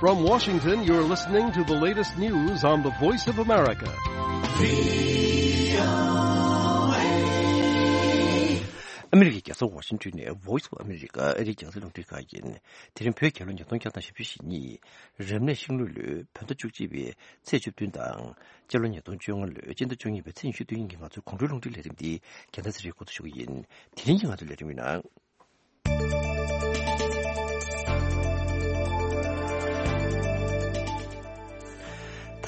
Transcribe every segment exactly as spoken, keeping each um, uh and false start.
From Washington, you're listening to the latest news on the Voice of America. ཨ་མི་རི་ཀའི་རྒྱལ་ས་ཝ་ཤིང་ཊོན་ནས་Voice of America ཨ་རིའི་རྒྱང་སྲིང་རླུང་འཕྲིན་ཁང་ཡིན། དེ་རིང་བོད་རྒྱལ་ལོ་ཉིས་སྟོང་བརྒྱ་དང་བཞི་བཅུ་ཞེ་གཉིས། རབ་གནས་ཤིང་ལུག་ལོའི་བོད་ཟླ་བཅུ་གཅིག་པའི་ཚེས་བཅུ་བདུན་དང་། སྤྱི་ལོ་ཉིས་སྟོང་བཅོ་ལྔ་ལོའི་སྤྱི་ཟླ་བཅུ་གཉིས་པའི་ཚེས་ཉི་ཤུ་རྩ་གཉིས་ཀྱི་ང་ཚོའི་དགོང་དྲོའི་རླུང་འཕྲིན་ལས་རིམ་འདི་རྒྱལ་མཚན་ཚེ་རིང་འགོ་འཛུགས་ཞུ་གི་ཡིན། དེ་རིང་གི་ང་ཚོའི་ལས་རིམ་ནང་།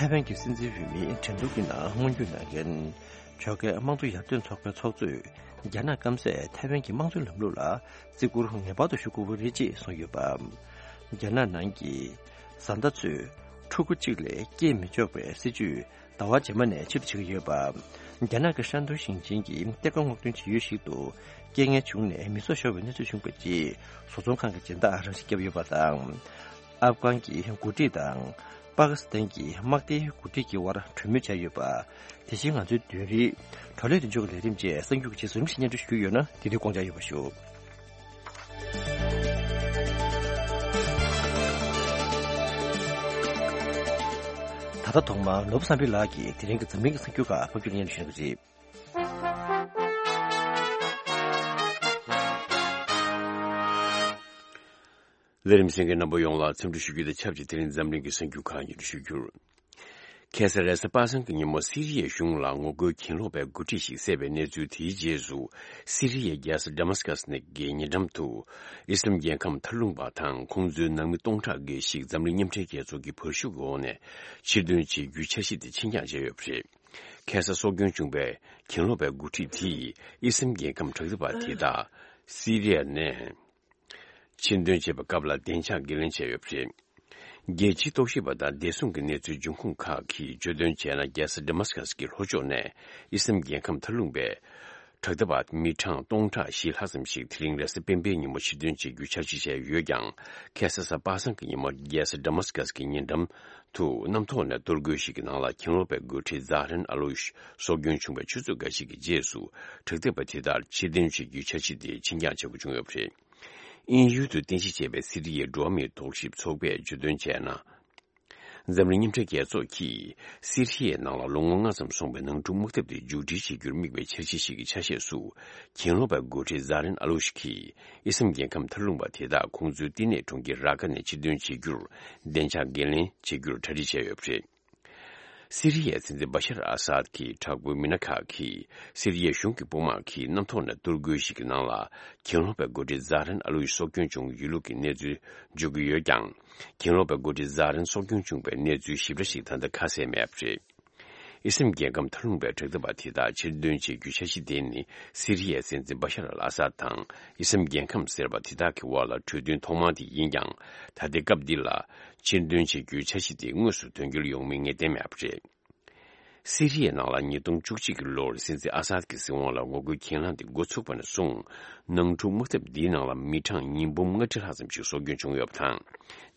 ཐའེ་ཝན་གྱི་སྲིད་འཛིན་འོས་མི་འགྲན་བསྡུར་གྱི་ནང་མངོན་འགྱུར་གནང་མཁན། ཇོ་ཁའི་དམངས་གཙོ་ཡར་ཐོན་ཚོགས་པའི་ཚོགས་གཙོས། རྒྱ་ནག་སྐམ་སས་ཐའེ་ཝན་གྱི་དམངས་གཙོའི་ལམ་ལུགས་ལ་བརྩི་བཀུར་ངེས་པར་དུ་ཞུ་དགོས་པ་རེད་ཅེས་གསུངས་ཡོད་པ། རྒྱ་ནག་ནང་གི་བཟའ་ཟླ་ཚོས་ཕྲུ་གུ་གཅིག་ལས་སྐྱེས་མི་ཆོག་པའི་སྲིད་ཇུས་ཟླ་བ་རྗེས་མ་ནས་ཕྱིར་བྱེད་ཀྱི་ཡོད་པ། རྒྱ་ནག་གི་ཧྲན་ཏུང་ཞིང་ཆེན་གྱི་གཏེར་ཁ་སྔོག་འདོན་བྱེད་ཡུལ་ཞིག་ཏུ་རྐྱེན་ངན་བྱུང་ནས་མི་སྲོག་ཤོར་བའི་གནས་ཚུལ་བྱུང་བའི་རྗེས། བཟོ་ཚོང་ཁང་གི་སྦྱིན་བདག་རང་ཤི་བརྒྱབ་ཡོད་པ་དང་། ཨབ་གྷན་གྱི་འགོ་ཁྲིད་དང་། པ་ཀི་སི་ཐན་གྱི་དམག་སྡེའི་འགོ་ཁྲིད་ཀྱི་དབར་གྲོས་མོལ་བྱས་ཡོད་པ། དེ་བཞིན་ང་ཚོའི་བདུན་རིག་བགྲོ་གླེང་དོན་གཅོད་ཀྱི་ལས་རིམ་བཅས་གསར་འགྱུར་གྱི་རྗེས་སུ་རིམ་བཞིན་སྙན་སྒྲོན་ཞུ་གི་ཡོད་ན། དེ་དུས་དགོངས་འཇགས་ཡོད་པ་ཞུ། ད་ལྟ་ཐོག་མར་ནོར་བུ་བསམ་འཕེལ་ལགས་ཀྱིས་དེ་རིང་གི་འཛམ་གླིང་གི་གསར་འགྱུར་ཁག་ཕབ་སྒྱུར་སྙན་སྒྲོན་ཞུ་གནང་གི་རེད། ལས་རིམ་གསན་མཁན་རྣམ་པ་ཡོངས་ལ་འཚམས་འདྲི་ཞུ་རྒྱུ་དང་ཆབས་ཅིག་དེ་རིང་འཛམ་གླིང་གི་གསར་འགྱུར་ཁག་སྙན་སྒྲོན་ཞུ་རྒྱུར། ཁ་སང་རེས་གཟའ་པ་སངས་ཀྱི་ཉིན་མོ་སི་རི་ཡའི་གཞུང་ལ་ངོ་རྒོལ་གྱེན་ལོག་པའི་འགོ་ཁྲིད་ཞིག་བསད་པའི་གནས་ཚུལ། དེའི་རྗེས་སུ་སི་རི་ཡའི་རྒྱལ་ས་ཌ་མཱ་སི་ཀ་སི་ནས་ཀྱི་ཉེ་འགྲམ་དུ་ཨི་སི་ལམ་རྒྱལ་ཁམས་མཐའ་ལྷུང་པ་དང་ཁོང་ཚོའི་ནང་མི་སྟོང་ཕྲག་འགའ་ཞིག་འཛམ་གླིང་མཉམ་འབྲེལ་རྒྱལ་ཚོགས་ཀྱི་བར་ཞུགས་ཀྱི་འོག་ནས་ཕྱིར་འདོན་བྱེད་རྒྱུའི་འཆར་གཞི་དེ་ཕྱིར་འགྱངས་བྱས་ཡོད་པ་རེད། ཁ་སང་སྲོག་སྐྱོན་བྱུང་བའི་གྱེན་ལོག་པའི་འགོ་ཁྲིད་དེས་ཨི་སི་ལམ་རྒྱལ་ཁམས་དྲག་འཐབ་པ་དེ་དག་སི་རི་ཡ་ནས་ཕྱིར་འདོན་བྱེད་པའི་སྐབས་ལ་བདེ་འཇགས་འགན་ལེན་བྱས་ཡོད་པ་རེད། རྒྱལ་སྤྱིའི་རྟོག་ཞིབ་པ་དང་བདེ་སྲུང་གི་གནས་ཚུལ་འབྱུང་ཁུངས་ཁག་གིས་བརྗོད་དོན་བྱས་ན། རྒྱལ་ས་ཌ་མཱ་སི་ཀ་སི་གི་ལྷོ་ཕྱོགས་ནས་ཨི་སི་ལམ་རྒྱལ་ཁམས་མཐའ་ལྷུང་པའི་དྲག་འཐབ་པ་མི་གྲངས་སྟོང་ཕྲག་བཞི་ལྷག་ཙམ་ཞིག་དེ་རིང་རེས་གཟའ་སྤེན་པའི་ཉིན་མོ་ཕྱིར་འདོན་བྱེད་རྒྱུའི་འཆར་གཞི་བྱས་ཡོད་ཀྱང་། ཁ་སང་གཟའ་པ་སངས་ཀྱི་ཉིན་མོ་རྒྱལ་ས་ཌ་མཱ་སི་ཀ་སི་གི་ཉེ་འགྲམ་དུ་གནམ་ཐོག་ནས་གཏོར་རྒོལ་ཞིག་གི་ནང་ལ་གྱེན་ལོག་པའི་འགོ་ཁྲིད་ཛ་ཧ་རན་ཨ་ལོ་ཤི་སྲོག་སྐྱོན་བྱུང་བའི་ཆུ་ཚོད་འགའ་ཞིག་གི་རྗེས་སུ། དྲག་འཐབ་པ་དེ་དག་ཕྱིར་འདོན་བྱེད་རྒྱུའི་འཆར་གཞི་དེ་ཕྱིར་འགྱངས་བྱ་དགོས་བྱུང་ཡོད་པ་རེད། དབྱིན་ཡུལ་དུ་རྟེན་གཞི་བྱས་པའི་སི་རི་ཡའི་འགྲོ་བ་མིའི་རྟོག་ཞིབ་ཚོགས་པས་བརྗོད་དོན་བྱས་ན། འཛམ་གླིང་མཉམ་འབྲེལ་རྒྱལ་ཚོགས་ཀྱིས་སི་རི་ཡའི་ནང་ལ་ལོ་ངོ་ལྔ་ཙམ་སོང་བའི་ནང་འཁྲུག་དམག་འཐབ་དེ་མཇུག་སྒྲིལ་བྱེད་རྒྱུར་དམིགས་པའི་འཆར་གཞི་ཞིག་གི་ཆ་ཤས་སུ། གྱེན་ལོག་པའི་འགོ་ཁྲིད་ཛ་རན་ཨ་ལུ་ཤི་གིས་ཨི་སི་ལམ་རྒྱལ་ཁམས་མཐའ་ལྷུང་པ་དེ་དག་ཁོང་ཚོའི་བསྟི་གནས་གྲོང་ཁྱེར་ར་ཀ་ནས་ཕྱིར་འདོན་བྱེད་རྒྱུར་བདེ་འཇགས་འགན་ལེན་བྱེད་རྒྱུར་གྲ་སྒྲིག་བྱས་ཡོད་པ་རེད། སི་རི་ཡའི་སྲིད་འཛིན་བ་ཤར་ཨ་སཱད་ཀྱི་དྲག་པོའི་མི་སྣ་ཁག་གིས་སི་རི་ཡའི་གཞུང་གི་དཔུང་དམག་གིས་གནམ་ཐོག་ནས་གཏོར་རྒོལ་ཞིག་གི་ནང་ལ་གྱེན་ལོག་པའི་འགོ་ཁྲིད་ཛ་རན་ཨ་ལུ་ཡི་སྲོག་སྐྱོན་བྱུང་ཡོད་ལུགས་ཀྱི་གནས་ཚུལ་འཇོག་གི་ཡོད་ཀྱང་། གྱེན་ལོག་པའི་འགོ་ཁྲིད་ཛ་རན་སྲོག་སྐྱོན་བྱུང་བའི་གནས་ཚུལ་ཞིབ་ཕྲ་ཞིག་ད་ལྟ་ཁ་གསལ་མེད་པ་རེད། ཨི་སི་ལམ་རྒྱལ་ཁམས་མཐའ་ལྷུང་པའི་དྲག་འཐབ་པ་དེ་དག་ཕྱིར་འདོན་བྱེད་རྒྱུའི་འཆར་གཞི་དེ་ནི་སི་རི་ཡའི་སྲིད་འཛིན་བ་ཤར་ཨལ་ཨ་སཱད་དང་ཨི་སི་ལམ་རྒྱལ་ཁམས་ཟེར་བ་དེ་དག་གི་དབར་ལ་གྲོས་མཐུན་ཐོག་མ་དེ་ཡིན་ཀྱང་། ད་ལྟའི་སྐབས་འདི་ལ་ཕྱིར་འདོན་བྱེད་རྒྱུའི་འཆར་གཞི་དེ་དངོས་སུ་དོན་འཁྱོལ་ཡོང་མིན་ངེས་གཏན་མེད་པ་རེད། སི་རི་ཡའི་ནང་ལ་ཉིས་སྟོང་བཅུ་གཅིག་གི་ལོར་སྲིད་འཛིན་ཨ་སཱད་ཀྱི་སྲིད་དབང་ལ་ངོ་རྒོལ་གྱེན་ལངས་དེ་འགོ་ཚུགས་པ་ནས་བཟུང་། ནང་འཁྲུག་དམག་འཐབ་འདིའི་ནང་ལ་མི་གྲངས་ཉིས་འབུམ་ལྔ་ཁྲི་ལྷག་ཙམ་ཞིག་སྲོག་སྐྱོན་བྱུང་ཡོད་པ་དང་།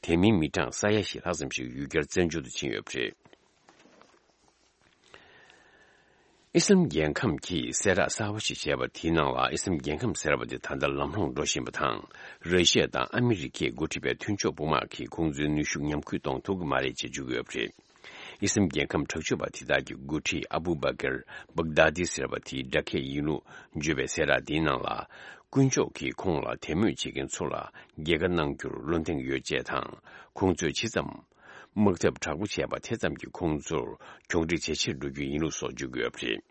དེ་མིན་མི་གྲངས་ས་ཡ་བཞི་ལྷག་ཙམ་ཞིག་ཡུལ་གྱར་བཙན་བྱོལ་དུ་ཕྱིན་ཡོད་པ་རེད། ཨི་སི་ལམ་རྒྱལ་ཁམས་ཀྱིས་གསལ་བསྒྲགས་གསར་པ་ཞིག་བྱས་པ་དེའི་ནང་ལ། ཨི་སི་ལམ་རྒྱལ་ཁམས་ཟེར་བ་དེ་ད་ལྟ་ལམ་ལྷོང་འགྲོ་བཞིན་པ་དང་། ར་ཤི་ཡ་དང་ཨ་མི་རི་ཀས་འགོ་ཁྲིད་པའི་མཐུན་ཕྱོགས་དཔུང་དམག་གིས་ཁོང་ཚོའི་ནུས་ཤུགས་ཉམས་རྒུད་གཏོང་ཐུབ་ཀྱི་མ་རེད་ཅེས་བརྗོད་ཀྱི་ཡོད་པ་རེད། ཨི་སི་ལམ་རྒྱལ་ཁམས་དྲག་སྤྱོད་པ་དེ་དག་གི་འགོ་ཁྲིད་ཨ་བུ་བ་ཀར་བག་དཱ་དི་ཟེར་བ་དེའི་སྒྲ་སྐད་ཡིན་ལུགས་བརྗོད་པའི་གསལ་བསྒྲགས་དེའི་ནང་ལ། དཀོན་མཆོག་གིས་ཁོང་ལ་དད་མོས་བྱེད་མཁན་ཚོ་ལ་རྒྱལ་ཁ་གནང་རྒྱུར་བློ་གདེང་ཡོད་ཅེས་དང་། ཁོང་ཚོས་ཇི་ཙམ་དམག་འཐབ་དྲག་པོ་བྱས་པ་དེ་ཙམ་གྱིས་ཁོང་ཚོར་གྱོང་ཁྲིད་ཇེ་ཆེར་འགྲོ་རྒྱུ་ཡིན་ལུགས་སོགས་བརྗོད་ཀྱི་ཡོད་པ་རེད།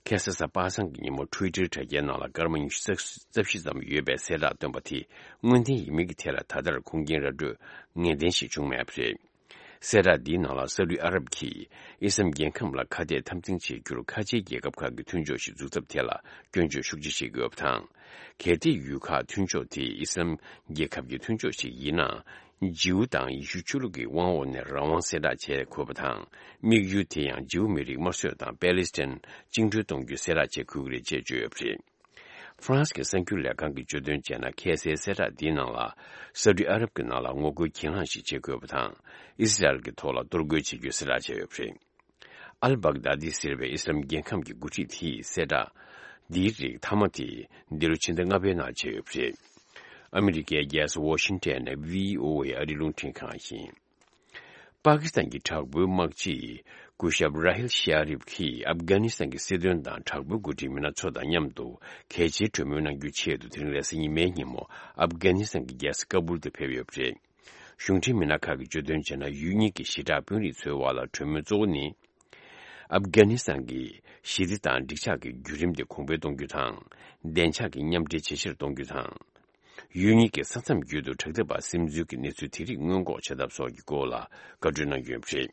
ཁ་སང་གཟའ་པ་སངས་ཀྱི་ཉིན་མོ་ཊུའི་ཊར་དྲ་རྒྱའི་ནང་ལ་སྐར་མ་ཉི་ཤུ་རྩ་བཞི་ཙམ་ཡོད་པའི་གསལ་བསྒྲགས་བཏོན་པ་དེ་དངོས་བདེན་ཡིན་མིན་གྱི་ཐད་ལ་ད་ལྟར་ཁུངས་སྐྱེལ་ར་སྤྲོད་ངེས་གཏན་ཞིག་བྱུང་མེད་པ་རེད། གསལ་བསྒྲགས་འདིའི་ནང་ལ་སཱ་ཨུ་ཏི་ཨ་རབ་ཀྱིས་ཨི་སི་ལམ་རྒྱལ་ཁམས་ལ་ཁ་གཏད་འཐབ་འཛིང་བྱེད་རྒྱུར་ཁ་ཆེའི་རྒྱལ་ཁབ་ཁག་གི་མཐུན་ཕྱོགས་ཤིག་འཛུགས་ཐབས་ཐད་ལ་སྐྱོན་བརྗོད་ཤུགས་ཆེ་བྱེད་ཀྱི་ཡོད་པ་དང་། གལ་ཏེ་ཡུལ་ཁག་མཐུན་ཕྱོགས་དེ་ཨི་སི་ལམ་རྒྱལ་ཁབ་ཀྱི་མཐུན་ཕྱོགས་ཤིག་ཡིན་ན། ཇིའུ་དང་ཡེ་ཤུ་ཆོས་ལུགས་ཀྱི་དབང་འོག་ནས་རང་དབང་གསལ་བསྒྲགས་བྱེད་དགོས་པ་དང་། དམིགས་ཡུལ་དེ་ཡང་ཇིའུ་མི་རིགས་དམར་གསོད་དང་པེ་ལི་སི་ཐན་བཅིངས་འགྲོལ་གཏོང་རྒྱུ་གསལ་བསྒྲགས་བྱེད་དགོས་ཀྱི་རེད་ཅེས་བརྗོད་ཡོད་པ་རེད། ཧྥ་རན་སི་གི་གསར་འགྱུར་ལས་ཁང་གིས་བརྗོད་དོན་བྱས་ན། ཁ་སའི་གསལ་བསྒྲགས་འདིའི་ནང་ལ། སཱ་ཨུ་ཏི་ཨ་རབ་ཀྱི་ནང་ལ་ངོ་རྒོལ་གྱེན་ལངས་ཤིག་བྱེད་དགོས་པ་དང་། ཨི་སི་རལ་གྱི་ཐོག་ལ་གཏོར་རྒོལ་བྱེད་རྒྱུའི་གསལ་བསྒྲགས་བྱས་ཡོད་པ་རེད། ཨལ་བག་དཱ་དི་ཟེར་བའི་ཨི་སི་ལམ་རྒྱལ་ཁམས་ཀྱི་འགོ་ཁྲིད་དེས་གསལ་བསྒྲགས་འདིའི་རིགས་མཐའ་མ་དེ་འདི་ལོ་ཕྱི་ཟླ་ལྔ་པའི་ནང་བྱས་ཡོད་པ་རེད། ཨ་མི་རི་ཀའི་རྒྱལ་ས་ཝོ་ཤིང་ཊོན་ནས་བྷི་ཨོ་ཨེ་ཨ་རིའི་རླུང་འཕྲིན་ཁང་ཡིན། པ་ཀི་སི་ཐན་གྱི་དྲག་པོའི་དམག་སྤྱི་སྐུ་ཞབས་ར་ཧིལ་ཤ་རིབ་ཀྱིས་ཨབ་གྷ་ནི་སི་ཐན་གྱི་སྲིད་དོན་དང་དྲག་པོའི་འགོ་ཁྲིད་མི་སྣ་ཚོ་དང་མཉམ་དུ་གལ་ཆེའི་གྲོས་མོལ་གནང་རྒྱུའི་ཆེད་དུ། དེ་རིང་རེས་གཟའ་ཉི་མའི་ཉིན་མོ་ཨབ་གྷ་ནི་སི་ཐན་གྱི་རྒྱལ་ས་ཀ་བུལ་དུ་ཕེབས་ཡོད་པ་རེད། གཞུང་འབྲེལ་མི་སྣ་ཁག་གིས་བརྗོད་དོན་བྱས་ན། ཡུལ་གཉིས་ཀྱི་ཞི་དྲག་དཔོན་རིགས་ཚོའི་དབར་ལ་གྲོས་མོལ་གཙོ་བོ་ནི། ཨབ་གྷ་ནི་སི་ཐན་གྱི་ཞི་བདེ་དང་འགྲིག་འཇགས་ཀྱི་བརྒྱུད་རིམ་དེ་གོང་འཕེལ་གཏོང་རྒྱུ་དང་། བདེ་འཇགས་ཀྱི་མཉམ་འབྲེལ་ཇེ་ཆེར་གཏོང་རྒྱུ་དང་། ཡུལ་གཉིས་ཀྱི་ས་མཚམས་བརྒྱུད་དུ་དྲག་འཐབ་པ་སིམ་འཛུལ་གྱི་གནས་ཚུལ་དེ་རིགས་སྔོན་འགོག་བྱེད་ཐབས་སོགས་ཀྱི་སྐོར་ལ་བཀའ་གྲོས་གནང་རྒྱུ་ཡིན་པ་རེད།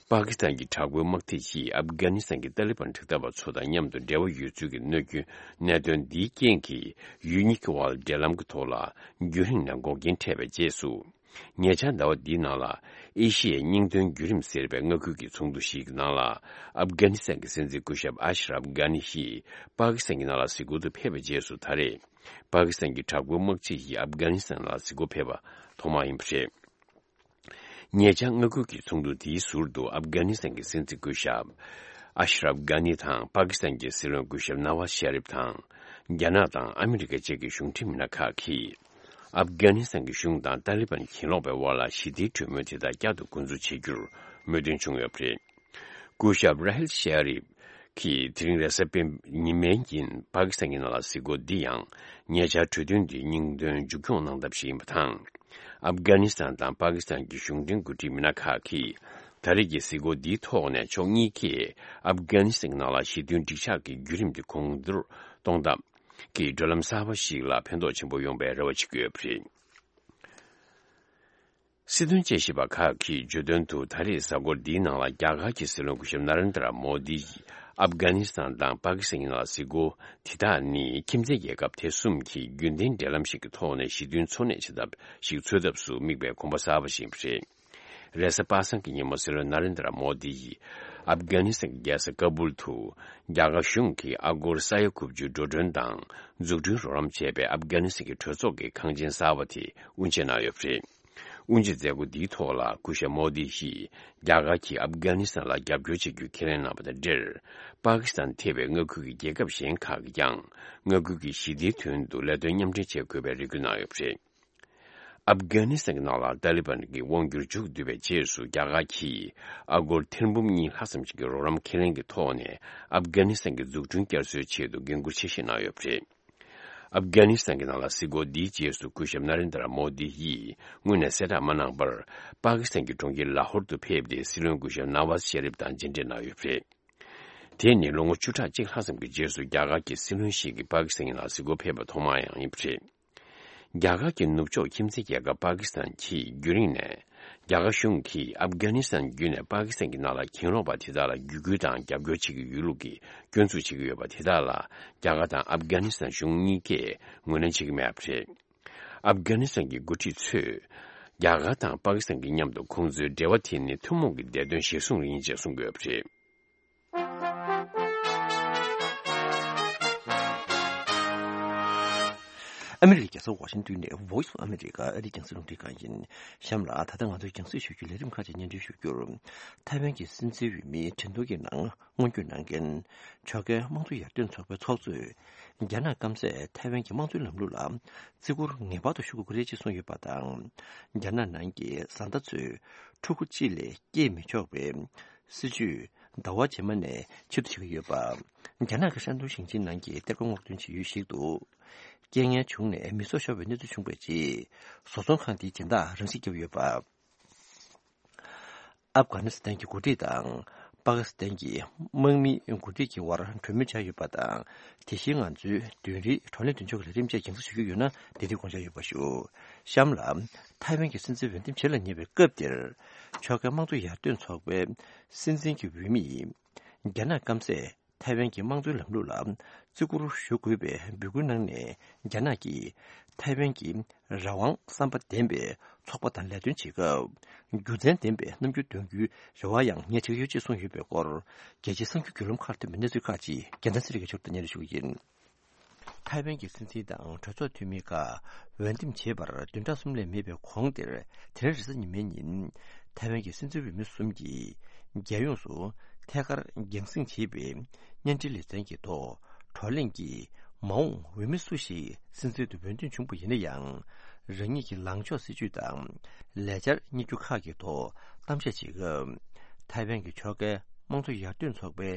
པ་ཀི་སི་ཐན་གྱི་དྲག་པོའི་དམག་སྡེ་ཡིས་ཨབ་གྷ་ནི་སི་ཐན་གྱི་ཏཱ་ལི་བན་དྲག་འཐབ་པ་ཚོ་དང་མཉམ་དུ་འབྲེལ་བ་ཡོད་ཚུལ་གྱི་གནོད་སྐྱོན་གནད་དོན་འདིའི་རྐྱེན་གྱིས། ཡུལ་གཉིས་ཀྱི་དབར་འབྲེལ་ལམ་གྱི་ཐོག་ལ་རྒྱུན་རིང་ནས་འགོག་རྐྱེན་འཕྲད་པའི་རྗེས་སུ། ཉེ་ཆར་ཟླ་བ་འདིའི་ནང་ལ་ཨེ་ཤི་ཡའི་སྙིང་དོན་བརྒྱུད་རིམ་ཟེར་བའི་མངའ་ཁུལ་གྱི་ཚོགས་འདུ་ཞིག་གི་ནང་ལ། ཨབ་གྷ་ནི་སི་ཐན་གྱི་སྲིད་འཛིན་སྐུ་ཞབས་ཨ་ཤ་རབ་གྷ་ནི་ཡིས་པ་ཀི་སི་ཐན་གྱི་ནང་ལ་གཟིགས་སྐོར་དུ་ཕེབས་པའི་རྗེས་སུ། ད་རེས་པ་ཀི་སི་ཐན་གྱི་དྲག་པོའི་དམག་སྤྱི་ཡིས་ཨབ་གྷ་ནི་སི་ཐན་ལ་གཟིགས་སྐོར་ཕེབས་པ་ཐོག་མ་ཡིན་པ་རེད། ཉེ་ཆར་མངའ་ཁུལ་གྱི་ཚོགས་འདུ་དེའི་ཟུར་དུ་ཨབ་གྷ་ནི་སི་ཐན་གྱི་སྲིད་འཛིན་སྐུ་ཞབས་ཨ་ཤ་རབ་གྷ་ནི་དང་། པ་ཀི་སི་ཐན་གྱི་སྲིད་བློན་སྐུ་ཞབས་ན་ཝཱ་ཤ་རིབ་དང་། རྒྱ་ནག་དང་ཨ་མི་རི་ཀ་བཅས་ཀྱི་གཞུང་འབྲེལ་མི་སྣ་ཁག་གིས། ཨབ་གྷ་ནི་སི་ཐན་གྱི་གཞུང་དང་ཏཱ་ལི་བན་གྱེན་ལོག་པའི་དབར་ལ་ཞི་བདེའི་གྲོས་མོལ་དེ་དག་བསྐྱར་དུ་འགོ་འཛུགས་བྱེད་རྒྱུར་མོས་མཐུན་བྱུང་ཡོད་པ་རེད། སྐུ་ཞབས་ར་ཧིལ་ཤ་རིབ་ཀྱིས་དེ་རིང་རེས་གཟའ་སྤེན་ཉི་མའི་ཉིན་པ་ཀི་སི་ཐན་གྱི་ནང་ལ་གཟིགས་སྐོར་འདི་ཡང་། ཉེ་ཆར་གྲོས་མཐུན་འདིའི་སྙིང་དོན་མཇུག་སྐྱོང་གནང་ཐབས་ཤིག་ཡིན་པ་དང་། ཨབ་གྷ་ནི་སི་ཐན་དང་པ་ཀི་སི་ཐན་གྱི་གཞུང་འབྲེལ་འགོ་ཁྲིད་མི་སྣ་ཁག་གིས། ད་རེས་ཀྱི་གཟིགས་སྐོར་འདིའི་ཐོག་ནས་ཕྱོགས་གཉིས་ཀས་ཨབ་གྷ་ནི་སི་ཐན་གྱི་ནང་ལ་ཞི་མཐུན་འགྲིག་འཇགས་ཀྱི་བརྒྱུད་རིམ་དེ་གོང་མཐོར་གཏོང་ཐབས་ཀྱི་བགྲོད་ལམ་གསར་པ་ཞིག་ལ་ཕན་ཐོགས་ཆེན་པོ་ཡོང་བའི་རེ་བ་བྱེད་ཀྱི་ཡོད་པ་རེད། སྲིད་དོན་དཔྱད་ཞིབ་པ་ཁག་གིས་བརྗོད་དོན་དུ། ད་རེས་གཟའ་འཁོར་འདིའི་ནང་ལ་རྒྱ་གར་གྱི་སྲིད་བློན་སྐུ་ཞབས་ན་རེན་དྲ་མོ་དི་ཡིས་ཨབ་གྷ་ནི་སི་ཐན་དང་པ་ཀི་སི་ཐན་གྱི་ནང་ལ་གཟིགས་སྐོར་དེ་དག་ནི། ཁྱིམ་མཚེས་རྒྱལ་ཁབ་དེ་གསུམ་གྱིས་རྒྱུན་ལྡན་འབྲེལ་ལམ་ཞིག་གི་ཐོག་ནས་ཞི་མཐུན་འཚོ་གནས་བྱེད་ཐབས་ཤིག་འཚོལ་ཐབས་སུ་དམིགས་པའི་གོམ་པ་གསར་པ་ཞིག་རེད། རེས་གཟའ་པ་སངས་ཀྱི་ཉིན་མོ་སྲིད་བློན་ན་རེན་དྲ་མོ་དི་ཡིས་ཨབ་གྷ་ནི་སི་ཐན་གྱི་རྒྱལ་ས་ཀ་བུལ་དུ། རྒྱ་གར་གཞུང་གིས་ཨ་སྒོར་ས་ཡ་དགུ་བཅུ་འགྲོ་གྲོན་དང་འཛུགས་སྐྲུན་རོགས་རམ་བྱས་པའི་ཨབ་གྷ་ནི་སི་ཐན་གྱི་གྲོས་ཚོགས་ཀྱི་ཁང་ཆེན་གསར་པ་དེ་དབུ་འབྱེད་གནང་ཡོད་པ་རེད། དབུ་འབྱེད་མཛད་སྒོ་འདིའི་ཐོག་ལ་སྐུ་ཞབས་མོ་དི་ཡིས། རྒྱ་གར་གྱིས་ཨབ་གྷ་ནི་སི་ཐན་ལ་རྒྱབ་སྐྱོར་བྱེད་རྒྱུ་ཁས་ལེན་གནང་བ་དང་འབྲེལ། པ་ཀི་སི་ཐན་ཐེ་བའི་མངའ་ཁུལ་གྱི་རྒྱལ་ཁབ་གཞན་ཁག་གིས་ཀྱང་། མངའ་ཁུལ་གྱི་ཞི་བདེའི་དོན་དུ་ལས་དོན་མཉམ་འབྲེལ་བྱེད་དགོས་པའི་རེ་སྐུལ་གནང་ཡོད་པ་རེད། ཨབ་གྷ་ནི་སི་ཐན་གྱི་ནང་ལ་ཏཱ་ལི་བན་གྱི་དབང་སྒྱུར་མཇུག་བསྡུས་པའི་རྗེས་སུ། རྒྱ་གར་གྱིས་ཨ་སྒོར་ཐེར་འབུམ་གཉིས་ལྷག་ཙམ་ཞིག་གི་རོགས་རམ་ཁས་ལེན་གྱི་ཐོག་ནས། ཨབ་གྷ་ནི་སི་ཐན་གྱི་འཛུགས་སྐྲུན་བསྐྱར་གསོའི་ཆེད་དུ་འགན་འཁུར་ཆེ་བཞེས་གནང་ཡོད་པ་རེད། ཨབ་གྷ་ནི་སི་ཐན་གྱི་ནང་ལ་གཟིགས་སྐོར་འདིའི་རྗེས་སུ། སྐུ་ཞབས་ན་རེན་དྲ་མོ་དི་ཡིས་སྔོན་ནས་གསལ་བསྒྲགས་མ་གནང་བར། པ་ཀི་སི་ཐན་གྱི་གྲོང་ཁྱེར་ལ་ཧོར་དུ་ཕེབས་ཏེ། སྲིད་བློན་སྐུ་ཞབས་ན་ཝཱ་ཤ་རིབ་དང་མཇལ་འཕྲད་གནང་ཡོད་པ་རེད། དེ་ནི་ལོ་ངོ་བཅུ་ཕྲག་གཅིག་ལྷག་ཙམ་གྱི་རྗེས་སུ། རྒྱ་གར་གྱི་སྲིད་བློན་ཞིག་གིས་པ་ཀི་སི་ཐན་གྱི་ནང་གཟིགས་སྐོར་ཕེབས་པ་ཐོག་མ་ཡང་ཡིན་པ་རེད། རྒྱ་གར་གྱི་ནུབ་ཕྱོགས་ཁྱིམ་མཚེས་རྒྱལ་ཁབ་པ་ཀི་སི་ཐན་གྱིས་རྒྱུན་རིང་ནས། རྒྱ་གར་གཞུང་གིས་ཨབ་གྷ་ནི་སི་ཐན་བརྒྱུད་ནས་པ་ཀི་སི་ཐན་གྱི་ནང་ལ་གྱེན་ལོག་པ་དེ་དག་ལ་བརྒྱུད་སྐུལ་དང་རྒྱབ་སྐྱོར་བྱེད་ཀྱི་ཡོད་ལུགས་ཀྱི་སྐྱོན་འཛུགས་བྱེད་ཀྱི་ཡོད་པ་དེ་དག་ལ། རྒྱ་གར་དང་ཨབ་གྷ་ནི་སི་ཐན་གཞུང་གཉིས་ཀས་ངོས་ལེན་བྱེད་ཀྱི་མེད་པ་རེད། ཨབ་གྷ་ནི་སི་ཐན་གྱི་འགོ་ཁྲིད་ཚོས། རྒྱ་གར་དང་པ་ཀི་སི་ཐན་གྱི་མཉམ་དུ་ཁོང་ཚོའི་འབྲེལ་བ་དེ་ནི་ཐུན་མོང་གི་བདེ་དོན་གཞིར་བཟུང་ཡིན་ཅེས་གསུངས་ཡོད་པ་རེད། ཨ་མི་རི་ཀའི་རྒྱལ་ས་ཝ་ཤིང་ཏོན་ནས་Voice of America ཨ་རིའི་རྒྱང་སྲིང་རླུང་འཕྲིན་ཁང་ཡིན། གཤམ་ལ་ད་ལྟ་ང་ཚོའི་རྒྱང་སྲིང་ཞུ་རྒྱུའི་ལས་རིམ་ཁག་ཅིག་སྙན་སྒྲོན་ཞུ་རྒྱུར། ཐའེ་ཝན་གྱི་སྲིད་འཛིན་འོས་མིའི་གྲོས་ཐོག་གི་ནང་སྔོན་སྐྱོད་གནང་མཁན། ཕྱོགས་འགལ་དམངས་གཙོ་ཡར་ཐོན་ཚོགས་པའི་ཚོགས་གཙོས། རྒྱ་ནག་སྐམ་སས་ཐའེ་ཝན་གྱི་དམངས་གཙོའི་ལམ་ལུགས་ལ་བརྩི་བཀུར་ངེས་པར་དུ་ཞུ་དགོས་ཀྱི་རེད་ཅེས་གསུངས་ཡོད་པ་དང་། རྒྱ་ནག་ནང་གི་བཟའ་ཟླ་ཚོས་ཕྲུ་གུ་གཅིག་ལས་སྐྱེས་མི་ཆོག་པའི་སྲིད་ཇུས་ཟླ་བ་རྗེས་མ་ནས་ཕྱིར་བསྡུ་བྱེད་ཀྱི་ཡོད་པ། རྒྱ་ནག་གི་ཧྲན་ཏུང་ཞིང་ཆེན་ནང་གི་གཏེར་སྒོ་སྔོག་འདོན་བྱེད་ཡུལ་ཞིག་ཏུ། རྐྱེན་ངན་བྱུང་ནས་མི་སྲོག་ཤོར་བའི་གནས་ཚུལ་བྱུང་བའི་རྗེས། བཟོ་ཚོང་ཁང་དེའི་སྦྱིན་བདག་རང་ཤི་བརྒྱབ་ཡོད་པ། ཨབ་གྷ་ནི་སི་ཐན་གྱི་འགོ་ཁྲིད་དང་། པ་ཀི་སི་ཐན་གྱི་དམག་མིའི་འགོ་ཁྲིད་ཀྱི་དབར་གྲོས་མོལ་བྱས་ཡོད་པ་དང་། དེ་བཞིན་ང་ཚོའི་བདུན་རེའི་བགྲོ་གླེང་མདུན་ལྕོག་གི་ལས་རིམ་བཅས་རྒྱང་སྲིང་ཞུ་རྒྱུ་ཡོད་ན། དེ་དུས་དགོངས་འཇགས་ཡོད་པ་ཞུ། གཤམ་ལ། ཐའེ་ཝན་གྱི་སྲིད་འཛིན་འོས་འདེམས་བྱེད་ལ་ཉེ་བའི་སྐབས་འདིར། ཕྱོགས་འགལ་དམངས་གཙོ་ཡར་ཐོན་ཚོགས་པའི་སྲིད་འཛིན་གྱི་འོས་མིས། རྒྱ་ནག་སྐམ་སས་ཐའེ་ཝན་གྱི་དམངས་གཙོའི་ལམ་ལུགས་ལ་བརྩི་བཀུར་ཞུ་དགོས་པའི་འབོད་སྐུལ་གནང་ནས། རྒྱ་ནག་གིས་ཐའེ་ཝན་གྱི་རང་དབང་བསམ་པ་ལྡན་པའི་ཚོགས་པ་དང་ལས་དོན་བྱེད་སྐབས། རྒྱུ་མཚན་ལྡན་པའི་རྣམ་འགྱུར་འདོན་རྒྱུའི་རེ་བ་ཡང་ངས་བྱེད་ཀྱི་ཡོད་ཅེས་གསུངས་ཡོད་པའི་སྐོར། རྒྱལ་སྤྱིའི་གསར་འགྱུར་བརྒྱུད་ལམ་ཁག་ཐོན་པའི་གནས་ཚུལ་ཁག་ཅིག་རྒྱལ་མཚན་ཚེ་རིང་གིས་ཕྱོགས་སྒྲིག་གནང་རེ་ཞུ་གི་ཡིན། ཐའེ་ཝན་གྱི་སྲིད་འཛིན་དང་གྲོས་ཚོགས་འཐུས་མི་ཁག་འོས་འདེམས་བྱེད་པར་བདུན་ཕྲག་གསུམ་ལས་མེད་པའི་གོང་དེར། དེ་རིང་རེས་གཟའ་ཉི་མའི་ཉིན། ཐའེ་ཝན་གྱི་སྲིད་འཛིན་འོས་མི་གསུམ་གྱིས་རྒྱལ་ཡོངས་སུ་ཐད་ཀར་རྒྱང་སྲིང་བྱས་པའི་བརྙན་འཕྲིན་ལེ་ཚན་གྱི་ཐོག་བགྲོ་གླེང་གི་ མ་འོངས་འོས་མི་སུ་ཞིག་སྲིད་འཛིན་དུ་འོས་འདེམས་བྱུང་བ་ཡིན་ན་ཡང་། རང་ཉིད་ཀྱི་ལངས་ཕྱོགས་སྲིད་ཇུས་དང་ལས་འཆར་གཉེར་རྒྱུ་ཁག་གི་ཐོག་གཏམ་བཤད་བྱེད་སྐབས། ཐའེ་ཝན་གྱི་ཕྱོགས་འགལ་དམངས་གཙོ་ཡར་ཐོན་ཚོགས་པའི་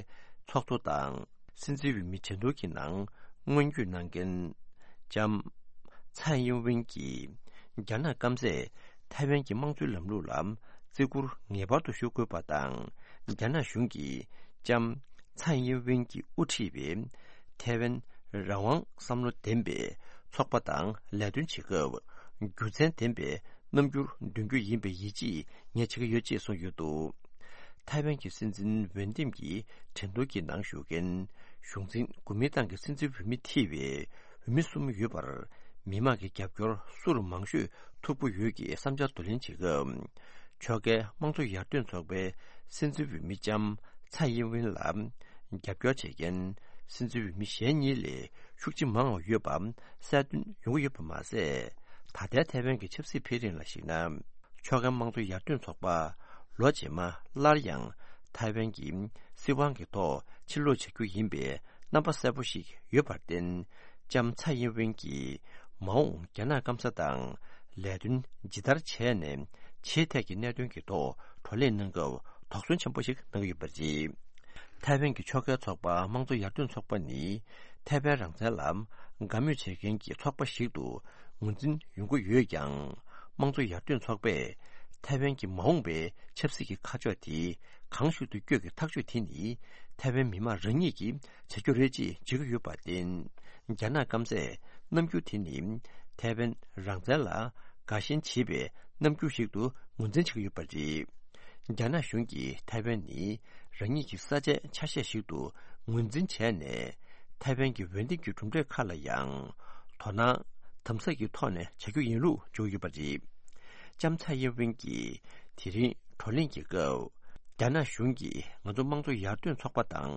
ཚོགས་གཙོ་དང་། སྲིད་འཛིན་འོས་མི་གྲལ་བསྡུར་གྱི་ནང་སྔོན་སྐྱོད་གནང་མཁན་ལྕམ་ཚའེ་ཡིན་ཝེན་གྱིས། རྒྱ་ནག་སྐམ་སས་ཐའེ་ཝན་གྱི་དམངས་གཙོའི་ལམ་ལུགས་ལ་བརྩི་བཀུར་ངེས་པར་དུ་ཞུ་དགོས་པ་དང་། རྒྱ་ནག་གཞུང་གིས་ལྕམ་ཚའེ་ཡིན་ཝེན་གྱིས་དབུ་ཁྲིད་པའི་ཐའེ་ཝན་རང་དབང་བསམ་བློ་ལྡན་པའི་ཚོགས་པ་དང་ལས་དོན་བྱེད་སྐབས། རྒྱུ་མཚན་ལྡན་པའི་རྣམ་འགྱུར་འདོན་རྒྱུ་ཡིན་པའི་ཡིད་ཆེས་ངས་བྱེད་ཀྱི་ཡོད་ཅེས་གསུངས་ཡོད་འདུག། ཐའེ་ཝན་གྱི་སྲིད་འཛིན་འོས་འདེམས་ཀྱི་གྲལ་བསྡུར་གྱི་ནང་ཞུགས་མཁན་གཞུང་འཛིན་འགོ་མིང་ཐང་གི་སྲིད་འཛིན་འོས་མི་ཐེ་བའི་འོས་མི་གསུམ་ཡོད་པར། མི་མང་གི་རྒྱབ་སྐྱོར་སུར་མང་ཤོས་ཐོབ་ཀྱི་ཡོད་ཀྱི་བསམ་འཆར་བསྡུ་ལེན་བྱེད་སྐབས། ཕྱོགས་འགལ་དམངས་གཙོ་ཡར་ཐོན་ཚོགས་པའི་སྲིད་འཛིན་འོས་མི་ལྕམ་ཚའེ་ཡིན་ཝིན་ལ་རྒྱབ་སྐྱོར་བྱེད་མཁན་སྲིད་འཛིན་འོས་མི་གཞན་གཉིས་ལས་ཤུགས་ཆེ་མང་བ་ཡོད་པ་གསལ་སྟོན་ཡོང་གི་ཡོད་པ་མ་ཟད། ད་ལྟའི་ཐའེ་ཝན་གྱི་ཆབ་སྲིད་འཕེལ་རིམ་ལ་གཞིགས་ན། ཕྱོགས་འགལ་དམངས་གཙོ་ཡར་ཐོན་ཚོགས་པ་ལོ་རྗེས་མ་སླར་ཡང་ཐའེ་ཝན་གྱི་སྲིད་དབང་གི་ཐོག་ཕྱིར་ལོག་བྱ་རྒྱུ་ཡིན་པའི་རྣམ་པ་གསལ་པོ་ཞིག་ཡོད་པར་བརྟེན། ལྕམ་ཚའེ་ཡིན་ཝེན་གྱིས་མ་འོངས་རྒྱ་ནག་སྐམ་ས་དང་ལས་དོན་ཇི་ལྟར་བྱས་ནས་ཆེས་ཐད་ཀྱི་གནད་དོན་གྱི་ཐོག་བགྲོ་གླེང་གནང་སྐབས་དོགས་ཟོན་ཆེན་པོ་ཞིག་གནང་གི་ཡོད་པ་རེད། ཐའེ་ཝན་གྱི་ཕྱོགས་འགལ་ཚོགས་པ་དམངས་གཙོ་ཡར་ཐོན་ཚོགས་པ་ནི་ཐའེ་ཝན་རང་བཙན་ལ་དགའ་མོས་བྱེད་མཁན་གྱི་ཚོགས་པ་ཞིག་ཏུ་ངོས་འཛིན་ཡོང་གི་ཡོད་ཀྱང་། དམངས་གཙོ་ཡར་ཐོན་ཚོགས་པས་ཐའེ་ཝན་གྱི་མ་འོངས་པའི་ཆབ་སྲིད་ཀྱི་ཁ་ཕྱོགས་དེ་གང་ཤུགས་སུ་བསྐྱོད་ཀྱི་ཐག་གཅོད་དེ་ནི་ཐའེ་ཝན་མི་མང་རང་ཉིད་ཀྱིས་བྱ་རྒྱུ་རེད་ཅེས་བརྗོད་ཀྱི་ཡོད་པར་བརྟེན། རྒྱ་ནག་སྐམ་སས་རྣམ་འགྱུར་དེ་ནི་ཐའེ་ཝན་རང་བཙན་ལ་དགའ་ཞེན་བྱེད་པའི་རྣམ་འགྱུར་ཞིག་ཏུ་ངོས་འཛིན་བྱེད་ཀྱི་ཡོད་པ་རེད། རྒྱ་ནག་གཞུང་གིས་ཐའེ་ཝན་ནི་རང་ཉིད་ཀྱི་ས་ཆའི་ཆ་ཤས་ཤིག་ཏུ་ངོས་འཛིན་བྱས་ནས། ཐའེ་ཝན་གྱི་འོས་འདེམས་ཀྱི་གྲུབ་འབྲས་ཁག་ལ་ཡང་དོ་སྣང་དམ་ཟབ་ཀྱི་ཐོག་ནས་བྱ་རྒྱུ་ཡིན་ལུགས་བརྗོད་ཡོད་པ་རེད། ལྕམ་ཚའེ་ཡིན་ཝིན་གྱིས་དེ་རིང་བགྲོ་གླེང་གི་སྐབས། རྒྱ་ནག་གཞུང་གིས་ང་ཚོ་དམངས་གཙོ་ཡར་ཐོན་ཚོགས་པ་དང་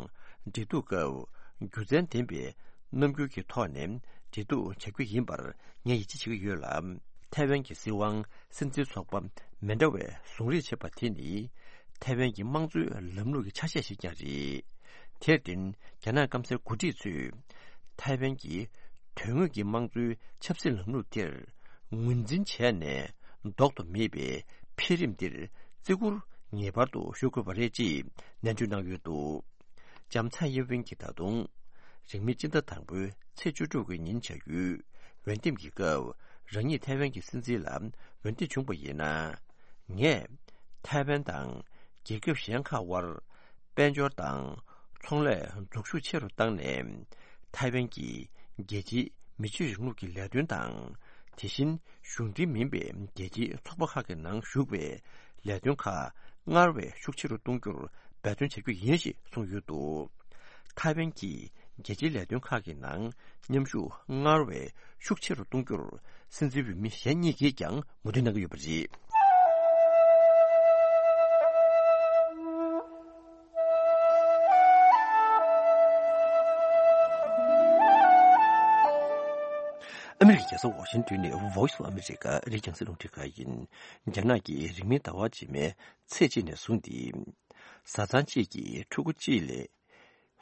འབྲེལ་གཏུག་སྐབས། རྒྱུ་མཚན་ལྡན་པའི་རྣམ་འགྱུར་གྱི་ཐོག་ནས་འབྲེལ་གཏུག་བྱ་རྒྱུ་ཡིན་པར་ངས་ཡིད་ཆེས་བྱེད་ཀྱི་ཡོད་ལ། ཐའེ་ཝན་གྱི་སྲིད་དབང་སྲིད་འཛིན་ཚོགས་པ་མི་འདྲ་བས་བཟུང་རེས་བྱེད་པ་དེ་ནི་ཐའེ་ཝན་གྱི་དམངས་གཙོའི་ལམ་ལུགས་ཀྱི་ཆ་ཤས་ཤིག་ཀྱང་རེད། དེར་བརྟེན། རྒྱ་ནག་སྐམ་སའི་འགོ་ཁྲིད་ཚོས་ཐའེ་ཝན་གྱི་དོན་དངོས་ཀྱི་དམངས་གཙོའི་ཆབ་སྲིད་ལམ་ལུགས་དེར་ངོས་འཛིན་བྱས་ནས། ལྡོག་ཏུ་མེད་པའི་འཕེལ་རིམ་འདིར་བརྩི་བཀུར་ངེས་པར་དུ་ཞུ་དགོས་པ་རེད་ཅེས་ནན་བརྗོད་གནང་ཡོད་འདུག། ལྕམ་ཚའེ་ཡིན་ཝིན་གྱིས་ད་དུང་། རིང་མིན་སྤྱི་ཟླ་དང་པོའི་ཚེས་བཅུ་དྲུག་གི་ཉིན་བྱ་ཡུལ་འོས་འདེམས་ཀྱི་སྐབས། རང་ཉིད་ཐའེ་ཝན་གྱི་སྲིད་འཛིན་ལ་འོས་འདེམས་བྱུང་བ་ཡིན་ན། ངས་ཐའེ་ཝན་དང་རྒྱལ་ཁབ་གཞན་ཁག་དབར། དཔལ་འབྱོར་དང་ཚོང་ལས་འཛུགས་ཤུགས་ཆེ་རུ་བཏང་ནས། ཐའེ་ཝན་གྱི་རྒྱལ་སྤྱིའི་མི་ཆོས་རིང་ལུགས་ཀྱི་ལས་དོན་དང་། དེ་བཞིན་གཞུང་འབྲེལ་མིན་པའི་རྒྱལ་སྤྱིའི་ཚོགས་པ་ཁག་གི་ནང་ཞུགས་པའི་ལས་དོན་ཁག་སྔར་བས་ཤུགས་ཆེ་རུ་གཏོང་རྒྱུར་འབད་བརྩོན་བྱ་རྒྱུ་ཡིན་ཞེས་གསུངས་ཡོད་འདུག། ཐའེ་ཝན་གྱིས་རྒྱལ་སྤྱིའི་ལས་དོན་ཁག་གི་ནང་མཉམ་ཞུགས་སྔར་བས་ཤུགས་ཆེ་རུ་གཏོང་རྒྱུར་སྲིད་འཛིན་འོས་མི་གཞན་གཉིས་ཀྱིས་ཀྱང་མོས་མཐུན་གནང་གི་ཡོད་པ་རེད། ཨ་མི་རི་ཀའི་རྒྱལ་ས་ཝ་ཤིང་ཏོན་ནས་Voice of America ཨ་རིའི་རྒྱང་སྲིང་རླུང་འཕྲིན་ཁང་ཡིན། རྒྱ་ནག་གིས་རིང་མིན་ཟླ་བ་རྗེས་མའི་ཚེས་གཅིག་ནས་བཟུང་སྟེ། བཟའ་ཚང་གཅིག་གིས་ཕྲུ་གུ་གཅིག་ལས་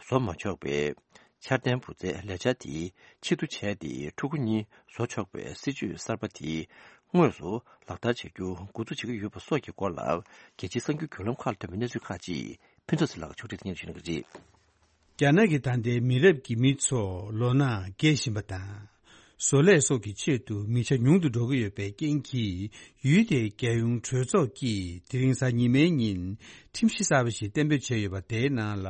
བཟོ་མ་ཆོག་པའི་འཆར་ལྡན་བུ་བཙའི་ལས་འཆར་དེ་ཕྱིར་བསྡུ་བྱས་ཏེ། ཕྲུ་གུ་གཉིས་བཟོ་ཆོག་པའི་སྲིད་ཇུས་གསར་པ་དེ་དངོས་སུ་ལག་བསྟར་བྱ་རྒྱུ་འགོ་འཛུགས་བྱེད་ཀྱི་ཡོད་པ་སོགས་ཀྱི་སྐོར་ལ། རྒྱལ་སྤྱིའི་གསར་འགྱུར་བརྒྱུད་ལམ་ཁག་ལ་ཐོན་པའི་གནས་ཚུལ་ཁག་ཅིག་ཕུན་ཚོགས་ཚེ་ལགས་ཕྱོགས་སྒྲིག་སྙན་ཞུ་གནང་གི་རེད། རྒྱ་ནག་གི་ད་ལྟའི་མི་རབས་ཀྱི་མི་ཚོ་ལོ་ན་རྒས་བཞིན་པ་དང་། བཟོ་ལས་སོགས་ཀྱི་ཆེད་དུ་མི་ཆ་ཉུང་དུ་འགྲོ་གི་ཡོད་པའི་རྐྱེན་གྱིས། ཡུལ་དེའི་རྒྱལ་ཡོངས་གྲོས་ཚོགས་ཀྱིས་དེ་རིང་གཟའ་ཉི་མའི་ཉིན་ཁྲིམས་གཞི་གསར་པ་ཞིག་གཏན་འབེབས་བྱས་ཡོད་པ། དེའི་ནང་ལ།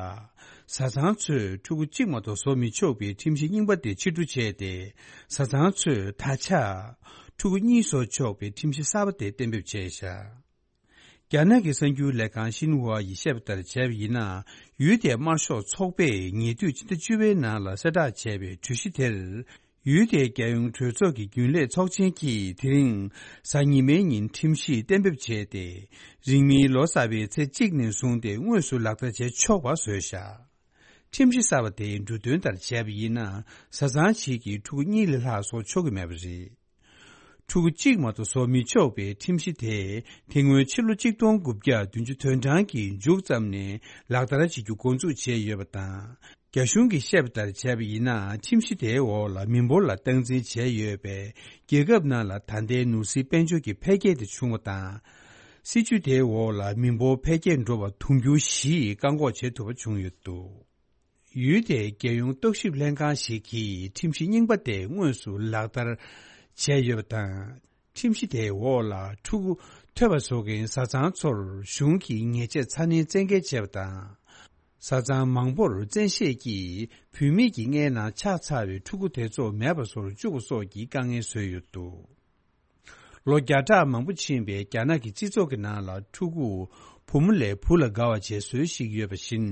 བཟའ་ཚང་ཚོས་ཕྲུ་གུ་གཅིག་མ་གཏོགས་བཟོ་མི་ཆོག་པའི་ཁྲིམས་གཞི་རྙིང་པ་དེ་ཕྱིར་བསྡུ་བྱས་ཏེ། བཟའ་ཚང་ཚོས་ད་ཆ་ཕྲུ་གུ་གཉིས་བཟོ་ཆོག་པའི་ཁྲིམས་གཞི་གསར་པ་དེ་གཏན་འབེབས་བྱས་བཞག། རྒྱ་ནག་གི་གསར་འགྱུར་ལས་ཁང་ཤིན་ཧྭ་ཡིས་བཤད་པ་ལྟར་བྱས་པ་ཡིན་ན། ཡུལ་དེའི་དམར་ཤོག་ཚོགས་པས་ཉེ་དུས་ཕྱི་ཟླ་བཅུ་པའི་ནང་ལ་གསལ་བསྒྲགས་བྱས་པའི་གྲོས་གཞི་དེར། ཡུལ་དེའི་རྒྱལ་ཡོངས་གྲོས་ཚོགས་ཀྱི་རྒྱུན་ལས་ཚོགས་ཆེན་གྱིས་དེ་རིང་གཟའ་ཉི་མའི་ཉིན་ཁྲིམས་གཞི་གཏན་འབེབས་བྱས་ཏེ། རིང་མིན་ལོ་གསར་པའི་ཚེས་གཅིག་ནས་བཟུང་སྟེ་དངོས་སུ་ལག་བསྟར་བྱེད་ཆོག་པ་བཟོས་བཞག། ཁྲིམས་གཞི་གསར་པ་དེའི་འབྲུ་དོན་ལྟར་བྱས་པ་ཡིན་ན། བཟའ་ཚང་གཅིག་གིས་ཕྲུ་གུ་གཉིས་ལས་ལྷག་བཟོ་ཆོག་གི་མེད་པ་རེད། ཕྲུ་གུ་གཅིག་མ་གཏོགས་བཟོ་མི་ཆོག་པའི་ཁྲིམས་གཞི་དེ། དེ་སྔོན་ཕྱི་ལོ་གཅིག་སྟོང་དགུ་བརྒྱ་བདུན་ཅུ་དོན་གྲངས་ཀྱི་མཇུག་ཙམ་ནས་ལག་བསྟར་བྱེད་རྒྱུ་འགོ་འཛུགས་བྱས་ཡོད་པ་དང་། རྒྱ་གཞུང་གིས་བཤད་པ་ལྟར་བྱས་པ་ཡིན་ན། ཁྲིམས་གཞི་དེའི་འོག་ལ་མི་འབོར་ལ་སྟངས་འཛིན་བྱས་ཡོད་པས། རྒྱལ་ཁབ་ནང་ལ་ད་ལྟའི་ནོར་སྲིད་དཔལ་འབྱོར་གྱི་འཕེལ་རྒྱས་དེ་བྱུང་བ་དང་། སྲིད་ཇུས་དེའི་འོག་ལ་མི་འབོར་འཕེལ་རྒྱས་འགྲོ་བར་དུང་ཕྱུར་བཞི་བཀག་འགོག་བྱེད་ཐུབ་པ་བྱུང་ཡོད་འདུག་ཡུལ་དེའི་རྒྱལ་ཡོངས་རྟོག་ཞིབ་ལྷན་ཁང་ཞིག་གིས་ཁྲིམས་གཞི་རྙིང་པ་དེ་དངོས་སུ་ལག་བསྟར་བྱས་ཡོད་པ་དང་། ཁྲིམས་གཞི་དེའི་འོག་ལ་ཕྲུ་གུ་ཐོས་པ་བཟོ་མཁན་བཟའ་ཚང་ཚོར་གཞུང་གིས་ཉེས་ཆད་ཚ་ནན་བཙན་འགེལ་བྱས་པ་དང་། བཟའ་ཚང་མང་པོར་བཙན་ཤེད་ཀྱིས་བུད་མེད་ཀྱི་མངལ་ནང་ཆགས་ཚར་བའི་ཕྲུ་གུ་དེ་ཚོ་མེད་པ་བཟོ་རུ་བཅུག་པ་སོགས་ཀྱི་དཀའ་ངལ་བཟོས་ཡོད་འདུག་ལོ་བརྒྱ་ཕྲག་མང་པོ་ཕྱིན་པའི་རྒྱ་ནག་གི་སྤྱི་ཚོགས་ཀྱི་ནང་ལ་ཕྲུ་གུ་བུ་མོ་ལས་བུ་ལ་དགའ་བ་བྱེད་སྲོལ་ཞིག་ཡོད་པ་བཞིན།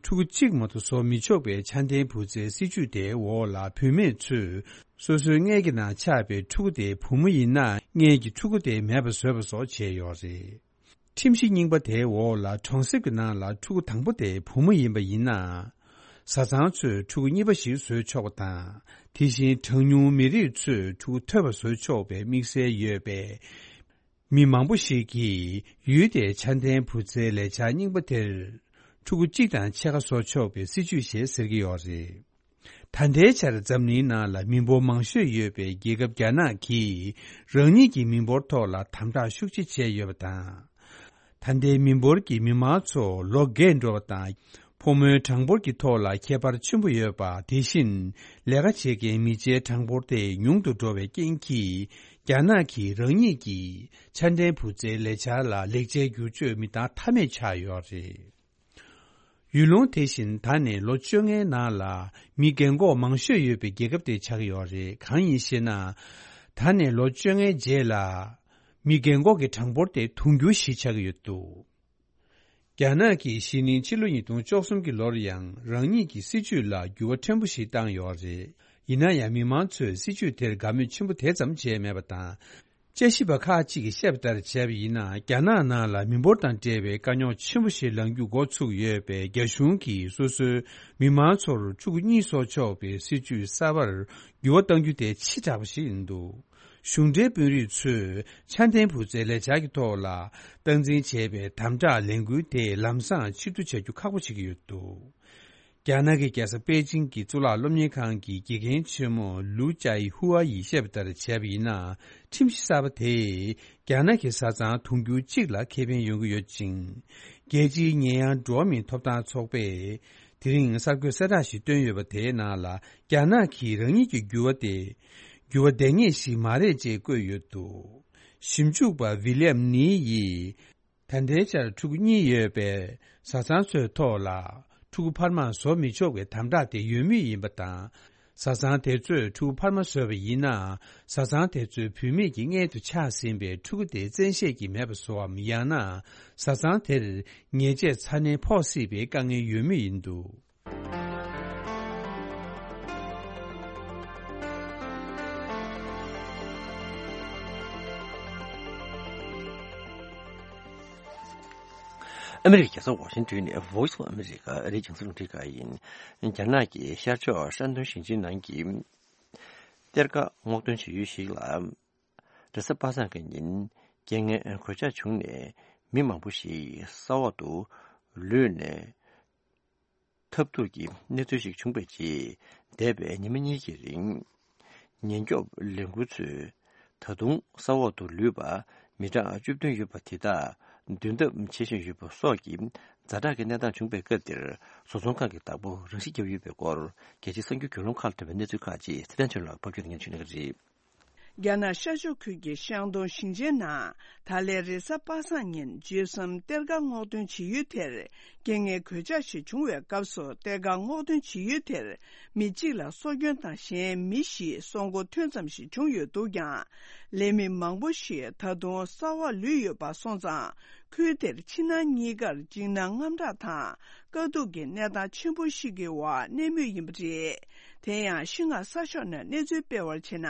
ཕྲུ་གུ་གཅིག་མ་གཏོགས་བཟོ་མི་ཆོག་པའི་ཆ་ལྡན་བུ་བཙའི་སྲིད་ཇུས་དེའི་འོག་ལ་བུད་མེད་ཚོས་སོ་སོའི་མངལ་གྱི་ནང་ཆགས་པའི་ཕྲུ་གུ་དེ་བུ་མོ་ཡིན་ན། མངལ་གྱི་ཕྲུ་གུ་དེ་མེད་པ་བཟོས་པ་སོགས་བྱས་ཡོད་རེད། ཁྲིམས་གཞི་རྙིང་པ་དེའི་འོག་ལ་གྲོང་གསེབ་ཀྱི་ནང་ལ་ཕྲུ་གུ་དང་པོ་དེ་བུ་མོ་ཡིན་པ་ཡིན་ན། བཟའ་ཚང་ཚོས་ཕྲུ་གུ་གཉིས་པ་ཞིག་བཟོས་ཆོག་པ་དང་། དེ་བཞིན་གྲངས་ཉུང་མི་རིགས་ཚོས་ཕྲུ་གུ་ཐོས་པ་བཟོས་ཆོག་པའི་དམིགས་བསལ་ཡོད་པས། མི་མང་པོ་ཞིག་གིས་ཡུལ་དེའི་ཆ་ལྡན་བུ་བཙའི་ལས་འཆར་རྙིང་པ་དེར། ཕྲུ་གུ་གཅིག་དང་ཕྱེད་ཀ་བཟོ་ཆོག་པའི་སྲིད་ཇུས་ཞེས་ཟེར་གྱི་ཡོད་རེད། ད་ལྟའི་ཆར་འཛམ་གླིང་ནང་ལ་མི་འབོར་མང་ཤོས་ཡོད་པའི་རྒྱལ་ཁབ་རྒྱ་ནག་གིས་རང་ཉིད་ཀྱི་མི་འབོར་ཐོག་ལ་དམ་དྲག་ཤུགས་ཆེ་བྱས་ཡོད་པ་དང་། ད་ལྟའི་མི་འབོར་གྱི་མི་མང་ཚོ་ལོ་རྒས་འགྲོ་བ་དང་། ཕོ་མོའི་གྲངས་འབོར་གྱི་ཐོག་ལ་ཁྱད་པར་ཆེན་པོ་ཡོད་པ། དེ་བཞིན་ལས་ཀ་བྱེད་མཁན་མི་ཚེའི་གྲངས་འབོར་དེ་ཉུང་དུ་འགྲོ་བའི་རྐྱེན་གྱིས། རྒྱ་ནག་གིས་རང་ཉིད་ཀྱི་ཆ་ལྡན་བུ་བཙའི་ལས་འཆར་ལ་ལེགས་ཆའི་བསྒྱུར་བཅོས་མི་བཏང་ཐབས་མེད་ཆགས་ཡོད་རེད། ཡུལ་ལུང་དེ་བཞིན་ད་ནས་ལོ་བཅོ་ལྔའི་ནང་ལ་མི་རྒན་གོག་མང་ཤོས་ཡོད་པའི་རྒྱལ་ཁབ་དེ་ཆགས་ཀྱི་ཡོད་རེད། གང་ཡིན་ཞེ་ན། ད་ནས་ལོ་བཅོ་ལྔའི་རྗེས་ལ་མི་རྒན་གོག་གི་གྲངས་འབོར་དེ་དུང་ཕྱུར་བཞི་ཆགས་ཀྱི་ཡོད་འདུག་རྒྱ་ནག་གིས་གཞེས་ནིང་ཕྱི་ལོ་ཉིས་སྟོང་བཅུ་གསུམ་གྱི་ལོར་ཡང་རང་ཉིད་ཀྱི་སྲིད་ཇུས་ལ་འགྱུར་བ་ཕྲན་བུ་ཞིག་བཏང་ཡོད་རེད། ཡིན་ན་ཡང་མི་མང་ཚོས་སྲིད་ཇུས་དེར་དགའ་མོས་ཆེན་པོ་དེ་ཙམ་བྱས་མེད་པ་དང་། དཔྱད་ཞིབ་པ་ཁག་ཅིག་གིས་བཤད་པ་ལྟར་བྱས་པ་ཡིན་ན། རྒྱ་ནག་ནང་ལ་མི་འབོར་དང་འབྲེལ་བའི་དཀའ་རྙོག་ཆེན་པོ་ཞིག་ལངས་རྒྱུ་འགོ་ཚུགས་ཡོད་པས། རྒྱ་གཞུང་གིས་སོ་སོའི་མི་མང་ཚོར་ཕྲུ་གུ་གཉིས་བཟོ་ཆོག་པའི་སྲིད་ཇུས་གསར་པར་འགྱུར་བ་གཏང་རྒྱུ་དེ་ཕྱི་དྲགས་པ་ཞིག་ཡིན་འདུག་གཞུང་འབྲེལ་དཔོན་རིགས་ཚོས་ཆ་ལྡན་བུ་བཙའི་ལས་འཆར་གྱི་ཐོག་ལ་སྟངས་འཛིན་བྱས་པའི་དམ་དྲག་ལས་འགུལ་དེ་ལམ་སང་ཕྱིར་བསྡུ་བྱ་རྒྱུ་ཁག་པོ་བྱེད་ཀྱི་ཡོད་འདུག་རྒྱ་ནག་གི་རྒྱལ་ས་པེ་ཅིང་གི་གཙུག་ལག་སློབ་གཉེར་ཁང་གི་དགེ་རྒན་ཆེན་མོ་ལུའུ་ཅའི་ཧུའ་ཡིས་བཤད་པ་ལྟར་བྱས་པ་ཡིན་ན། ཁྲིམས་གཞི་གསར་པ་དེས་རྒྱ་ནག་གི་བཟའ་ཚང་དུང་ཕྱུར་གཅིག་ལ་ཁེ་ཕན་ཡོང་གི་ཡོད་ཅིང་། རྒྱལ་སྤྱིའི་ཉེས་ཡངས་འགྲོ་བ་མིའི་ཐོབ་ཐང་ཚོགས་པས་དེ་རིང་གསར་འགོད་གསལ་བསྒྲགས་ཤིག་བཏོན་ཡོད་པ། དེའི་ནང་ལ་རྒྱ་ནག་གིས་རང་ཉིད་ཀྱི་འགྱུར་བ་དེ་འགྱུར་བ་ལྡང་ངེས་ཤིག་མ་རེད་ཅེས་བཀོད་ཡོད་འདུག་ཞིབ་འཇུག་པ་ཝི་ལི་ཡམ་ནི་ཡིས། ད་ལྟའི་ཆར་ཕྲུ་གུ་གཉིས་ཡོད་པའི་བཟའ་ཚང་ཚོའི་ཐོག་ལ་ཕྲུ་གུ་འཕར་མ་བཟོ་མི་ཆོག་པའི་དམ་དྲག་དེ་ཡོད་མུས་ཡིན་པ་དང་། བཟའ་ཚང་དེ་ཚོས་ཕྲུ་གུ་འཕར་མ་བཟོས་པ་ཡིན་ན། བཟའ་ཚང་དེ་ཚོའི་བུད་མེད་ཀྱི་མངལ་དུ་ཆགས་ཟིན་པའི་ཕྲུ་གུ་དེ་བཙན་ཤེད་ཀྱིས་མེད་པ་བཟོ་བའམ། ཡང་ན་བཟའ་ཚང་དེར་ཉེས་ཆད་ཚ་ནན་ཕོག་སྲིད་པའི་དཀའ་ངལ་ཡོད་མུས་ཡིན་འདུག་ཨ་མི་རི་ཀའི་རྒྱལ་ས་ཝ་ཤིང་ཏོན་ནས་Voice of America ཨ་རིའི་རྒྱང་སྲིང་རླུང་འཕྲིན་ཁང་ཡིན། རྒྱ་ནག་གི་ཤར་ཕྱོགས་ཧྲན་ཏུང་ཞིང་ཆེན་ནང་གི་གཏེར་ཁ་སྔོག་འདོན་བྱེད་ཡུལ་ཞིག་ལ། རེས་གཟའ་པ་སངས་ཀྱི་ཉིན་རྐྱེན་ངན་གོད་ཆག་བྱུང་ནས་མི་མང་པོ་ཞིག་ས་འོག་ཏུ་ལུས་ནས་ཐབས་སྡུག་གི་གནས་ཚུལ་ཞིག་བྱུང་བའི་རྗེས། འདས་པའི་ཉི་མ་གཉིས་ཀྱི་རིང་། ཉེན་སྐྱོབ་ལས་འགུལ་ཚོས་ད་དུང་ས་འོག་ཏུ་ལུས་པ་མི་གྲངས་བཅུ་བདུན་ཡོད་པ་དེ་དག་འདོན་ཐབས་བྱེད་བཞིན་ཡོད་པ་སོགས་ཀྱི་ཛ་དྲག་གི་གནས་སྟངས་བྱུང་བའི་སྐབས་དེར། བཟོ་ཚོང་ཁང་གི་བདག་པོ་རང་ཤི་བརྒྱབ་ཡོད་པའི་སྐོར། རྒྱལ་སྤྱིའི་གསར་འགྱུར་བརྒྱུད་ལམ་ཁག་ལ་ཐོན་པའི་གནས་ཚུལ་ཁག་ཅིག་ཚེ་བརྟན་ཆོས་ལགས་ཕབ་སྒྱུར་དང་སྙན་ཞུ་གནང་གི་རེད། རྒྱ་ནག་ཤར་ཕྱོགས་ཁུལ་གྱི་ཤང་ཏུང་ཞིང་ཆེན་ནང་ད་ལན་རེས་གཟའ་པ་སངས་ཉིན་བརྗོད་གསུམ་གཏེར་ཁ་སྔོག་འདོན་བྱེད་ཡུལ་དེར་རྐྱེན་ངན་གོད་ཆག་ཞིག་བྱུང་བའི་སྐབས་སུ། གཏེར་ཁ་སྔོག་འདོན་བྱེད་ཡུལ་དེར་མི་གཅིག་ལ་སྲོག་སྐྱོན་དང་གཞན་མི་བཞིས་སྲོག་འཁོར་ཐོན་ཙམ་ཞིག་བྱུང་ཡོད་འདུག་ཀྱང་། ལས་མི་མང་པོ་ཞིག་ད་དུང་ས་འོག་ལུས་ཡོད་པ་སོང་ཙང་། ཁུལ་དེར་ཕྱི་ནང་གཉིས་ཀར་འཇིགས་སྣང་དངངས་སྐྲག་དང་། དཀའ་སྡུག་གི་གནས་སྟངས་ཆེན་པོ་ཞིག་གི་འོག་གནས་མུས་ཡིན་པ་རེད། དེ་ཡང་ཤིན་ཧྭ་གསར་ཤོག་ནས་གནས་ཚུལ་སྤེལ་བར་བྱས་ན།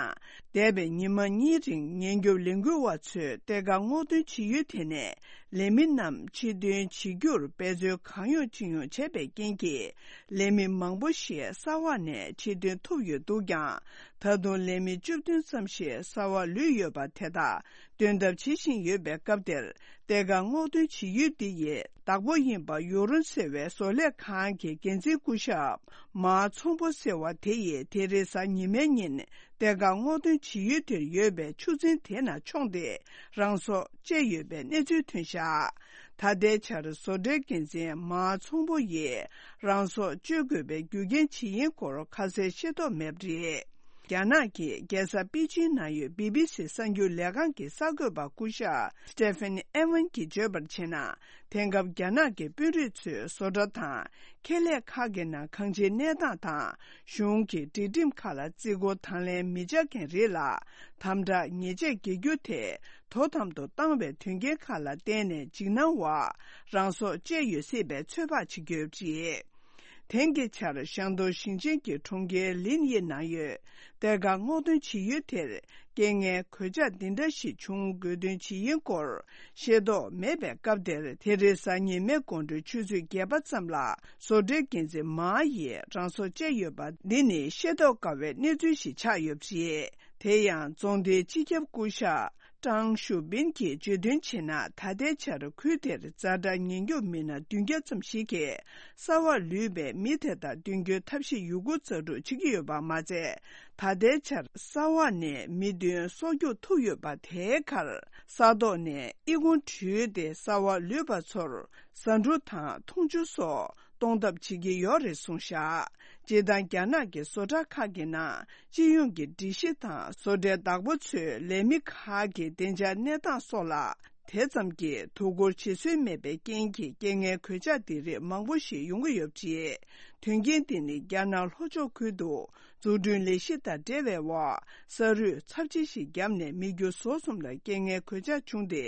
འདས་པའི་ཉི་མ་གཉིས་རིང་ཉེན་སྐྱོབ་ལས་འགུལ་བ་ཚོས་གཏེར་ཁ་སྔོག་འདོན་བྱེད་ཡུལ་དེ་ནས་ལས་མི་རྣམས་ཕྱིར་འདོན་བྱེད་རྒྱུར་འབད་རྩོལ་གང་ཡོང་ཅི་ཡོང་བྱས་པའི་རྐྱེན་གྱིས། ལས་མི་མང་པོ་ཞིག་ས་འོག་ནས་ཕྱིར་འདོན་ཐུབ་ཡོད་འདུག་ཀྱང་། ད་དུང་ལས་མི་བཅུ་བདུན་ཙམ་ཞིག་ས་འོག་ལུས་ཡོད་པ་དེ་དག་འདོན་ཐབས་བྱེད་བཞིན་ཡོད་པའི་སྐབས་དེར། གཏེར་ཁ་ སྔོག་འདོན་བྱེད་ཡུལ་འདི་ཡི་བདག་པོ་ཡིན་པ་ཡུ་རོན་ཟེར་བའི་བཟོ་ལས་ཁང་གི་འགན་འཛིན་སྐུ་ཞབས་མཱ་ཚོང་པོ་ཟེར་བ་དེ་ཡིས་དེ་རེས་གཟའ་ཉི་མའི་ཉིན་གཏེར་ཁ་སྔོག་འདོན་བྱེད་ཡུལ་དེར་ཡོད་པའི་ཆུ་རྫིང་དེ་ནང་མཆོངས་ཏེ་རང་སྲོག་བཅད་ཡོད་པའི་གནས་ཚུལ་ཐོན་བཞག་ད་ལྟའི་ཆར་བཟོ་གྲྭའི་འགན་འཛིན་མཱ་ཚོང་པོ་ཡིས་རང་སྲོག་གཅོད་དགོས་པའི་རྒྱུ་རྐྱེན་ཇི་ཡིན་སྐོར་ཁ་གསལ་ཤེས་རྟོགས་མེད་པ་རེད། རྒྱ་ནག་གི་རྒྱལ་ས་པེ་ཅིན་ནང་ཡོད་བི་བི་སི་གསར་འགྱུར་ལས་ཁང་གི་གསར་འགོད་པ་སྐུ་ཞབས་སི་ཏེ་ཕེ་ནི་ཨེ་ཝན་གྱིས་བརྗོད་པར་བྱས་ན། དེང་སྐབས་རྒྱ་ནག་གི་དཔོན་རིགས་ཚོས་བཟོ་གྲྭ་དང་ཁེ་ལས་ཁག་གི་ནང་གང་ཅིའི་གནས་སྟངས་དང་གཞུང་གི་སྒྲིག་ཁྲིམས་ཁག་ལ་བརྩི་བཀུར་དང་ལེན་མི་བྱ་མཁན་རིགས་ལ་དམ་དྲག་ཉེས་ཆད་འགེལ་རྒྱུ་དེ་དོ་དམ་དུ་བཏང་བའི་དོན་རྐྱེན་ཁག་ལ་བརྟེན་ནས་འཇིགས་སྣང་འོག་རང་སྲོག་བཅད་ཡོད་སྲིད་པའི་ཚོད་དཔག་བྱེད་ཀྱི་ཡོད་པ་རེད། དེང་གི་ཆར་ཤང་ཏོ་ཞིང་ཆེན་གྱི་གྲོང་ཁྱེར་ལིན་ཡི་ནང་ཡོད་གཏེར་ཁ་སྔོག་འདོན་བྱེད་ཡུལ་དེར་རྐྱེན་ངན་གོད་ཆག་འདི་འདྲ་ཞིག་བྱུང་དགོས་དོན་ཇི་ཡིན་སྐོར་ཤེས་རྟོགས་མེད་པའི་སྐབས་དེར། དེ་རེས་གཟའ་ཉི་མའི་དགོང་དྲོའི་ཆུ་ཚོད་བརྒྱད་པ་ཙམ་ལ་བཟོ་གྲྭའི་འགན་འཛིན་མཱ་ཡིས་རང་སྲོག་བཅད་ཡོད་པ་འདི་ནི་ཤེས་རྟོགས་དཀའ་བའི་གནས་ཚུལ་ཞིག་ཆགས་ཡོད་པ་རེད། དེ་ཡང་རྫོང་སྡེའི་སྤྱི་ཁྱབ་སྐུ་ཞབས་ཀྲང་ཞུ་པིན་གྱིས་བརྗོད་དོན་བྱས་ན། ད་ལྟའི་ཆར་ཁུལ་དེར་ཛ་དྲག་ཉེན་སྐྱོབ་མི་སྣ་བདུན་བརྒྱ་ཙམ་ཞིག་གིས་གསར་བར་ལུས་པའི་མི་དེ་དག་མདུན་སྐྱོད་ཐབས་ཤེས་ཡོད་རྒུ་རྩལ་སྤྲུགས་བྱེད་ཀྱི་ཡོད་པ་མ་ཟད། ད་ལྟའི་ཆར་གསར་བར་ནས་མི་བདུན་སྲོག་སྐྱོབ་ཐུབ་ཡོད་པ་དེའི་ཁར་ས་ཐོག་ནས་ཨི་ཁུང་བྲུས་ཏེ་གསར་བར་ལུས་པ་ཚོར་ཟ་འབྲུ་དང་འཐུང་ཆུ་སོགས་གཏོང་ཐབས་བྱེད་ཀྱི་ཡོད་རེད་གསུངས་བཞག་སྤྱིར་བཏང་རྒྱ་ནག་གི་བཟོ་གྲྭ་ཁག་གི་ནང་སྤྱི་ཡོངས་ཀྱི་སྒྲིག་གཞི་དང་བཟོ་གྲྭའི་བདག་པོ་ཚོའི་ལས་མི་ཁག་གི་བདེ་འཇགས་གནས་སྟངས་སོགས་ལ་དེ་ཙམ་གྱིས་དོ་ཁུར་བྱེད་སྲོལ་མེད་པའི་རྐྱེན་གྱིས། རྐྱེན་ངན་གོད་ཆག་འདི་རིགས་མང་པོ་ཞིག་ཡོང་གི་ཡོད་པ་རེད། དོན་རྐྱེན་འདི་ནི་རྒྱ་ནག་ལྷོ་ཕྱོགས་ཁུལ་དུ་འཛུགས་སྐྲུན་ལས་གཞི་དང་འབྲེལ་བའི་འོག་ས་རུད་ཚབས་ཆེ་ཞིག་བརྒྱབ་ནས་མི་རྒྱུ་ཟོག་གསུམ་ལ་རྐྱེན་ངན་གོད་ཆག་བྱུང་སྟེ།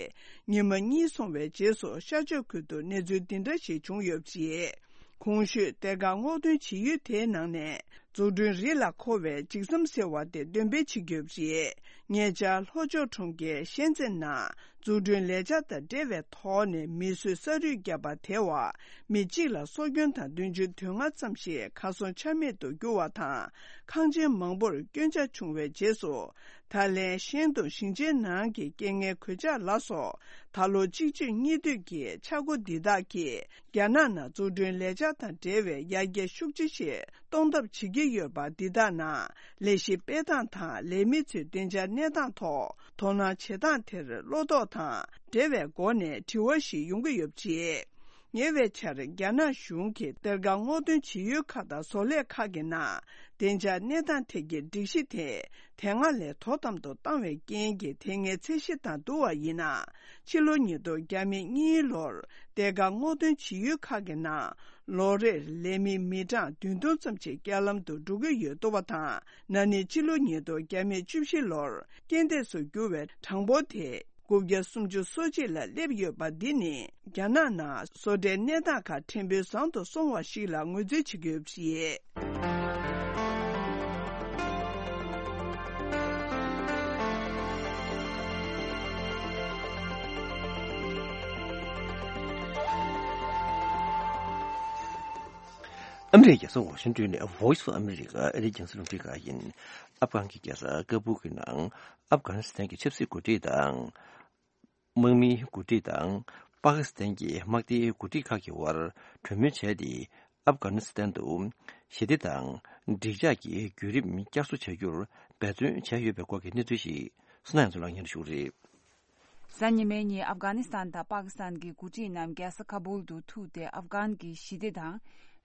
ཉི་མ་གཉིས་སོང་བའི་རྗེས་སུ་ཤར་ཕྱོགས་ཁུལ་དུ་གནས་ཚུལ་འདི་འདྲ་ཞིག་བྱུང་ཡོད་པ་རེད། གོང་ཞུས་གཏེར་ཁ་སྔོག་འདོན་བྱེད་ཡུལ་དེའི་ནང་ནས་འཛུགས་སྐྲུན་རིགས་ལ་མཁོ་བའི་ལྗིགས་ཟམ་ཟེར་བ་དེ་འདོན་སྤེལ་བྱེད་ཀྱི་ཡོད་པ་རེད། ཉེ་ཆར་ལྷོ་ཕྱོགས་གྲོང་ཁྱེར་ཤན་ཙེན་ནང་འཛུགས་སྐྲུན་ལས་འཆར་དང་འབྲེལ་བའི་ཐོག་ནས་མི་གསོད་ས་རུད་བརྒྱབ་པ་དེའི་འོག་མི་གཅིག་ལ་སྲོག་སྐྱོན་དང་བདུན་ཅུ་དོན་ལྔ་ཙམ་ཞིག་གར་སོང་ཆ་མེད་དུ་གྱུར་བ་དང་། ཁང་ཆེན་མང་པོར་སྐྱོན་ཆག་བྱུང་བའི་རྗེས་སུ། ད་ལན་ཤན་ཏུང་ཞིང་ཆེན་ནང་གི་རྐྱེན་ངན་གོད་ཆག་ལ་སོགས། ད་ལོ་གཅིག་གཅོད་གཉིས་གཏོད་ཀྱི་འཆར་སྒོ་འདི་དག་གིས། རྒྱ་ནག་ནང་འཛུགས་སྐྲུན་ལས་འཆར་དང་འབྲེལ་བའི་ཡར་རྒྱས་ཤུགས་ཆེ་ཞིག་གཏོང་ཐབས་བྱེད་ཀྱི་ཡོད་པ། འདི་དག་ནང་ལས་གཞི་སྤེལ་སྟངས་དང་། ལས་མི་ཚོའི་བདེ་འཇགས་གནས་སྟངས་ཐོག་དོ་སྣང་བྱེད་སྟངས་དེར་བློ་དོགས་དང་འབྲེལ་བའི་སྒོ་ནས་དྲི་བ་ཞིག་ཡོང་གི་ཡོད་པ་རེད། ཉེ་བའི་ཆར་རྒྱ་ནག་གཞུང་གིས་གཏེར་ཁ་སྔོག་འདོན་བྱེད་ཡུལ་ཁག་དང་བཟོ་ལས་ཁག་གི་ནང་བདེ་འཇགས་གནས་སྟངས་ཐད་ཀྱི་སྒྲིག་གཞི་དེ་དེ་སྔ་ལས་དོ་དམ་དུ་བཏང་བའི་རྐྱེན་གྱིས། དེ་སྔའི་ཚད་གཞི་དང་བསྡུར་བ་ཡིན་ན། ཕྱི་ལོ་ཉིས་སྟོང་བརྒྱ་མེད་གཉིས་ལོར་གཏེར་ཁ་སྔོག་འདོན་བྱེད་ཡུལ་ཁག་གི་ནང་ལོ་རེར་ལས་མི་མི་གྲངས་བདུན་སྟོང་ཙམ་ཞིག་རྐྱང་ལམ་དུ་འགྲོ་གི་ཡོད་འདུག་པ་དང་། ན་ནིང་ཕྱི་ལོ་ཉིས་སྟོང་བརྒྱ་མེད་བཅུ་བཞི་ལོར་རྐྱེན་འདས་སུ་གྱུར་བའི་གྲངས་འབོར་དེ། དགུ་བརྒྱ་སུམ་ཅུ་སོ་གཅིག་ལ་སླེབས་ཡོད་པ་འདི་ནི་རྒྱ་ནག་ནང་བཟོ་གྲྭའི་གནས་སྟངས་ཁག་ཕྲན་བུ་བཟང་དུ་སོང་བ་ཞིག་ལ་ངོས་འཛིན་བྱེད་ཀྱི་ཡོད་པ་རེད། ཨ་མི་རི་ཀའི་རྒྱལ་ས་ཝ་ཤིང་ཏོན་ནས་Voice of America ཨ་རིའི་རྒྱང་སྲིང་རླུང་འཕྲིན་ཁང་ཡིན། ཨབ་གྷན་གྱི་རྒྱལ་ས་ཀ་བུལ་གྱི་ནང་ཨབ་གྷ་ནི་སི་ཐན་གྱི་ཆབ་སྲིད་འགོ་ཁྲིད་དང་། དམག་མིའི་འགོ་ཁྲིད་དང་། པ་ཀི་སི་ཐན་གྱི་དམག་སྡེའི་འགོ་ཁྲིད་ཁག་གི་དབར་གྲོས་མོལ་བྱས་ཏེ། ཨབ་གྷ་ནི་སི་ཐན་དུ་ཞི་བདེ་དང་སྒྲིག་འཇགས་ཀྱི་བརྒྱུད་རིམ་བསྐྱར་གསོ་བྱ་རྒྱུར་འབད་བརྩོན་བྱས་ཡོད་པའི་སྐོར་གྱི་གནས་ཚུལ་ཞིག་བསོད་ནམས་ལགས་སྙན་ཞུ་རེད། གཟའ་ཉི་མའི་ཉིན་ཨབ་གྷ་ནི་སི་ཐན་དང་པ་ཀི་སི་ཐན་གྱི་འགོ་ཁྲིད་རྣམས་རྒྱལ་ས་ཁ་བུལ་དུ་ཐུག་སྟེ། ཨབ་གྷན་གྱི་ཞི་བདེ་དང་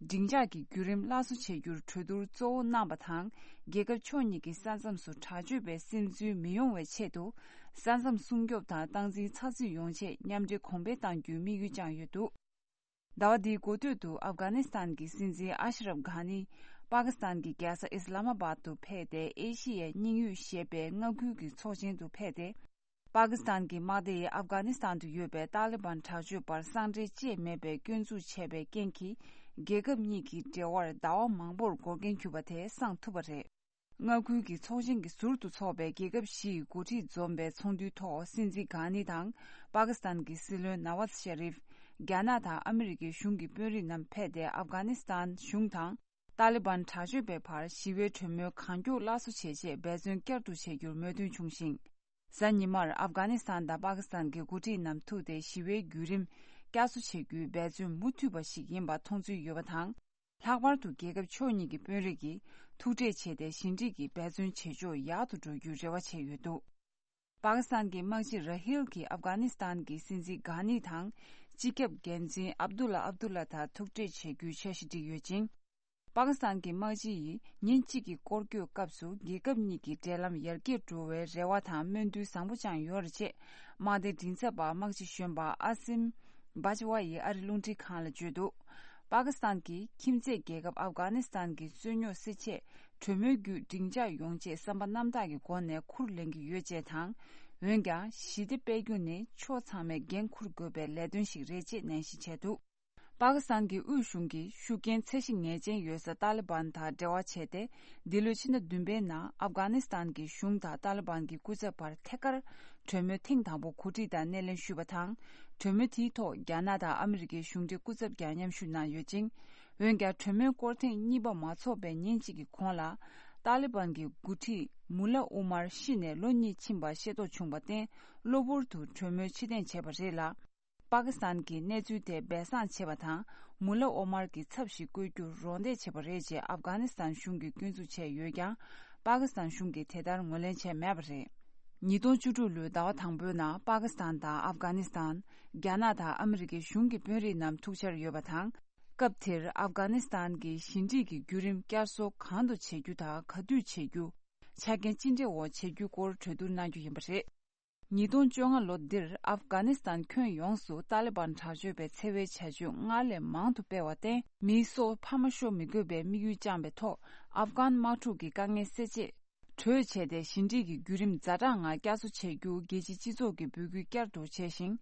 སྒྲིག་འཇགས་ཀྱི་བརྒྱུད་རིམ་སླར་གསོ་བྱ་རྒྱུར་གྲོས་བསྡུར་གཙོ་བོ་གནང་བ་དང་། རྒྱལ་ཁབ་ཕྱོགས་གཉིས་ཀྱི་ས་མཚམས་སུ་དྲག་སྤྱོད་པའི་སིམ་འཛུལ་མི་ཡོང་བའི་ཆེད་དུ། ས་མཚམས་སྲུང་སྐྱོབ་དང་སྟངས་འཛིན་ཚགས་ཚུད་ཡོང་ཆེད་མཉམ་འབྲེལ་གོང་འཕེལ་གཏང་རྒྱུའི་དམིགས་ཡུལ་བཅངས་ཡོད་འདུག་ཟླ་བ་འདིའི་འགོ་སྟོད་དུ་ཨབ་གྷ་ནི་སི་ཐན་གྱི་སྲིད་འཛིན་ཨ་ཤ་རབ་གྷ་ནི། པ་ཀི་སི་ཐན་གྱི་རྒྱལ་ས་ཨིས་ལ་མ་བཱད་དུ་ཕེབས་ཏེ། ཨེ་ཤི་ཡའི་དམྱིགས་ཡུལ་ཞེས་པའི་མངའ་ཁུལ་གྱི་ཚོགས་ཆེན་དུ་ཕེབས་ཏེ། པ་ཀི་སི་ཐན་གྱི་དམག་སྡེ་ཡིས་ཨབ་གྷ་ནི་སི་ཐན་དུ་ཡོད་པའི་ཏཱ་ལི་བན་དྲག་སྤྱོད་པར་སེང་ཁྲལ་བཅས་མེད་པའི་སྐྱོན་འཛུགས་བྱས་པའི་རྐྱེན་གྱིས། རྒྱལ་ཁབ་གཉིས་ཀྱི་འབྲེལ་བར་ཟླ་བ་མང་པོར་འགོར་འགན་གྱུར་པ་དེ་སངས་ཐུབ་པ་རེད། མངའ་ཁུལ་གྱི་ཚོགས་ཆེན་གྱི་ཟུར་དུ་འཚོགས་པའི་རྒྱལ་ཁབ་བཞི་ཡི་འགོ་ཁྲིད་འཛོམས་པའི་ཚོགས་འདུའི་ཐོག་སྲིད་འཛིན་གྷ་ནི་དང་། པ་ཀི་སི་ཐན་གྱི་སྲིད་བློན་ནཱ་ཝཱཛ་ཤ་རིབ། རྒྱ་ནག་དང་ཨ་མི་རི་ཀའི་གཞུང་གི་དཔོན་རིགས་རྣམས་ཕེབས་ཏེ། ཨབ་གྷ་ནི་སི་ཐན་གཞུང་དང་ཏཱ་ལི་བན་དྲག་སྤྱོད་པའི་བར་ཞི་བའི་གྲོས་མོལ་གང་མགྱོགས་སླར་གསོ་བྱེད་ཆེད་འབད་བརྩོན་བསྐྱར་དུ་བྱེད་རྒྱུར་མོས་མཐུན་བྱུང་ཞིང་། གཟའ་ཉི་མར་ཨབ་གྷ་ནི་སི་ཐན་དང་པ་ཀི་སི་ཐན་གྱི་འགོ་ཁྲིད་རྣམས་ཐུག་སྟེ་ཞི་བའི་བརྒྱུད་རིམ་བསྐྱར་གསོ་བྱེད་རྒྱུའི་འབད་བརྩོན་མུ་མཐུད་པ་ཞིག་ཡིན་པ་མཐོང་ཚུལ་ཡོད་པ་དང་། ལྷག་པར་དུ་རྒྱལ་ཁབ་ཕྱོགས་གཉིས་ཀྱི་དཔོན་རིགས་ཀྱིས་ཐུག་འཕྲད་བྱས་ཏེ་ཞི་འགྲིག་གི་འབད་བརྩོན་བྱེད་ཕྱོགས་ཡག་ཏུ་འགྲོ་རྒྱུའི་རེ་བ་བྱས་ཡོད་འདུག་པ་ཀི་སི་ཐན་གྱི་དམག་སྤྱི་ར་ཧིལ་གྱིས་ཨབ་གྷ་ནི་སི་ཐན་གྱི་སྲིད་འཛིན་གྷ་ནི་དང་སྤྱི་ཁྱབ་འགན་འཛིན་ཨབ་དུ་ལ་ཨབ་དུ་ལ་དང་ཐུག་འཕྲད་བྱེད་རྒྱུའི་འཆར་གཞི་བསྒྲིགས་ཡོད་ཅིང་། པ་ཀི་སི་ཐན་གྱི་དམག་སྤྱི་ཡིས་ཉིན་གཅིག་གི་སྐོར་སྐྱོད་སྐབས་སུ་རྒྱལ་ཁབ་གཉིས་ཀྱི་འབྲེལ་ལམ་ཡར་རྒྱས་འགྲོ་བའི་རེ་བ་དང་སྨོན་འདུན་བཟང་པོ་བཅངས་ཡོད་རེད་ཅེས་དམག་སྡེའི་མགྲིན་ཚབ་པ་དམག་སྤྱི་གཞོན་པ་ཨ་སིམ་བྷ་ཇ་ཝ་ཡིས་ཨ་རི་རླུང་འཕྲིན་ཁང་ལ་བརྗོད་འདུག་པ་ཀི་སི་ཐན་གྱིས་ཁྱིམ་མཚེས་རྒྱལ་ཁབ་ཨབ་གྷ་ནི་སི་ཐན་གྱི་རྩོད་རྙོག་སེལ་ཆེད་གྲོས་མོལ་བརྒྱུད་སྡིངས་ཆ་ཡོང་ཆེད་བསམ་པ་རྣམ་དག་གི་སྒོ་ནས་ཁུར་ལེན་གྱི་ཡོད་ཅེས་དང་། འོན་ཀྱང་ཞི་བདེ་སྤེལ་རྒྱུ་ནི་ཕྱོགས་ཚང་མས་འགན་འཁུར་དགོས་པའི་ལས་དོན་ཞིག་རེད་ཅེས་ནན་བཤད་བྱས་འདུག་པ་ཀི་སི་ཐན་གྱི་དབུས་གཞུང་གིས་ཤུགས་རྐྱེན་ཚད་གཞི་ངེས་ཅན་ཡོད་ས་ཏཱ་ལི་བན་དང་འབྲེལ་བ་བྱས་ཏེ། འདི་ལོའི་ཕྱི་ཟླ་བདུན་པའི་ནང་ཨབ་གྷ་ནི་སི་ཐན་གྱི་གཞུང་དང་ཏཱ་ལི་བན་གྱི་སྐུ་ཚབ་བར་ཐད་ཀར་གྲོས་མོལ་ཐེངས་དང་པོ་གོ་སྒྲིག་དང་སྣེ་ལེན་ཞུས་པ་དང་། གྲོས་མོལ་དེའི་ཐོག་རྒྱ་ནག་དང་ཨ་མི་རི་ཀའི་གཞུང་འབྲེལ་སྐུ་ཚབ་ཀྱང་མཉམ་ཞུགས་གནང་ཡོད་ཅིང་། འོན་ཀྱང་གྲོས་མོལ་སྐོར་ཐེངས་གཉིས་པ་མ་ཚོགས་པའི་ཉིན་གཅིག་གི་གོང་ལ། ཏཱ་ལི་བན་གྱི་འགོ་ཁྲིད་མུ་ལ་ཨུ་མར་ཤི་ནས་ལོ་གཉིས་ཕྱིན་པ་ཤེས་རྟོགས་བྱུང་བར་བརྟེན། གློ་བུར་དུ་གྲོས་མོལ་ཕྱིར་འཐེན་བྱས་པ་རེད་ལ། པ་ཀི་སི་ཐན་གྱིས་གནས་ཚུལ་དེ་སྦས་གསང་བྱས་པ་དང་། མུ་ལ་ཨོ་མར་གྱི་ཚབ་ཞིག་བསྐོ་རྒྱུར་རོགས་འདེགས་བྱས་པ་རེད་ཅེས་ཨབ་གྷ་ནི་སི་ཐན་གཞུང་གིས་སྐྱོན་འཛུགས་བྱས་ཡོད་ཀྱང་། པ་ཀི་སི་ཐན་གཞུང་གིས་དེ་ལྟར་ངོས་ལེན་བྱས་མེད་པ་རེད། ཉིས་སྟོང་བཅུ་དྲུག་ལོའི་ཟླ་བ་དང་པོའི་ནང་པ་ཀི་སི་ཐན་དང་ཨབ་གྷ་ནི་སི་ཐན། རྒྱ་ནག་དང་ཨ་མི་རི་ཀའི་གཞུང་གི་དཔོན་རིགས་རྣམས་ཐུག་འཆར་ཡོད་པ་དང་། སྐབས་དེར་ཨབ་གྷ་ནི་སི་ཐན་གྱི་ཞི་འགྲིག་གི་བརྒྱུད་རིམ་བསྐྱར་གསོ་གང་དུ་བྱེད་རྒྱུ་དང་ག་དུས་བྱེད་རྒྱུ། ཆ་རྐྱེན་ཅི་འདྲའི་འོག་བྱེད་རྒྱུའི་སྐོར་གྲོས་བསྡུར་གནང་རྒྱུ་ཡིན་པ་རེད། ཉིས་སྟོང་བཅོ་ལྔ་ལོ་འདིར་ཨབ་གྷ་ནི་སི་ཐན་ཁྱོན་ཡོངས་སུ་ཏཱ་ལི་བན་དྲག་སྤྱོད་པའི་འཚེ་བའི་བྱ་སྤྱོད་སྔར་ལས་མང་དུ་སྤེལ་བར་བརྟེན། མིའི་སྲོག་ཕ་མ་ཤོར་མི་དགོས་པའི་དམིགས་ཡུལ་བཅངས་པའི་ཐོག་ཨབ་གྷན་དམག་འཁྲུག་གི་དཀའ་ངལ་སེལ་ཆེད། གྲོས་བྱས་ཏེ་ཞི་འགྲིག་གི་བརྒྱུད་རིམ་ཛ་དྲག་ངང་བསྐྱར་གསོ་བྱེད་རྒྱུ་རྒྱལ་སྤྱིའི་སྤྱི་ཚོགས་ཀྱི་འབོད་སྐུལ་བསྐྱར་དུ་བྱས་ཤིང་།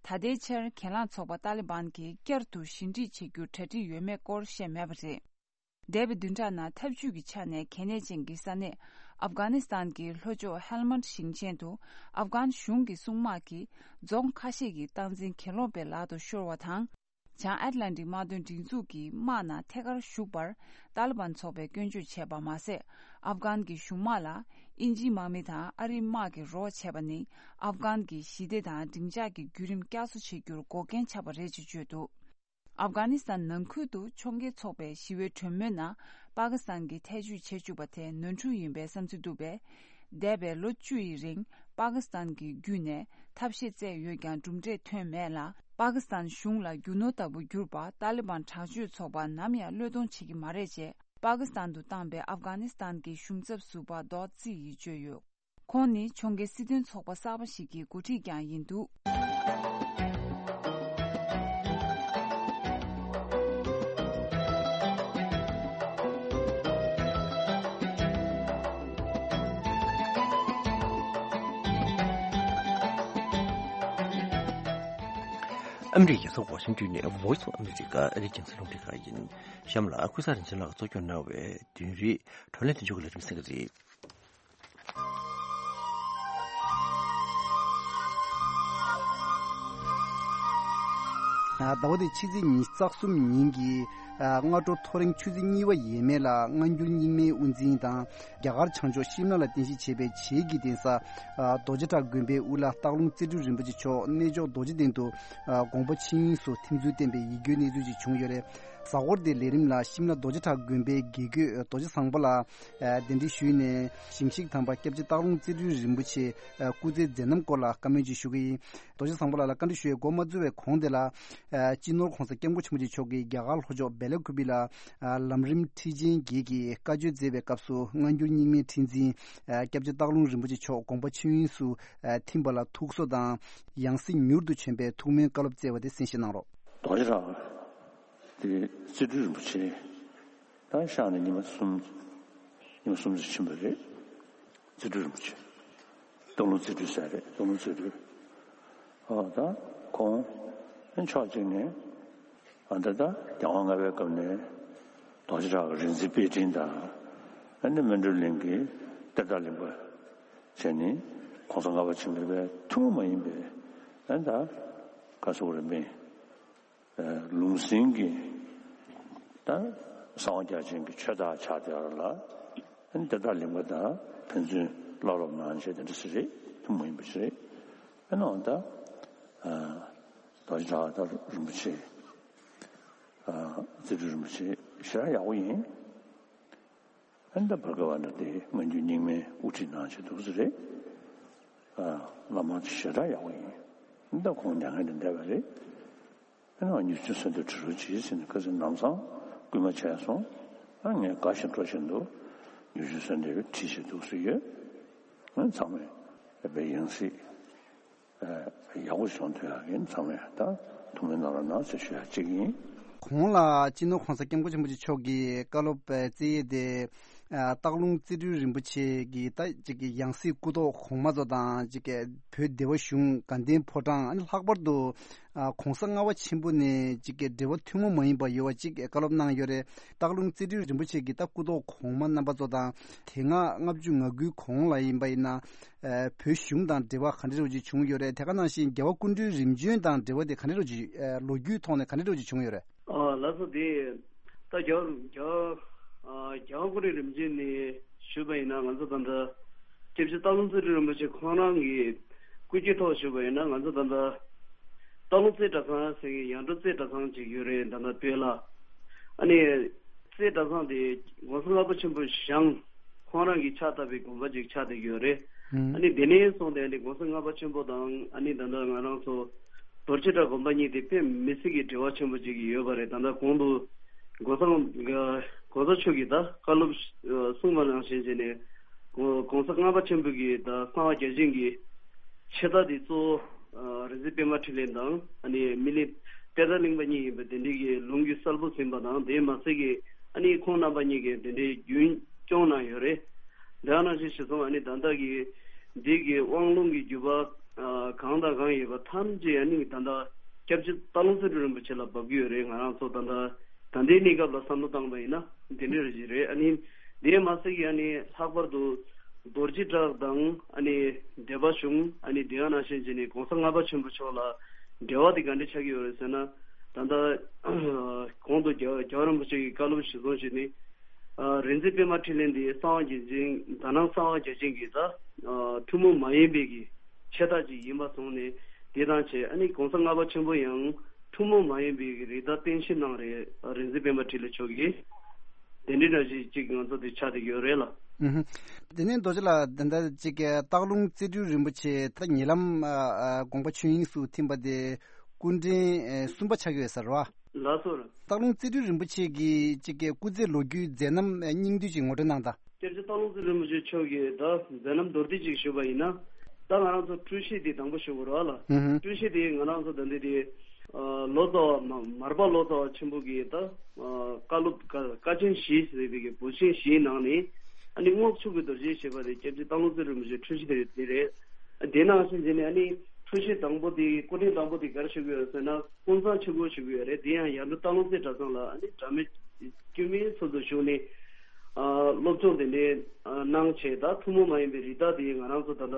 ད་ལྟའི་ཆར་གྱེན་ལངས་ཚོགས་པ་ཏཱ་ལི་བན་གྱིས་བསྐྱར་དུ་ཞི་འགྲིག་བྱེད་རྒྱུར་གྲ་སྒྲིག་ཡོད་མེད་སྐོར་བཤད་མེད་པ་རེད། འདས་པའི་བདུན་ཕྲག་ནང་འཐབ་ཇུས་ཀྱི་ཆ་ནས་གལ་གནད་ཅན་གྱི་ས་གནས་ཨབ་གྷ་ནི་སི་ཐན་གྱི་ལྷོ་ཕྱོགས་ཧེལ་མན་ཌི་ཞིང་ཆེན་དུ་ཨབ་གྷན་གཞུང་གི་སྲུང་དམག་གིས་རྫོང་ཁ་ཤས་ཀྱི་སྟངས་འཛིན་གྱེན་ལོག་པའི་ལག་ཏུ་ཤོར་བ་དང་། བྱང་ཨེཊ་ལན་ཊིག་དམག་དོན་སྒྲིག་འཛུགས་ཀྱི་དམག་ནང་ཐད་ཀར་ཞུགས་པར་ཏཱ་ལི་བན་ཚོགས་པས་སྐྱོན་བརྗོད་བྱས་པ་མ་ཟད། ཨབ་གྷན་གྱི་གཞུང་དམག་ལ་དབྱིན་ཇིའི་དམག་མི་དང་ཨ་རིའི་དམག་གིས་རོགས་བྱས་པ་ནི་ཨབ་གྷན་གྱི་ཞི་བདེ་དང་སྡིངས་ཆ་གི་བརྒྱུད་རིམ་བསྐྱར་གསོ་བྱེད་རྒྱུར་འགོག་རྐྱེན་ཆགས་པ་རེད་ཅེས་བརྗོད་འདུག་ཨབ་གྷ་ནི་སི་ཐན་ནང་ཁུལ་དུ་ཕྱོགས་འགལ་ཚོགས་པའི་ཞི་བའི་གྲོས་མོལ་ནང་པ་ཀི་སི་ཐན་གྱིས་ཐེ་བྱུས་བྱེད་བཅུག་པ་དེ་ནོར་འཁྲུལ་ཡིན་པའི་བསམ་ཚུལ་འདུག་པས། འདས་པའི་ལོ་བཅུ་ཡི་རིང་པ་ཀི་སི་ཐན་གྱི་བརྒྱུད་ནས་ཐབས་ཤེས་བཙལ་ཡོད་ཀྱང་གྲུབ་འབྲས་ཐོན་མེད་ལ། པ་ཀི་སི་ཐན་གཞུང་ལ་རྒྱུ་ནོར་ལྟ་བུ་གྱུར་པ་ཏཱ་ལི་བན་དྲག་སྤྱོད་ཚོགས་པ་ནམ་ཡང་བློས་གཏོང་བྱེད་ཀྱི་མ་རེད་ཅེས་པ་ཀི་སི་ཐན་དུ་བཏང་པའི་ཨབ་གྷ་ནི་སི་ཐན་གྱི་གཞུང་ཚབ་ཟུར་པ་རྡོ་ཙི་ཡིས་བརྗོད་ཡོད། ཁོང་ནི་ཕྱོགས་འགལ་སྲིད་དོན་ཚོགས་པ་གསར་པ་ཞིག་གི་འགོ་ཁྲིད་ཀྱང་ཡིན་འདུག་ཨ་མི་རི་ཀའི་རྒྱལ་ས་ཝ་ཤིང་ཏོན་ནས་Voice of America ཨ་རིའི་རྒྱང་སྲིང་རླུང་འཕྲིན་ཁང་ཡིན། གཤམ་ལ་ཀུན་བཟང་རིན་ཆེན་ལགས་གཙོ་སྐྱོང་གནང་བའི་བདུན་རེའི་བགྲོ་གླེང་དོན་གཅོད་ཀྱི་ལས་རིམ་གསན་གྱི་རེད། ཟླ་བ་འདིའི་ཕྱི་ཚེས་ཉི་ཤུ་རྩ་གསུམ་ཉིན་གྱི་སྔ་དྲོ་ཐོ་རེངས་ཆུ་ཚོད་གཉིས་པ་ཡས་མས་ལ་སྔ་འགྱུར་རྙིང་མའི་དབུ་འཛིན་དང་རྒྱ་གར་བྱང་ཕྱོགས་ཤིམ་ལ་ལ་རྟེན་གཞི་བྱས་པའི་བྱེས་ཀྱི་གདན་ས་རྡོ་རྗེ་བྲག་དགོན་པའི་དབུ་བླ་སྟག་ལུང་རྩེ་སྤྲུལ་རིན་པོ་ཆེ་མཆོག་གནས་མཆོག་རྡོ་རྗེ་གདན་དུ་དགོངས་པ་ཆོས་དབྱིངས་སུ་ཐིམ་ཚུལ་བསྟན་པའི་ཡིད་སྐྱོའི་གནས་ཚུལ་ཞིག་བྱུང་ཡོད་རེད། གཟའ་འཁོར་འདིའི་ལས་རིམ་ལ་ཤིམ་ལ་རྡོ་རྗེ་བྲག་དགོན་པའི་དགེ་བསྐོས་རྡོ་རྗེ་བཟང་པོ་ལགས་གདན་འདྲེན་ཞུས་ནས་ཞིང་གཤེགས་དམ་པ་སྐྱབས་རྗེ་སྟག་ལུང་རྩེ་སྤྲུལ་རིན་པོ་ཆེ་སྐུ་ཚེའི་མཛད་རྣམ་སྐོར་ལ་བཀའ་མོལ་ཅིག་ཞུ་གི་ཡིན། རྡོ་རྗེ་བཟང་པོ་ལགས་ལ་བཀའ་འདྲི་ཞུ་བའི་འགོ་མ་འཛུལ་བའི་གོང་དེ་ལ། སྤྱི་ནོར་༸གོང་ས་༸སྐྱབས་མགོན་ཆེན་པོ་མཆོག་གིས་རྒྱ་གར་ལྷོ་ཕྱོགས་བེ་ལ་ཀུ་པི་ལ། ལམ་རིམ་ཁྲིད་ཆེན་བརྒྱད་ཀྱི་བཀའ་ཆོས་མཛད་པའི་སྐབས་སུ་སྔ་འགྱུར་རྙིང་མའི་ཁྲི་འཛིན། སྐྱབས་རྗེ་སྟག་ལུང་རིན་པོ་ཆེ་མཆོག་དགོངས་པ་ཆོས་དབྱིངས་སུ། ཐིམ་པ་ལ་ཐུགས་གསོ་དང་། ཡང་སྲིད་མྱུར་དུ་བྱོན་པའི་ཐུགས་སྨོན་བཀའ་སློབ་སྩལ་བ་དེ་གསན་བཞེས་གནང་རོགས། རྡོ་རྗེ་བྲག་དེ་རྩེ་སྤྲུལ་རིན་པོ་ཆེ་ད་ཤར་ནས་ཉི་མ་གསུམ། ཉི་མ་གསུམ་ཙམ་ཕྱིན་པ་རེད། རྩེ་སྤྲུལ་རིན་པོ་ཆེ། སྟག་ལུང་རྩེ་སྤྲུལ་ཟེར་རེད། སྟག་ལུང་རྩེ་སྤྲུལ། ཨོ་ད་ཁོང་ཕྱོགས་གཅིག་ནས་ཨ་ད་ད་རྒྱལ་དབང་ལྔ་པའི་སྐབས་ནས་རྡོ་རྗེ་བྲག་གི་རིག་འཛིན་དཔེ་སྐྲུན་དང་ཨ་ནི་སྨིན་གྲོལ་གླིང་གི་གཏེར་བདག་གླིང་པ་བྱས་ནས་༸གོང་ས་ལྔ་པ་ཆེན་པོའི་ཐུན་མོང་མ་ཡིན་པའི་ཨ་ད་ག་ཟེར་དགོས་རེད། མི་ལུང་ཟིན་གྱི་ད་གསང་བ་རྒྱ་ཆེན་གྱི་ཆོས་བདག་ཆགས་བསྡད་པ་ལ་ཨ་ནི་གཏེར་བདག་གླིང་པ་དང་ཕན་ཚུན་བླ་སློབ་གནང་བྱས་དེ་འདྲ་ཞིག་རེད། ཐུན་མོང་མ་ཡིན་པ་ཞིག་རེད། ཨ་ནི་འོ་ད་རྡོ་རྗེ་བྲག་ད་རིན་པོ་ཆེ། རྩེ་སྤྲུལ་རིན་པོ་ཆེ་ཞེ་དྲག་ཡག་པོ་ཡིན། ཨ་ནི་ད་བར་སྐབས་ཨ་ནི་དེ་སྔ་འགྱུར་རྙིང་མའི་དབུ་ཁྲིད་གནང་བྱས་འདུག་ས་རེད། བླ་མ་ཞེ་དྲག་ཡག་པོ་ཡིན། ཨ་ནི་ད་ཁོང་མྱ་ངན་ལས་འདས་པ་རེད། ཨ་ནི་མྱུར་ཆེན་གསོལ་འདེབས་ཁྲིད་རོགས་གྱིས་ཟེར་ནས་ཁ་སང་ལམ་སང་སྐུལ་མ་བྱས་སོང་། ཨ་ངས་དགའ་བཞིན་སྤྲོ་བཞིན་དུ་མྱུར་ཆེན་གསོལ་འདེབས་ཁྲིད་བཞིན་འདུག་ཟེར་ཡོད། ཨ་ཚང་མས་དཔེ་ཡང་སྲིད་ཡག་པོ་བྱུང་ཐུབ་ཡག་གི་ཚང་མས་ད་ཐུགས་སྨོན་གནང་རོགས་གནང་ཟེར་ཞུ་ཡག་གཅིག་ཡིན། གོང་ལ་སྤྱི་ནོར་༸གོང་ས་༸སྐྱབས་མགོན་ཆེན་པོ་མཆོག་གིས་བཀའ་སློབ་སྩལ་ཡས་དེ། ཨ་སྟག་ལུང་རྩེ་སྤྲུལ་རིན་པོ་ཆེ་གི་ད་ཅིག་གི་ཡང་སྲིད་སྐུ་ཐོག་གོང་མ་ཚོ་དང་ཅིག་གི་བོད་སྡེ་བ་གཞུང་དགའ་ལྡན་ཕོ་བྲང་། ཨ་ནི་ལྷག་པར་དུ་ཨ་༸གོང་ས་ལྔ་པ་ཆེན་པོ་ནས་ཅིག་གི་འབྲེལ་བ་ཐུན་མོང་མ་ཡིན་པ་ཡོད་པ་ཅིག་བཀའ་སློབ་གནང་ཡོད་རེད། སྟག་ལུང་རྩེ་སྤྲུལ་རིན་པོ་ཆེ་གི་ད་སྐུ་ཐོག་གོང་མ་རྣམ་པ་ཚོ་དང་། དེ་སྔ་ལྔ་བཅུ་ང་དགུའི་གོང་ལ་ཡིན་པ་ཡིན་ན། ཨ་བོད་གཞུང་དང་འབྲེལ་བ་ག་འདྲ་རོ་ཅིག་བྱུང་ཡོད་རེད། དེ་ག་ནང་བཞིན་རྒྱལ་བ་སྐུ་ཕྲེང་རིམ་བྱོན་དང་འབྲེལ་བ་དེ་ག་འདྲ་རོ་ཅིག་ཨ་ལོ་རྒྱུས་ཐོག་ནས་ག་འདྲ་རོ་ཅིག་བྱུང་ཡོད་རེད། ཨ་ལགས་སོ། དེ་ད་རྒྱལ་རྒྱལ་ཨ་རྒྱལ་བ་སྐུ་ཕྲེང་རིམ་བྱོན་ནས་ཞུས་པ་ཡིན་ན། ང་ཚོ་ད་ལྟ་སྐྱབས་རྗེ་སྟག་ལུང་རྩེ་སྤྲུལ་རིན་པོ་ཆེ་ཁོང་རང་གི་སྐུ་སྐྱེ་ཐོག་ཞུས་པ་ཡིན་ན། ང་ཚོ་ད་ལྟ་སྟག་ལུང་རྩེ་གྲྭ་ཚང་ཟེར་གི་ཡར་འབྲོག་རྩེ་གྲྭ་ཚང་ཅིག་ཡོད་རེད། ད་ལྟ་སྟོད་ལ། ཨ་ནི་རྩེ་གྲྭ་ཚང་དེ་༸གོང་ས་ལྔ་པ་ཆེན་པོ་བཞེངས། ཁོང་རང་གིས་ཕྱག་བཏབ་པའི་དགོན་པ་ཅིག་ཆགས་བསྡད་ཀྱི་ཡོད་རེད། ཨ་ནི་དེ་ནས་བཟུང་སྟེ་ཨ་ནི་༸གོང་ས་ལྔ་པ་ཆེན་པོ་དང་ཨ་ནི་ད་ལྟ་ང་རང་ཚོ་རྡོ་རྗེ་བྲག་དགོན་པ་གཉིས་དེ་དཔེ་མི་སྲིད་ཀྱི་འབྲེལ་བ་ཆེན་པོ་ཅིག་ཡོད་པ་རེད། ད་ལྟ་གོང་དུ་༸གོང་ས་༸གོང་ས་མཆོག་གིས་ད་བཀའ་སློབ་གསུངས་པ་ནང་བཞིན་བྱས་ནས་༸གོང་ས་ལྔ་པ་ཆེན་པོ་གིས་ད་གསང་བ་རྒྱ་ཆེན་གྱི་ཆེ་མཐའ་དེ་གཙོ་བོ་རིག་འཛིན་པད་མ་འཕྲིན་ལས་དང་ཨ་ནི་སྨིན་གླིང་པད་ཟླ་གླིང་པ་གཉིས་ཡིན་པ་དེ་འདྲའི་གི་ལུང་གི་གསལ་པོ་ཟིན་པ་དང་། དེ་མ་ཟད་ཀྱི་ཨ་ནི་ཁོང་རྣམ་པ་གཉིས་ཀྱིས་དེ་འདྲའི་རྒྱུན་སྐྱོང་གནང་ཡོད་རེད། དེ་ནང་བཞིན་གཞི་བཟུང་ཨ་ནི་ད་ལྟ་གི་འདི་གི་དབང་ལུང་གི་བརྒྱུད་པ་གང་དང་གང་ཡོད་པ་ཐམས་ཅད་ཨ་ནི་ད་ལྟ་སྐྱབས་རྗེ་སྟག་ལུང་རྩེ་སྤྲུལ་རིན་པོ་ཆེ་ལ་བབས་ཀྱི་ཡོད་རེད། ང་རང་ཚོ་ད་ལྟ་ད་ལྟའི་གནས་སྐབས་ལ་བསམ་བློ་བཏང་པ་ཡིན་ན་དེ་འདྲ་རེ་ཞིག་རེད། ཨ་ནི་དེ་མ་ཟད་ཀྱི་ཨ་ནི་ལྷག་པར་དུ་རྡོ་རྗེ་བྲག་དང་ཨ་ནི་སྡེ་པ་གཞུང་ཨ་ནི་དེ་ག་ནང་བཞིན་བྱས་ནས་༸གོང་ས་ལྔ་པ་ཆེན་པོ་མཆོག་ལ་འབྲེལ་བ་དེ་ག་འདྲ་ཆགས་ཀྱི་ཡོད་རེད་ཟེར་ན། ད་ལྟ་གོང་དུ་རྒྱལ་རྒྱལ་བ་རིན་པོ་ཆེ་གི་བཀའ་སློབ་གཞིར་བཟུང་བྱས་ནས། ཨ་རིག་འཛིན་པད་མ་འཕྲིན་ལས་འདི་གསང་བ་རྒྱ་ཆེན། དྷ་ནང་གསང་བ་རྒྱ་ཆེན་གྱི་ད་ཨ་ཐུན་མོང་མ་ཡིན་པའི་གི་ཆེ་མཐའ་ཅིག་ཡིན་པ་སོང་ནས། དེ་དང་བཅས་ཨ་ནི་༸གོང་ས་ལྔ་པ་ཆེན་པོ་ཡང་ཐུན་མོང་མ་ཡིན་པའི་གི་རིགས་བདག་བསྟན་བཤིག་གནང་རེད། ཨ་རིག་འཛིན་པད་མ་འཕྲིན་ལས་མཆོག་གིས་དེ་འདྲའི་འདྲ་ཞིག་ཅིག་ང་ཚོ་དེ་ཆགས་བསྡད་ཀྱི་ཡོད་རེད་ལ། ཨུ་ཧུ། དེ་ནས་རྡོ་རྗེ་ལགས། ད་ལྟ་ཅིག་གི་སྟག་ལུང་རྩེ་སྤྲུལ་རིན་པོ་ཆེ་ད་ཉེ་ལམ་ཨ་ཨ་དགོངས་པ་ཆོས་དབྱིངས་སུ་ཐིམ་པ་དེ་སྐུ་ཕྲེང་ཨེ་གསུམ་པ་ཆགས་ཀྱི་ཡོད་ས་རེད་བ། ལགས་སོ། སྟག་ལུང་རྩེ་སྤྲུལ་རིན་པོ་ཆེ་གི་ཅིག་གི་སྐུ་ཚེ་ལོ་རྒྱུས་མཛད་རྣམ་སྙིང་བསྡུས་ཅིག་ངོ་སྤྲོད་གནང་དང་། སྐྱབས་རྗེ་སྟག་ལུང་རྩེ་རིན་པོ་ཆེ་མཆོག་གི་ད་མཛད་རྣམ་མདོར་བསྡུས་ཅིག་ཞུས་པ་ཡིན་ན། ད་ང་རང་ཚོ་སྤྲུལ་གཞི་དེ་དང་པོ་ཞུ་དགོས་རེད་བ་ལ། ཧུམ་ཧུམ། སྤྲུལ་གཞི་དེ་ང་རང་ཚོ་ད་འདི་དེ་ཨ་ལོ་ཙཱ་བ་མ་མར་པ་ལོ་ཙཱ་བ་ཆེན་པོ་གི་ད་ཨ་བཀའ་སློབ་བཀའ་བཀའ་ཆེན་བཞི་ཟེར་བའི་གི་འབོད་ཆེན་བཞིའི་ནང་ནས་ཨ་ནི་རྔོག་ཆུ་གི་རྡོ་རྗེ་ཞེས་པ་དེ་སྐྱབས་རྗེ་སྟག་ལུང་རྩེ་རིན་པོ་ཆེའི་སྤྲུལ་གཞི་དེ་དེ་རེད། དེ་ནང་བཞིན་བྱས་ནས་ཨ་ནི་སྤྲུལ་གཞི་དང་པོ་དེ་སྐུ་ཕྲེང་དང་པོ་དེ་ག་རེ་ཞུ་གི་ཡོད་ཟེར་ན། ཀུན་བཟང་ཆོས་སྐུ་ཞུ་གི་ཡོད་རེད། དེ་ཡང་ཡར་འབྲོག་སྟག་ལུང་རྩེ་གྲྭ་ཚང་ལ་ཨ་ནི་སྒྲ་མེད་སྐྱོན་མེད་ཚུལ་དུ་བཞུགས་ནས་ཨ་སློབ་སྦྱོང་དེ་འདྲའི་ཨ་གནང་བྱས། ད་ཐུན་མོང་མ་ཡིན་པའི་རིགས་བདག་དེ་ང་རང་ཚོ་ད་ལྟ་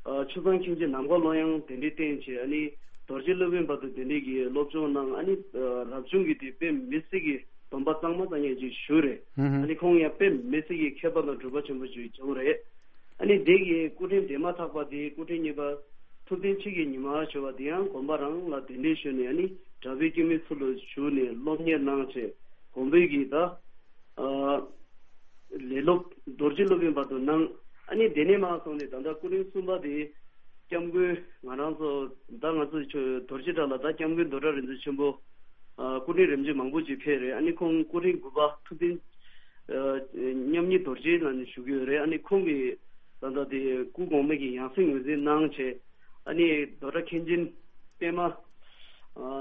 ཨ་ཆུ་བཟང་མཁན་ཆེན་ནམ་མཁའ་ཀློང་ཡངས་དེ་འདྲའི་བསྟེན་བྱས། ཨ་ནི་རྡོ་རྗེ་སློབ་དཔོན་བར་དུ་དེ་འདྲའི་གི་སློབ་སྦྱོང་གནང་། ཨ་ནི་ཨ་རབ་བྱུང་གི་དེ་དཔེ་མི་སྲིད་ཀྱི་སྡོམ་པ་གཙང་མ་གཙང་རྐྱང་ཅིག་ཞུས་རེད། ཧུམ་ཧུམ། ཨ་ནི་ཁོང་ཡང་དཔེ་མི་སྲིད་ཀྱི་མཁས་པ་དང་གྲུབ་པ་ཆེན་པོ་ཅིག་བྱུང་རེད། ཨ་ནི་དེ་གི་སྐུ་ཕྲེང་དེ་མ་ཐག་པ་དེ་སྐུ་ཕྲེང་གཉིས་པ་ཐུབ་བསྟན་ཆོས་ཀྱི་ཉི་མ་ཞུ་བ་དེ་ཡང་དགོན་པ་རང་ལ་གདན་འདྲེན་ཞུས་ནས། ཨ་ནི་སྒྲ་མེད་སྐྱོན་མེད་ཚུལ་དུ་བཞུགས་ནས་སློབ་གཉེར་གནང་བྱས། དགོན་པའི་གི་ད་ཨ་ལས་སློབ་རྡོ་རྗེ་སློབ་དཔོན་བར་དུ་གནང་། ཨ་ནི་དེ་ནས་མར་སོང་ནས་ད་ལྟ་སྐུ་ཕྲེང་གསུམ་པ་དེ་སྐྱབས་མགོན་ང་རང་ཚོ་ད་ང་ཚོ་ཆོས་རྡོ་རྗེ་གྲྭ་ལ་ད་སྐྱབས་མགོན་རྡོར་གྲགས་རིག་འཛིན་ཆེན་པོ་ཨ་སྐུ་ཕྲེང་རིམ་བྱོན་མང་པོ་ཅིག་ཕེབས་རེད། ཨ་ནི་ཁོང་སྐུ་ཕྲེང་དགུ་པ་ཐུབ་བསྟན་ཨ་མཉམ་ཉིད་རྡོ་རྗེ་ལ་ནི་བཞུགས་ཡོད་རེད། ཨ་ནི་ཁོང་གིས་ད་ལྟ་དེ་སྐུ་གོང་མའི་གི་ཡང་སྲིད་ངོས་འཛིན་གནང་བྱས། ཨ་ནི་རྡོ་གྲྭ་མཁན་ཆེན་པད་མ་ཨ་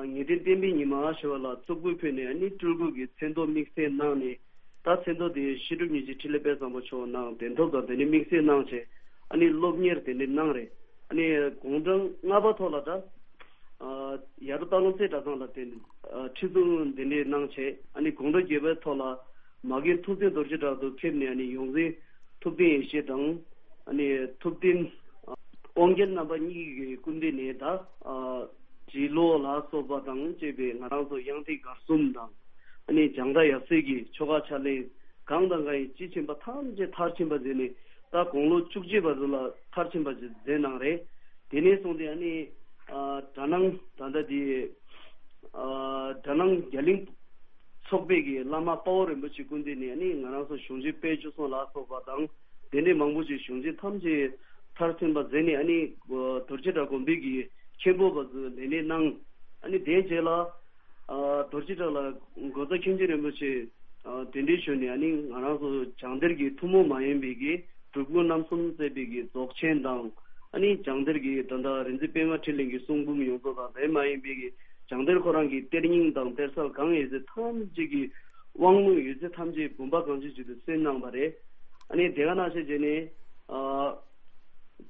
ངེས་དོན་བསྟན་པའི་ཉི་མ་ཞེས་པ་ལ་གཙུག་ཕུད་ཕུལ་ནས། ཨ་ནི་སྤྲུལ་སྐུ་གི་མཚན་ཐོ་དམིགས་བསལ་གནང་ནས། ད་མཚན་ཐོ་དེ་བཤད་སྒྲུབ་ཉིན་བྱེད་འཕྲིན་ལས་དཔལ་བཟང་པོ་མཆོག་གནང་། གདན་ཐོབ་དང་དེ་ནས་དམིགས་བསལ་གནང་བྱས། ཨ་ནི་སློབ་གཉེར་དེ་འདྲ་གནང་རེད། ཨ་ནི་དགུང་གྲངས་ལྔ་པ་ཐོག་ལ་ད་ཨ་ཡར་འབྲོག་སྟག་ལུང་རྩེ་གྲྭ་ཚང་ལ་དེ་ཨ་ཁྲི་གཙུག་དེ་འདྲ་གནང་བྱས། ཨ་ནི་དགུང་གྲངས་བརྒྱད་པའི་ཐོག་ལ་མ་རྒན་ཐུབ་བསྟན་རྡོ་རྗེ་གྲགས་སུ་ཕེབས་ནས། ཨ་ནི་ཡོངས་འཛིན་ཐུབ་བསྟན་ཡེ་ཤེས་དང་། ཨ་ནི་ཐུབ་བསྟན་ཨ་དབང་རྒྱལ་རྣམ་པ་གཉིས་ཀྱི་སྐུ་མདུན་ནས་ད་ཨ་རྗེ་བློ་ལ་སོགས་པ་དང་བཅས་པའི་ང་རང་ཚོ་དབྱངས་ཐིག་གར་གསུམ་དང་། ཨ་ནི་སྦྱང་བརྡར་ཡབ་སྲས་ཀྱི་ཆོ་ག་ཕྱག་ལེན་གང་དང་གང་ཡིན་དཔྱིས་ཕྱིན་པ་ཐམས་ཅད་མཐར་ཕྱིན་པ་མཛད་ནས། ད་དགུང་ལོ་བཅུ་གཅིག་བར་དུ་ལ་མཐར་ཕྱིན་པ་ཞིག་མཛད་གནང་རེད། དེ་ནས་བཟུང་སྟེ་ཨ་ནི་ཨ་གྲྭ་ནང་ད་ལྟ་དེ་ཨ་གྲྭ་ནང་རྒྱ་གླིང་ཚོགས་པའི་གི་བླ་མ་དཔའ་བོ་རིན་པོ་ཆེ་སྐུ་མདུན་ནས་ཨ་ནི་ང་རང་ཚོ་གཞུང་ཆེན་དཔལ་འབྱོར་སྲུང་ལ་སོགས་པ་དང་དེ་འདྲའི་མང་པོ་ཞིག་གཞུང་ཆེན་ཐམས་ཅད་མཐར་ཕྱིན་པ་མཛད་ནས་ཨ་ནི་རྡོ་རྗེ་བྲག་དགོན་པའི་གི་མཁན་པོ་བར་དུ་ལས་གནས་གནང་། ཨ་ནི་དེའི་རྗེས་ལ་ཨ་རྡོ་རྗེ་བྲག་ལ་འགོ་བཟའ་མཁན་ཆེན་རིན་པོ་ཆེ་ཨ་གདན་འདྲེན་ཞུས་ནས་ཨ་ནི་ང་རང་ཚོ་སྦྱང་སྡེར་གྱི་ཐུན་མོང་མ་ཡིན་པའི་གི་སྒྲུབ་སྐུ་རྣམ་གསུམ་བརྩེགས་པའི་གི་རྫོགས་ཆེན་དང་ཨ་ནི་སྦྱང་སྡེར་གྱི་ད་ལྟ་རིག་འཛིན་པད་མ་འཕྲིན་ལས་ཀྱི་གསུང་འབུམ་ཡོངས་རྫོགས་དང་དེ་མ་ཡིན་པའི་གི་སྦྱང་སྡེར་ཁོ་རང་གི་གཏེར་རྙིང་དང་གཏེར་གསར་གང་ཡོད་ཚད་ཐམས་ཅད་ཀྱི་དབང་ལུང་ཡོད་ཚད་ཐམས་ཅད་བུམ་པ་གང་བྱོའི་མཇུག་ཏུ་གསན་གནང་བ་རེད། ཨ་ནི་དེ་ག་ནང་བཞིན་བྱས་ནས་ཨ།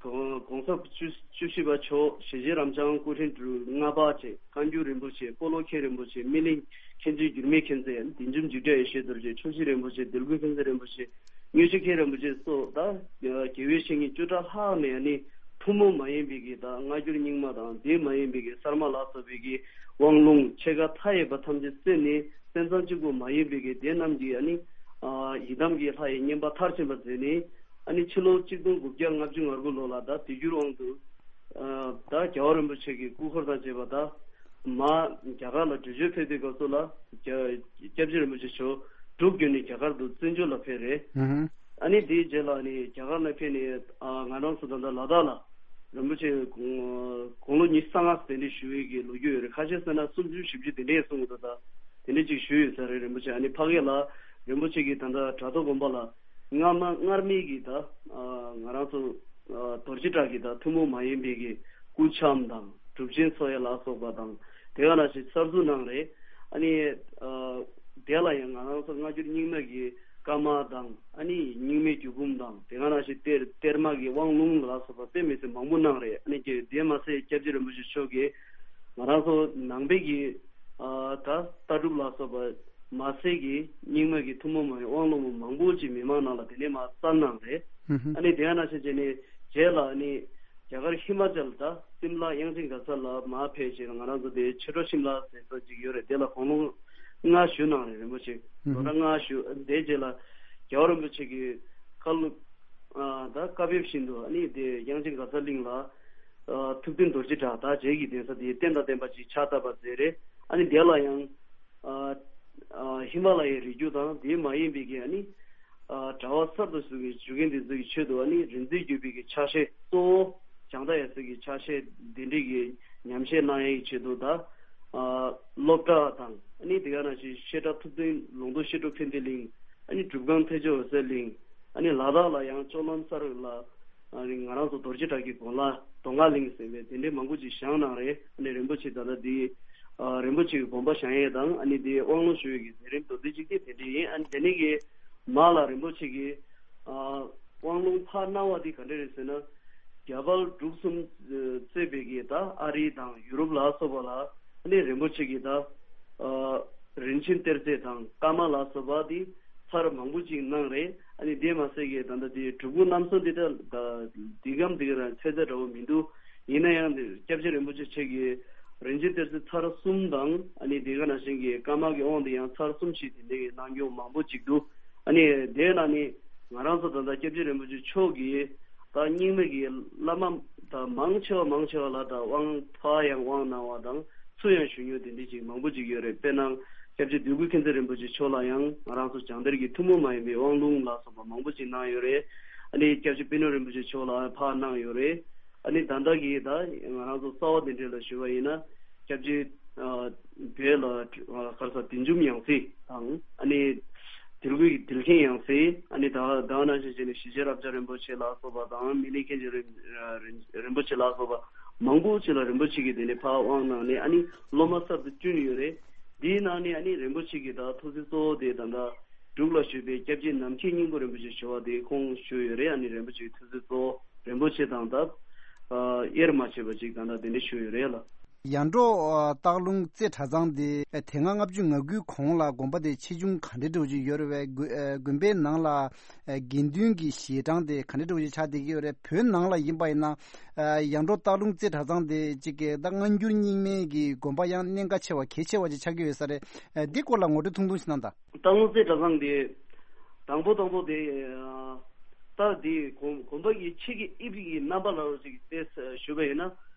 གོང་གོང་ས་བཅུ་བཅུ་བཞི་པ་མཆོག་ཞེ་བྱེད་རབ་འབྱམས་སྐུ་ཕྲེང་དྲུག་ལྔ་པ་བཅས་བཀའ་འགྱུར་རིན་པོ་ཆེ་སྤོ་ལོ་མཁན་རིན་པོ་ཆེ་སྨིན་གླིང་མཁན་ཆེན་འགྱུར་མེད་མཁྱེན་བརྩེ་བདུད་འཇོམས་འཇིགས་བྲལ་ཡེ་ཤེས་རྡོ་རྗེ་ཕྱོགས་བཞི་རིན་པོ་ཆེ་དིལ་མགོ་མཁྱེན་བརྩེ་རིན་པོ་ཆེ་མངོན་ཤེས་མཁན་རིན་པོ་ཆེ་སོགས་ད་དགེ་བའི་བཤེས་གཉེན་བཅུ་ཕྲག་ལྷག་ནས་ནི་ཐུན་མོང་མ་ཡིན་པའི་གི་ད་སྔ་འགྱུར་རྙིང་མ་དང་དེ་མ་ཡིན་པའི་གི་གསར་མ་ལ་སོགས་པའི་གི་དབང་ལུང་ཕྱེད་ཀ་མཐའ་ཡས་པ་ཐམས་ཅད་གསན་ནས་སེམས་ཙམ་གཅིག་པུ་མ་ཡིན་པའི་གི་དེ་རྣམས་ཀྱིས་ཨ་ནི་ཡི་དམ་གྱི་ལྷ་ཡི་བསྙེན་པ་མཐར་ཕྱིན་པ་མཛད་ནས། ཨ་ནི་ཕྱི་ལོ་གཅིག་སྟོང་དགུ་བརྒྱ་ལྔ་བཅུ་ང་དགུ་ལོ་ལ་ད་དུས་འགྱུར་དབང་དུ་ད་རྒྱལ་བ་རིན་པོ་ཆེ་གི་སྐུ་འཁོར་དང་བཅས་པ་ད་མ་རྒྱ་གར་ལ་བྲོས་བྱོལ་ཕེབས་པའི་སྐབས་སུ་ལ་སྐྱབས་རྗེ་རིན་པོ་ཆེ་མཆོག་འབྲུག་བརྒྱུད་ནས་རྒྱ་གར་དུ་བཙན་བྱོལ་ལ་ཕེབས་རེད། ཨ་ནི་དེའི་རྗེས་ལ་ནི་རྒྱ་གར་ལ་ཕེབས་ནས་ང་རང་ཚོ་ད་ལྟ་ལ་དྭགས་ལ་རིན་པོ་ཆེ་དགུང་ལོ་ཉི་ཤུ་རྩ་ལྔ་གདན་འདྲེན་ཞུ་བའི་གི་ལོ་རྒྱུས་ཡོད་རེད། ཁ་ཤས་ཟེར་ན་སུམ་ཅུ་བཞི་བཅུ་དེ་འདྲས་གསུང་གི་འདུག་ད་དེ་འདྲས་ཅིག་ཞུས་ཡོད་ས་རེད། རིན་པོ་ཆེ་ཨ་ནི་ཕ་གི་ལ་རིན་པོ་ཆེ་གི་ད་ལྟ་བྲག་ཐོག་དགོན་པ་ལ། སྔ་མ་སྔར་མེད་ཀྱི་ད་ང་རང་ཚོ་རྡོ་རྗེ་བྲག་གི་ད་ཐུན་མོང་མ་ཡིན་པའི་གི་སྐུ་འཆམ་དང་སྒྲུབ་ཆེན་འཚོགས་ཡ་ལ་སོགས་པ་དང་དེ་ག་ནང་བཞིན་གསར་འཛུགས་གནང་རེད། ཨ་ནི་དེ་ལ་ཡང་ང་རང་ཚོ་སྔ་འགྱུར་རྙིང་མ་གི་བཀའ་མ་དང་ཨ་ནི་རྙིང་མའི་རྒྱུད་འབུམ་དང་དེ་ག་ནང་བཞིན་གཏེར་གཏེར་མ་གི་དབང་ལུང་ལ་སོགས་པ་དཔེ་མི་སྲིད་མང་པོ་གནང་རེད། ཨ་ནི་དེ་མ་ཟད་སྐྱབས་རྗེ་རིན་པོ་ཆེ་མཆོག་གིས་ང་རང་ཚོ་ནང་པའི་གི་ད་ལྟ་གྲུབ་ལ་སོགས་པ་མ་ཟད་ཀྱི་རྙིང་མ་གི་ཐུན་མོང་མ་ཡིན་དབང་ལུང་མང་པོ་ཅིག་མི་མང་ནང་ལ་དེ་ནས་མར་བསྩལ་གནང་རེད། ཨ་ནི་དེ་ཡང་ནང་བཞིན་བྱས་ནས་རྗེས་ལ་ཨ་ནི་རྒྱ་གར་ཧི་མ་ཅལ་ད་སིམ་ལ་དབྱངས་ཅན་གྷ་ས་ལ་མར་ཕེབས་བྱས་ང་རང་ཚོ་དེ་ཆོས་གྲོགས་ཤིམ་ལ་ཟེར་ས་ཅིག་ཡོད་རེད། དེ་ལ་དགུང་ལོ་ལྔ་བཞུགས་གནང་རེད། རིན་པོ་ཆེ་ལོ་ན་ལྔ་བཞུགས། དེའི་རྗེས་ལ་རྒྱལ་བ་རིན་པོ་ཆེ་གི་བཀའ་སློབ་ད་བཀའ་ཕེབས་བཞིན་དུ་ཨ་ནི་དེ་དབྱངས་ཅན་གྷ་ས་གླིང་ལ་ཐུབ་བསྟན་རྡོ་རྗེ་གྲགས་ད་རྗེ་གི་གདན་ས་དེ་རྟེན་དང་བརྟེན་པ་ཅིག་ཕྱག་བཏབ་པ་མཛད་རེད། ཨ་ནི་དེ་ལ་ཡང་ཧི་མ་ལ་ཡའི་རི་རྒྱུད་དང་དེ་མ་ཡིན་པའི་གི་ཨ་ནི་གྲྭ་པ་གསར་དུ་ཞུགས་པའི་ཞུ་མཁན་དེ་ཚོ་གི་ཆེད་དུ་ཨ་ནི་རིག་འཛིན་བརྒྱུད་པའི་གི་ཕྱག་བཞེས་གཙོ་བོ་བྱང་ཐང་ཡབ་སྲས་ཀྱི་ཕྱག་བཞེས་དེ་འདྲའི་གི་ཉམས་བཞེས་གནང་ཡའི་ཆེད་དུ་ད་སློབ་གྲྭ་དང་ཨ་ནི་དེ་ག་ནང་བཞིན་བཤད་གྲྭ་ཐུབ་བསྟན་ལུང་རྟོགས་བཤད་སྒྲུབ་ཕན་བདེ་གླིང་ཨ་ནི་སྒྲུབ་ཁང་ཐེག་མཆོག་འོད་གསལ་གླིང་ཨ་ནི་ལ་དྭགས་ལ་ཡང་ལྕོག་ལམ་སར་ལ། ཨ་ནི་ང་རང་ཚོ་རྡོ་རྗེ་བྲག་གི་དགོན་ལ་མདོ་སྔགས་གླིང་ཟེར་བའི་དེ་འདྲའི་མང་པོ་ཅིག་བཞེངས་གནང་རེད། ཨ་ནི་རིན་པོ་ཆེ་ད་ལྟ་འདི་ཨ་རིན་པོ་ཆེ་གི་དགོན་པ་བཞེངས་ཡས་དང་ཨ་ནི་འདི་དབང་ལུང་ཞུ་ཡས་ཀྱི་མཛད་རིམ་མདོར་བསྡུས་ཅིག་དེ་དེ་འདྲ་ཡིན། ཨ་ནི་དེ་ནས་གི་མ་ལ་རིན་པོ་ཆེ་གི་ཨ་དབང་ལུང་ཕར་གནང་བ་འདི་ག་འདྲ་རེད་ཟེར་ན། རྒྱ་བལ་འབྲུག་གསུམ་གཙོས་པའི་གི་ད་ཨ་རི་དང་ཡུ་རོབ་ལ་སོགས་པ་ལ་ཨ་ནི་རིན་པོ་ཆེ་གི་ད་ཨ་རིན་ཆེན་གཏེར་རྫས་དང་བཀའ་མ་ལ་སོགས་པ་འདི་ཚར་མང་པོ་ཅིག་གནང་རེད། ཨ་ནི་དེ་མ་ཟད་ཀྱི་ད་ལྟ་དེ་སྒྲུབ་སྐུ་རྣམ་གསུམ་འདི་ད་འདི་གམ་འདི་ག་རང་ཚད་ཚད་འདྲ་བོ་མི་འདུག་ཡིན་ན་ཡང་འདི་སྐྱབས་རྗེ་རིན་པོ་ཆེ་ཆེ་གི་རིན་ཆེན་གཏེར་ཚད་ཚར་གསུམ་དང་ཨ་ནི་དེ་ག་ནང་བཞིན་གྱི་བཀའ་མ་གི་དབང་འདི་ཡང་ཚར་གསུམ་ཞིག་དེ་འདྲའི་གནང་རྒྱུ་མང་པོ་ཅིག་འདུག་ཨ་ནི་དེ་ན་ནི་ང་རང་ཚོ་ད་ལྟ་སྐྱབས་རྗེ་རིན་པོ་ཆེ་མཆོག་གིས་ད་རྙིང་མ་གི་བླ་མ་ད་མང་ཆེ་བ་མང་ཆེ་བ་ལ་ད་དབང་ཕར་ཡང་དབང་གནང་བ་དང་། ཚུར་ཡང་ཞུ་མྱོང་དེ་འདྲ་ཅིག་མང་པོ་ཅིག་ཡོད་རེད། དཔེར་ན་སྐྱབས་རྗེ་འདོད་དགུ་མཁྱེན་བརྩེ་རིན་པོ་ཆེ་མཆོག་ལ་ཡང་ང་རང་ཚོ་སྦྱང་སྡེར་གྱི་ཐུན་མོང་མ་ཡིན་པའི་དབང་ལུང་ལ་སོགས་པ་མང་པོ་ཅིག་གནང་ཡོད་རེད། ཨ་ནི་སྐྱབས་རྗེ་པད་ནོར་རིན་པོ་ཆེ་མཆོག་ལ་ཕར་གནང་ཡོད་རེད། ཨ་ནི་ད་ལྟ་གི་ད་ང་རང་ཚོ་རྩ་བ་དེ་འདྲ་ལ་ཞུ་བ་ཡིན་ན་སྐྱབས་རྗེ་ཨ་བོད་ལ་ཨ་ག་རེ་ཟེར་བདུད་འཇོམས་ཡང་སྲིད་དང་ཨ་ནི་དིལ་མགོའི་དིལ་མཁྱེན་ཡང་སྲིད་ཨ་ནི་ད་ད་ནང་བཞིན་བྱས་ནས་ཞི་བྱེད་རབ་འབྱམས་རིན་པོ་ཆེ་ལ་སོགས་པ་དང་སྨིན་གླིང་མཁན་ཆེན་རིན་རིན་པོ་ཆེ་ལ་སོགས་པ་མང་པོ་ཅིག་ལ་རིན་པོ་ཆེ་གིས་དེ་ནས་ཕར་དབང་གནང་ནས་ཨ་ནི་སློབ་མ་གསར་དུ་བསྐྲུན་ཡོད་རེད། དེའི་ནང་ནས་ཨ་ནི་རིན་པོ་ཆེ་གི་ད་ཐུགས་སྲས་གཙོ་བོ་དེ་ད་ལྟ་འབྲུག་ལ་བཞུགས་པའི་སྐྱབས་རྗེ་ནམ་མཁའི་སྙིང་པོ་རིན་པོ་ཆེ་ཞུ་བ་དེ་ཁོང་བཞུགས་ཡོད་རེད། ཨ་ནི་རིན་པོ་ཆེ་གི་ཐུགས་སྲས་གཙོ་བོ་རིན་པོ་ཆེ་དང་ད་དབྱེར་མ་ཕྱེ་བ་ཅིག་ད་ལྟ་དེ་འདྲ་བཞུགས་ཡོད་རེད་ལ། ཡར་འབྲོག་སྟག་ལུང་རྩེ་གྲྭ་ཚང་དེ་དེ་སྔ་ལྔ་བཅུ་ང་དགུའི་གོང་ལ་དགོན་པ་དེ་ཆེ་ཆུང་ག་འདྲ་འདྲ་བོ་ཅིག་ཡོད་རེད་པས། དགོན་དགོན་པའི་ནང་ལ་དགེ་འདུན་གྱི་ཞལ་གྲངས་དེ་ག་འདྲ་འདྲ་བོ་ཅིག་ཆགས་བསྡད་ཀྱི་ཡོད་རེད། བོད་ནང་ལ་ཡིན་པ་ཡིན་ན་ཡར་འབྲོག་སྟག་ལུང་རྩེ་གྲྭ་ཚང་དེ་གཅིག་གི་ད་སྔ་འགྱུར་རྙིང་མའི་གི་དགོན་པ་ཡང་གནད་འགག་ཆེ་བ་གལ་ཆེ་བ་ཅིག་ཆགས་ཀྱི་ཡོད་ས་རེད། འདི་སྐོར་ལ་ངོ་སྤྲོད་ཐུང་ཐུང་ཞིག་གནང་དང་། སྟག་ལུང་རྩེ་གྲྭ་ཚང་དེ་དང་པོ་དང་པོ་དེ་ ད་དེ་དགོན་དགོན་པ་གི་ཕྱི་གི་དབྱིབས་ཀྱི་རྣམ་པ་ལ་ཅིག་དེ་ཞུ་བ་ཡིན་ན།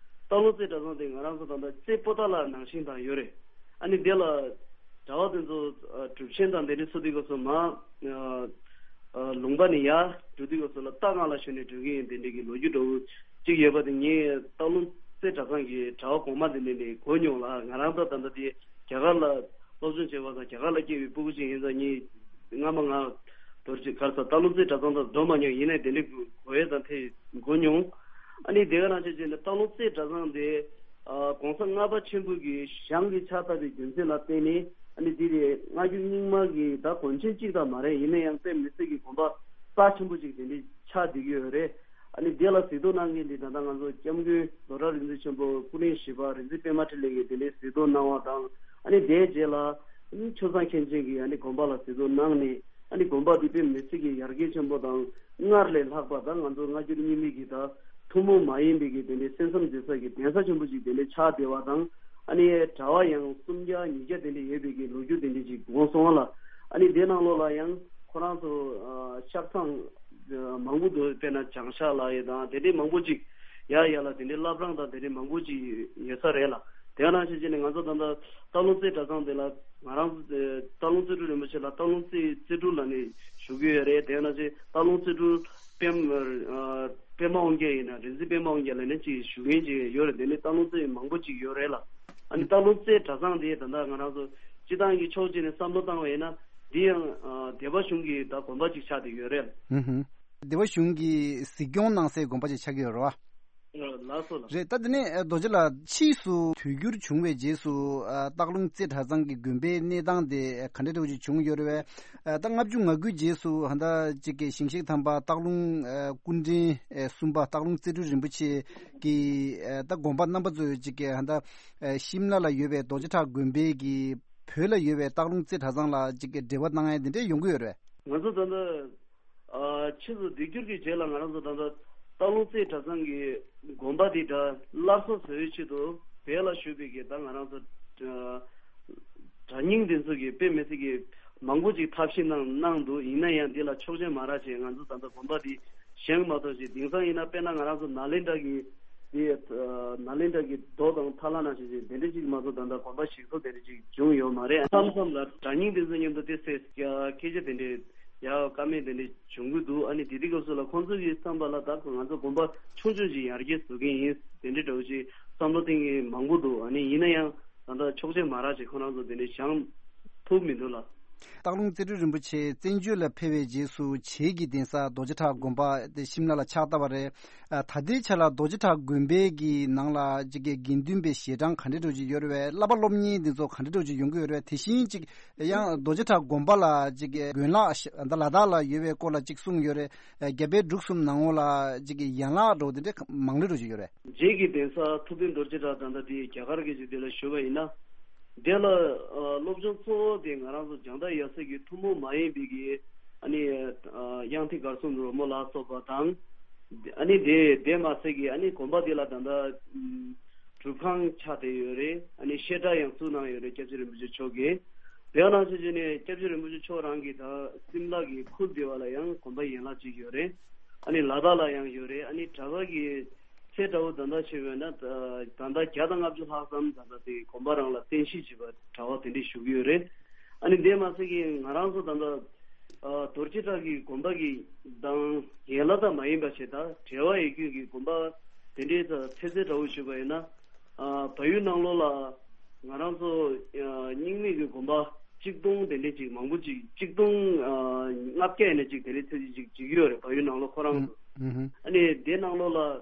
སྟག་ལུང་རྩེ་གྲྭ་ཚང་དེ་ང་རང་ཚོ་ད་ལྟ་རྩེ་པོ་ཏཱ་ལ་ནང་བཞིན་དང་ཡོད་རེད། ཨ་ནི་དེ་ལ་གྲྭ་བ་དེ་ཚོ་སྒྲུབ་ཆེན་དང་དེ་འདྲ་ཚོ་དུས་སྐབས་སུ་མ་ལུང་པ་ནས་ཡར་འགྲོ་དུས་སྐབས་སུ་ལ་རྟ་སྒང་ལ་ཞོན་ནས་འགྲོ་གི་ཡིན། དེ་འདྲ་གི་ལོ་རྒྱུས་འདྲ་བོ་ཅིག་ཡོད་པ་དེ། ངས་སྟག་ལུང་རྩེ་གྲྭ་ཚང་གི་གྲྭ་བ་གོང་མ་དེ་འདྲ་ནས་གོ་མྱོང་ལ། ང་རང་ད་ད་ལྟ་དེ་རྒྱ་གར་ལ་སློབ་སྦྱོང་བྱས་པ་དང་རྒྱ་གར་ལ་སྐྱེས་པའི་སྤུ་གུ་ཅིག་ཡིན་ཙང་། ངས་སྔ་མ་ང་རྡོ་རྗེ་གར་ས་སྟག་ལུང་རྩེ་གྲྭ་ཚང་དུ་འགྲོ་མ་མྱོང་། ཡིན་ནའི་དེ་འདྲའི་གོ་ཡས་དང་དེ་གོ་མྱོང་། ཨ་ནི་དེ་ག་ནང་བཞིན་བྱས་ནས་སྟག་ལུང་རྩེ་གྲྭ་ཚང་དེ་ཨ་གོང་ས་ལྔ་པ་ཆེན་པོ་གི་ཞལ་གྱིས་ཕྱག་བཏབ་པའི་རྒྱུ་མཚན་ལ་བརྟེན་ནས། ཨ་ནི་དེ་དེ་སྔ་འགྱུར་རྙིང་མ་གི་ད་དགོན་ཆེན་གཅིག་ཙམ་མ་རེད། ཡིན་ན་ཡང་དཔེ་མི་སྲིད་ཀྱི་དགོན་པ་རྩ་ཆེན་པོ་ཅིག་དེ་འདྲའི་ཆགས་བསྡད་ཀྱི་ཡོད་རེད། ཨ་ནི་དེ་ལ་གཟིགས་རྟོག་གནང་མཁན་དེ་ད་ལྟ་ང་ཚོ་སྐྱབས་མགོན་རྡོ་བྲག་རིག་འཛིན་ཆེན་པོ་སྐུ་ཕྲེང་བཞི་པ་རིག་འཛིན་པད་མ་འཕྲིན་ལས་ཀྱིས་དེ་འདྲའི་གཟིགས་རྟོག་གནང་བ་དང་། ཨ་ནི་དེའི་རྗེས་ལ་ཨ་ནི་ཆོས་བཟང་མཁན་ཆེན་གྱིས་ཨ་ནི་དགོན་པ་ལ་གཟིགས་རྟོག་གནང་ནས། ཨ་ནི་དགོན་པ་འདི་དཔེ་མི་སྲིད་ཀྱི་ཡར་རྒྱས་ཆེན་པོ་དང་སྔར་ལས་ལྷག་པ་དང་། ང་ཚོ་སྔ་འགྱུར་རྙིང་མའི་གི་ད་ཐུན་མོང་མ་ཡིན་པའི་གི་དེ་འདྲའི་གསན་བསམ་མཛད་ས་གི་གདན་ས་ཆེན་པོ་ཅིག་དེ་འདྲའི་ཆགས་བསྡད་པ་དང་། ཨ་ནི་གྲྭ་བ་ཡང་སུམ་བརྒྱ་ཉིས་བརྒྱ་དེ་འདྲའི་ཡོད་པའི་གི་ལོ་རྒྱུས་དེ་འདྲའི་ཅིག་འོང་སོང་བ་ལ། ཨ་ནི་དེ་ནང་ལོགས་ལ་ཡང་ཁོ་རང་ཚོ་ཨ་ཤག་ཚང་མང་པོ་འདུག་དཔེར་ན་བྱང་ཤག་ལ་ཡོད་དང་། དེ་འདྲའི་མང་པོ་ཅིག་ཡ་ཡ་ལ་དེ་འདྲའི་བླ་བྲང་དང་དེ་འདྲའི་མང་པོ་ཅིག་ཡོད་ས་རེད་ལ། དེ་ནང་བཞིན་བྱས་ནས་ང་ཚོ་ད་ལྟ་སྟག་ལུང་རྩེ་གྲྭ་ཚང་དེ་ལ་ང་རང་ཚོ་སྟག་ལུང་རྩེ་སྤྲུལ་རིན་པོ་ཆེ་ལ་སྟག་ལུང་རྩེ་རྩེ་སྤྲུལ་ལབ་ནས་ཞུ་གི་ཡོད་རེད། དེ་ནང་བཞིན་སྟག་ལུང་རྩེ་སྤྲུལ་པད་ཨ་པད་མ་དབང་རྒྱལ་ཡིན་ན། རིག་འཛིན་པད་མ་དབང་རྒྱལ་ལབ་ནས་ཅིག་ཞུ་མཁན་ཅིག་ཡོད་རེད། དེ་ནས་སྟག་ལུང་རྩེ་མང་པོ་ཅིག་ཡོད་རེད་ལ། ཨ་ནི་སྟག་ལུང་རྩེ་གྲྭ་ཚང་དེ་ད་ལྟ་ང་རང་ཚོ་སྤྱི་བཏང་གི་ཕྱོགས་གཅིག་ནས་བསམ་བློ་བཏང་བ་ཡིན་ན། འདི་ཡང་ཨ་སྡེ་པ་གཞུང་གི་ད་དགོན་པ་ཅིག་ཆགས་བསྡད་ཡོད་རེད། ཧུམ་ཧུམ། སྡེ་པ་གཞུང་གིས་གཟིགས་སྐྱོང་གནང་སའི་དགོན་པ་ཅིག་ཆགས་ཀྱི་ཡོད་རེད་བ། ལགས་སོ་ལགས། རེད། ད་དེ་ནས་རྡོ་རྗེ་ལགས་ཕྱིས་སུ་དུས་འགྱུར་བྱུང་བའི་རྗེས་སུ་ཨ་སྟག་ལུང་རྩེ་གྲྭ་ཚང་གི་དགོན་པའི་གནས་སྟངས་དེ་ག་འདྲ་འདྲ་བོ་ཅིག་བྱུང་ཡོད་རེད་བས། ཨ་ད་ལྔ་བཅུ་ང་དགུའི་རྗེས་སུ་ཧ་ད་ཅིག་གི་ཞིང་གཤེགས་དམ་པ་སྟག་ལུང་ཨ་སྐུ་ཕྲེང་ཨ་གསུམ་པ་སྟག་ལུང་རྩེ་སྤྲུལ་རིན་པོ་ཆེ་གི་ཨ་ད་དགོངས་པ་རྣམ་པ་ཚོས་ཅིག་གི་ཧ་ད་ཨ་ཤིམ་ལ་ལ་ཡོད་པའི་རྡོ་རྗེ་བྲག་དགོན་པའི་གི་བོད་ལ་ཡོད་པའི་སྟག་ལུང་རྩེ་གྲྭ་ཚང་ལ་ཅིག་གི་འབྲེལ་བ་གནང་ཡ་དེ་འདྲ་ཡོང་གི་ཡོད་རེད། ང་ཚོ་ད་ལྟ་ཨ་ཕྱིས་སུ་སྡེ་སྒྱུར་གྱི་རྗེས་ལ་ང་རང་ཚོ་ད་ལྟ་སྟག་ལུང་རྩེ་གྲྭ་ཚང་གི་དགོན་པ་འདི་ད་སླར་གསོ་བཟོ་བའི་ཆེད་དུ་བོད་ལ་བཞུགས་པའི་གི་ད་ང་རང་ཚོ་ཨ་གྲྭ་རྙིང་འདི་ཚོ་གི་དཔེ་མི་སྲིད་ཀྱི་མང་པོ་ཅིག་ཐབས་ཤེས་གནང་གནང་འདུག་ཡིན་ན་ཡང་འདི་ལ་ཆོག་མཆན་མ་རག་བྱས། ང་ཚོ་ད་ལྟ་དགོན་པ་འདི་བཞེངས་མ་ཐུབ་ཅིག་དེང་སང་ཡིན་ན་དཔེར་ན་ང་རང་ཚོ་ནཱ་ལེནྡྲ་གི་འདི་ཨ་ནཱ་ལེནྡྲ་གི་རྡོ་དང་ཐ་ལ་ནང་བཞིན་ཅིག་དེ་འདྲ་ཅིག་མ་གཏོགས་ད་ལྟ་དགོན་པ་ཞིག་གསོ་དེ་འདྲ་ཅིག་བྱུང་ཡོད་མ་རེད། མཚམས་མཚམས་ལ་གྲྭ་རྙིང་དེ་ཚོ་མཉམ་དུ་དེ་སེ་སྐད་ཆ་དེ་འདྲའི་ཡག་ཀ་མེད་དེ་འདྲའི་བྱུང་གི་འདུག་ཨ་ནི་དེ་དུས་སྐབས་སུ་ལ་ཁོང་ཚོ་གི་བསམ་པ་ལ་ད་ང་ཚོ་དགོན་པ་ཆུང་ཆུང་ཅིག་ཡར་རྒྱས་བཟོ་གི་ཡིན། དེ་འདྲའི་འདྲ་བོ་ཅིག་བསམ་བློ་གཏོང་མཁན་མང་པོ་འདུག་ཨ་ནི་ཡིན་ན་ཡང་ད་ལྟ་ཆོག་མཆན་མ་རག་ཅིག་ཁོ་རང་ཚོ་དེ་འདྲའི་བཞེངས་ཐུབ་མི་འདུག་ལ། སྟག་ལུང་རྩེ་སྤྲུལ་རིན་པོ་ཆེ་བཙན་བྱོལ་ལ་ཕེབས་པའི་རྗེས་སུ་བྱེས་ཀྱི་གདན་ས་རྡོ་རྗེ་བྲག་དགོན་པ་དེ་ཤིམ་ལ་ལ་ཕྱག་བཏབ་པ་རེད། ཨ་ད་ལྟའི་ཆ་ལ་རྡོ་རྗེ་བྲག་དགོན་པའི་གི་ནང་ལ་ཅིག་གི་དགེ་འདུན་པའི་ཞལ་གྲངས་ག་འདྲ་འདྲ་ཅིག་ཡོད་རེད་བས། བསླབ་པ་སློབ་གཉེར་འདི་ཚོ་ག་འདྲ་འདྲ་ཅིག་ཡོང་གི་ཡོད་རེད་བས། དེ་བཞིན་ཅིག་ཡང་རྡོ་རྗེ་བྲག་དགོན་པ་ལ་ཅིག་གི་དགོན་ལག་ད་ལ་དྭགས་ལ་ཡོད་པའི་སྐོར་ལ་ཅིག་གསུངས་ཡོད་རེད། རྒྱ་བལ་འབྲུག་གསུམ་ནང་ལོགས་ལ་ཅིག་གི་ཡན་ལག་འདྲ་བོ་དེ་འདྲ་མང་ལེ་འདྲ་ཅིག་ཡོད་རེད། རྗེ་གི་གདན་ས་ཐུབ་བསྟན་རྡོ་རྗེ་བྲག་ད་ལྟ་དེ་རྒྱ་གར་གྱི་ཅིག་དེ་ལ་ཞུ་བ་ཡིན་ན། དེ་ལ་ཨ་སློབ་སྦྱོང་གཙོ་བོ་དེ་ང་རང་ཚོ་བྱང་ཐང་ཡབ་སྲས་ཀྱི་ཐུན་མོང་མ་ཡིན་པའི་གི་ཨ་ནི་ཨ་དབྱངས་ཐིག་གར་གསུམ་རོལ་མོ་ལ་སོགས་པ་དང་། ཨ་ནི་དེ་དེ་མ་ཟད་ཀྱི་ཨ་ནི་དགོན་པ་དེ་ལ་ད་ལྟ་ཨམ་སྒྲུབ་ཁང་ཆགས་བསྡད་ཡོད་རེད། ཨ་ནི་བཤད་གྲྭ་ཡང་བཙུགས་གནང་ཡོད་རེད། སྐྱབས་རྗེ་རིན་པོ་ཆེ་མཆོག་གིས། དེ་ནང་བཞིན་བྱས་ནས་སྐྱབས་རྗེ་རིན་པོ་ཆེ་མཆོག་རང་གིས་ད་སིམ་ལ་གི་ཁུལ་དེ་བ་ལ་ཡང་དགོན་པ་ཡན་ལག་ཅིག་ཡོད་རེད། ཨ་ནི་ལ་དྭགས་ལ་ཡང་ཡོད་རེད། ཨ་ནི་གྲྭ་པ་གི་ཚད་འདྲ་བོ་ད་ལྟ་བྱས་པས་ན་ད་ད་ལྟ་བརྒྱ་དང་ལྔ་བཅུ་ལྷག་ཙམ་ད་ལྟ་དེ་དགོན་པ་རང་ལ་རྟེན་གཞི་བྱས་པ་གྲྭ་པ་དེ་འདྲས་བཞུགས་ཡོད་རེད། ཨ་ནི་དེ་མ་ཟད་ཀྱི་ང་རང་ཚོ་ད་ལྟ་ཨ་རྡོ་རྗེ་བྲག་གི་དགོན་པ་གི་དང་ཡན་ལག་དང་མ་ཡིན་པ་བྱས་ད་འབྲེལ་བ་ཡོད་རྒྱུ་གི་དགོན་པ་དེ་འདྲའི་ད་ཚད་ཚད་འདྲ་བོ་ཞུས་པ་ཡིན་ན། ཨ་བལ་ཡུལ་ནང་ལོགས་ལ་ང་རང་ཚོ་ཨ་རྙིང་མའི་གི་དགོན་པ་གཅིག་སྟོང་དེ་འདྲས་ཅིག་མང་པོ་ཅིག་གཅིག་སྟོང་ཨ་ལྔ་བརྒྱ་ཡིན་ན་ཅིག་དེ་འདྲས་ཚད་ཅིག་ཅིག་བརྗོད་ཀྱི་ཡོད་རེད། བལ་ཡུལ་ནང་ལོགས་ཁོ་རང་ཚོ། ཨ་ནི་དེ་ནང་ལོགས་ལ་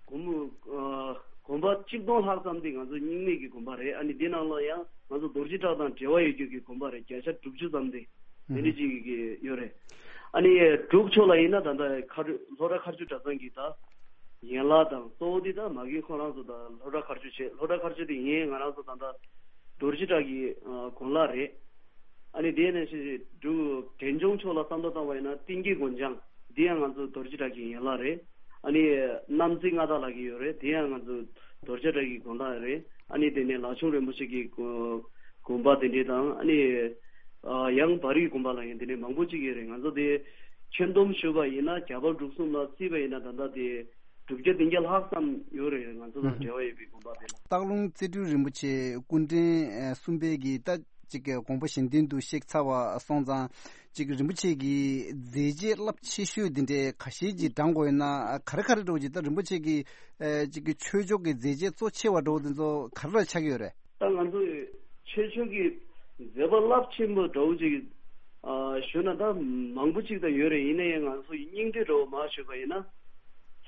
དགོན་པ་ཨ་དགོན་པ་གཅིག་སྟོང་ལྷག་ཙམ་དེ་ང་ཚོ་རྙིང་མའི་གི་དགོན་པ་རེད། ཨ་ནི་དེ་ནང་ལོགས་ཡང་ང་ཚོ་རྡོ་རྗེ་བྲག་དང་འབྲེལ་བ་ཡོད་རྒྱུ་གི་དགོན་པ་རེད། བརྒྱ་ཆ་དྲུག་ཅུ་ཙམ་དེ་དེ་འདྲས་ཅིག་གི་ཡོད་རེད། ཨ་ནི་འབྲུག་ཕྱོགས་ལ་ཡིན་ན་ད་ལྟ་མཁར་ལྷོ་བྲག་མཁར་ཆུ་གྲྭ་ཚང་གི་ད་ཡན་ལག་དང་གཙོ་བོ་འདི་ད་མ་གི་ཁོ་རང་ཚོ་ད་ལྷོ་བྲག་མཁར་ཆུ་བྱས། ལྷོ་བྲག་མཁར་ཆུ་དེ་ཡིན་ང་རང་ཚོ་ད་ལྟ་རྡོ་རྗེ་བྲག་གི་ཨ་དགོན་ལག་རེད། ཨ་ནི་དེ་ནས་ཤི་འབྲུག་འབྲས་ལྗོངས་ཕྱོགས་ལ་བསམ་བློ་བཏང་བ་ཡིན་ན་གཏིང་སྐྱེས་དགོན་བྱང་འདི་ཡང་ང་ཚོ་རྡོ་རྗེ་བྲག་གི་ཡན་ལག་རེད། ཨ་ནི་གནམ་རྩེ་མངའ་བདག་ལགས་ཀྱི་ཡོད་རེད། དེ་ཡང་ང་ཚོ་རྡོ་རྗེ་བྲག་གི་དགོན་ལག་རེད། ཨ་ནི་དེ་ནས་ལག་ཆུང་རིན་པོ་ཆེ་གི་དགོན་པ་དེ་འདྲས་དང་། ཨ་ནི་ཨ་ཡང་བར་ཡུལ་དགོན་པ་ལ་ཡང་དེ་འདྲས་མང་པོ་ཅིག་ཡོད་རེད། ང་ཚོ་དེ་ ཁྱོན་བསྡོམས་ཞུས་པ་ཡིན་ན་རྒྱ་བལ་འབྲུག་གསུམ་ལ་བརྩིས་པ་ཡིན་ན་ད་ལྟ་དེ་བསྒྲུབ་བྱ་བདུན་བརྒྱ་ལྷག་ཙམ་ཡོད་རེད། ང་ཚོ་དང་འབྲེལ་བ་ཡོད་པའི་དགོན་པ་དེ་ལ། སྟག་ལུང་རྩེ་སྤྲུལ་རིན་པོ་ཆེ་སྐུ་ཕྲེང་གསུམ་པའི་གི་ད་ཅིག་དགོངས་པ་གཞན་དོན་དུ་གཤེགས་ཚར་བ་སོང་ཙང་། ཅིག་རིན་པོ་ཆེ་གི་མཛད་རྗེས་རླབས་ཆེ་ཤོས་འདི་འདྲའི་ཁ་ཤས་ཀྱི་བགྲང་དགོས་ཡོད་ན་ག་རེ་ག་རེ་འདྲ་བོ་ཅིག་ད་རིན་པོ་ཆེ་གི་ཅིག་གི་ཆོས་ཕྱོགས་ཀྱི་མཛད་རྗེས་གཙོ་ཆེ་བ་འདྲ་བོ་དེ་ཚོ་ག་རེ་ལ་ཆགས་ཀྱི་ཡོད་རེད། ད་ང་ཚོ་ཆོས་ཕྱོགས་ཀྱི་མཛད་པ་རླབས་ཆེན་པོ་འདྲ་བོ་ཅིག་ཨ་ཞུ་ན་ད་མང་པོ་ཅིག་ད་ཡོད་རེད། ཡིན་ན་ཡང་ང་ཚོ་ཡི་སྙིང་བསྡུས་འདྲ་བོ་མ་ཞུས་པ་ཡིན་ན།